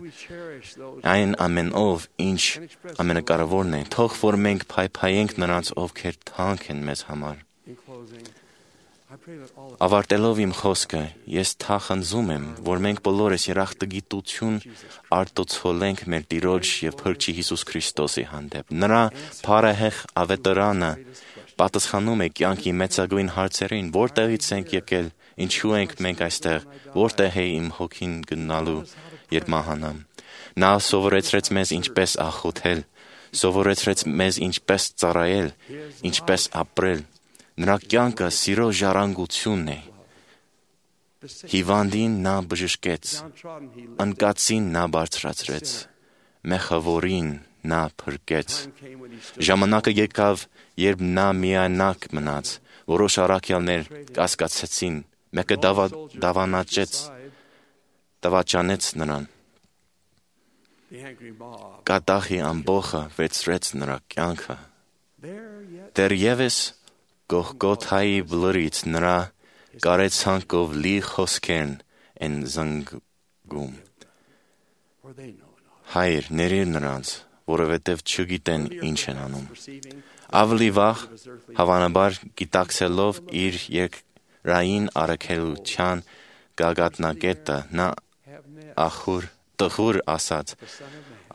այն ամենով, ինչ ամենակարևորն է, թող որ մենք փայփայենք նրանց, ովքեր թանկ են մեզ համար։ Ավարտելով իմ խոսքը, ես թախանձում եմ, որ մենք բոլորս երախտագիտություն արտացոլենք մեր Տիրոջ եւ Փրկչի Հիսուս Քրիստոսի հանդեպ։ Նրա փառահեղ ավետարանը պատասխանում է կյանքի մեծագույն հարցերին, որտեղից ենք եկել, ինչու ենք մենք այստեղ, որտեղ է իմ հոգին գնալու, երբ մահանամ։ Նա սովորեցրեց մեզ ինչպես աղոթել, սովորեցրեց մեզ ինչպես ծառայել, ինչպես ապրել։ Նրա կյանքը սիրո ժառանգությունն է։ Հիվանդին նա բժշկեց, անկացին նա բարձրացրեց, մեղավորին նա փրկեց։ Ժամանակը եկավ, երբ նա միայնակ մնաց, որոշ առաքյալներ կասկածեցին, մեկը դավանաճեց, դավաճանեց նրան։ Կատաղի ամբոխը վերցրեց նրա կյանքը։ Դեռևս Գողգոթայի բլրից նրա կարեցանկով լի խոսքերն են զնգում։ Հայր, ներիր նրանց, որովհետև չգիտեն ինչ են անում։ Ավելի վաղ, հավանաբար գիտակցելով իր երկրային առաքելության գագաթնակետը, նա ախուր տխուր ասաց.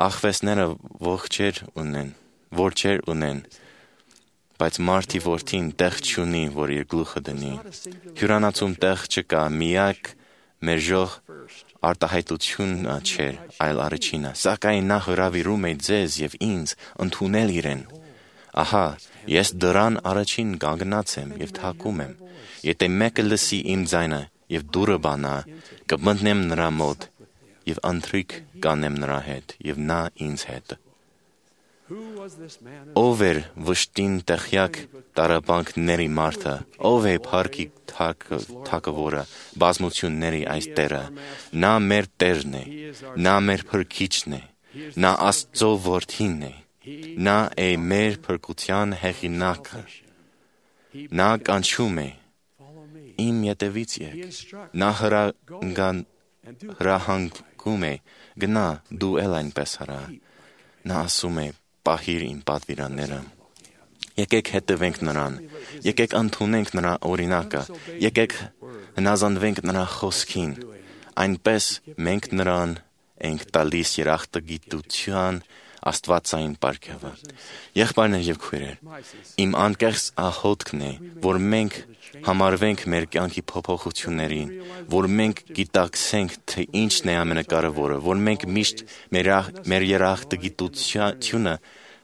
աղվեսները ողջեր ունեն, որջեր ունեն, բայց մարդի որդին տեղ չունի, որ իր գլուխը դնի։ Հյուրանոցում տեղ չկա, միակ մերժող արտահայտությունը չէր, այլ առաջինը, սակայն նա հրավիրում է ձեզ եւ ինձ ընդունել իրեն։ Ահա, ես դրան առաջին կանգնած եմ եւ թակում եմ։ Եթե մեկը լսի իմ ձայնը եւ դուռը բանա, կմտնեմ նրա մոտ եւ ընթրիք կանեմ նրա հետ եւ նա ինձ հետ։ Ով էր վշտին տեղյակ տարապանքների մարդը, ով է փառքի թագավորը, բազմությունների այս Տերը, նա մեր Տերն է, նա մեր Փրկիչն է, նա Աստծո որդին է, նա է մեր փրկության հեղինակը, նա կանչում է, իմ ետևից եք, նա հրահանգում է, գնա դու էլ այնպես հրա, նա ասում է, պահիր իմ պատվիրանները։ Եկեք հետևենք նրան, եկեք ընդունենք նրա օրինակը, եկեք հնազանդվենք նրա խոսքին, այնպես մենք նրան ենք տալիս երախտագիտության աստվածային պարգևը։ Եղբայրներ եւ քույրեր, իմ անկեղծ աղոթքն է, որ մենք համարվենք մեր կյանքի փոփոխություններին, որ մենք գիտակցենք, թե ինչն է ամենակարևորը, որ մենք միշտ մեր երախտագիտությունը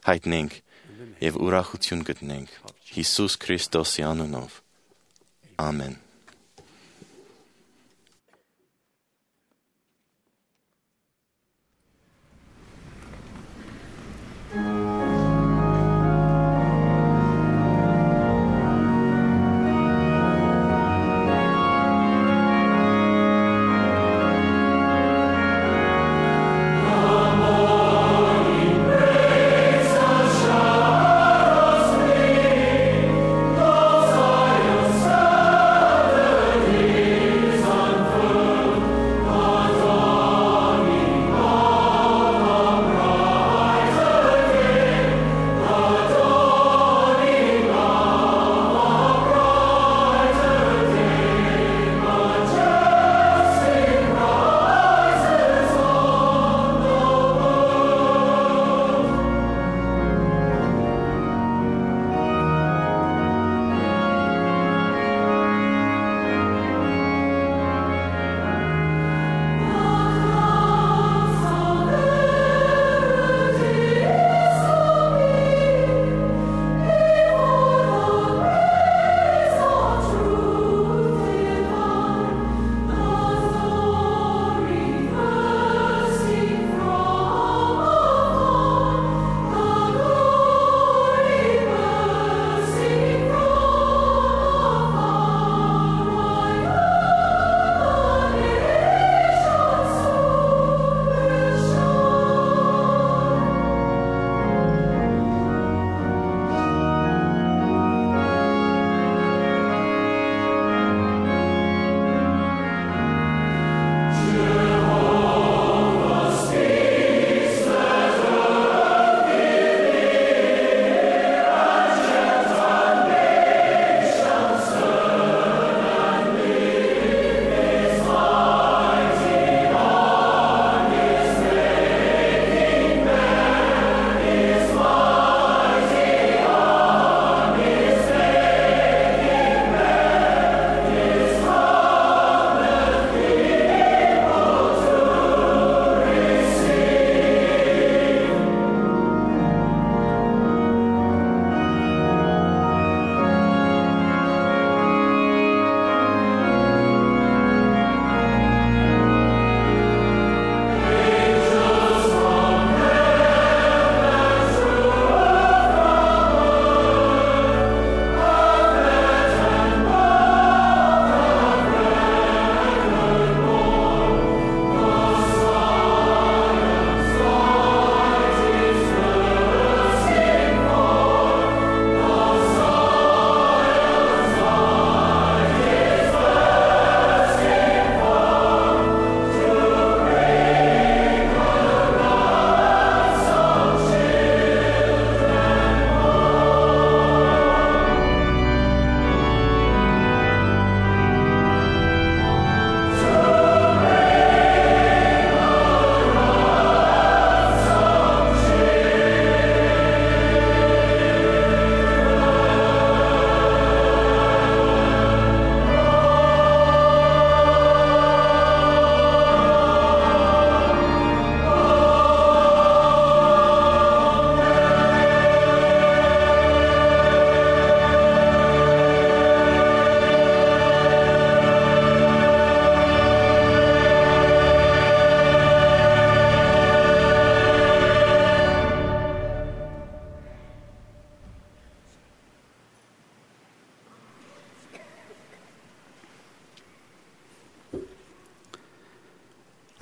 հայտնենք եւ ուրախություն գտնենք Հիսուս Քրիստոսի անունով։ Ամեն։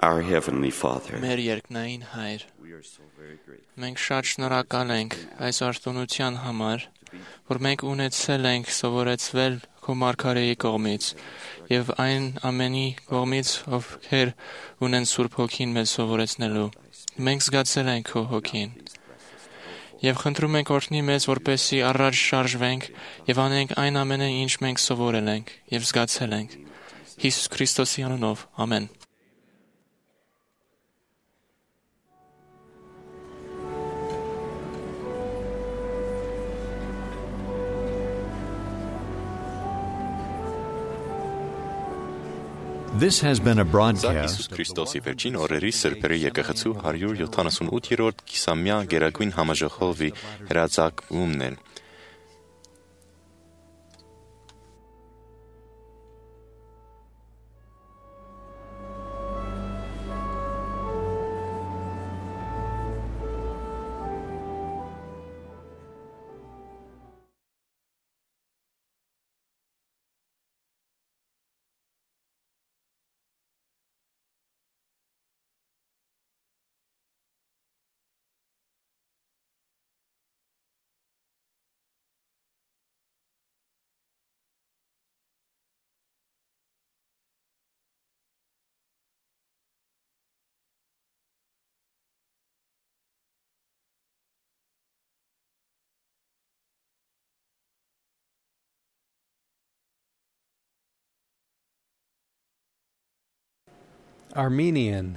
our Heavenly Father. Մեր երկնային Հայր, մենք շատ շնորհակալ ենք այս արտոնության համար, որ մենք ունեցել ենք սովորեցվել քո մարգարեի կողմից եւ այն ամենի կողմից, ովքեր ունեն Սուրբ Հոգին մեզ սովորեցնելու։ Մենք զգացել ենք քո Հոգին եւ խնդրում ենք օրհնի մեզ, որպեսզի առաջ շարժվենք եւ անենք այն ամենը, ինչ մենք սովորել ենք եւ զգացել ենք։ Հիսուս Քրիստոսի անունով, ամեն։ This has been a Սա broadcast Հիսուս Քրիստոսի վերջին օրերի սրբերի եկեղեցու հարյուր յոթանասունութերորդ կիսամյա գերագույն համաժողովի հրաձակումն է։ Armenian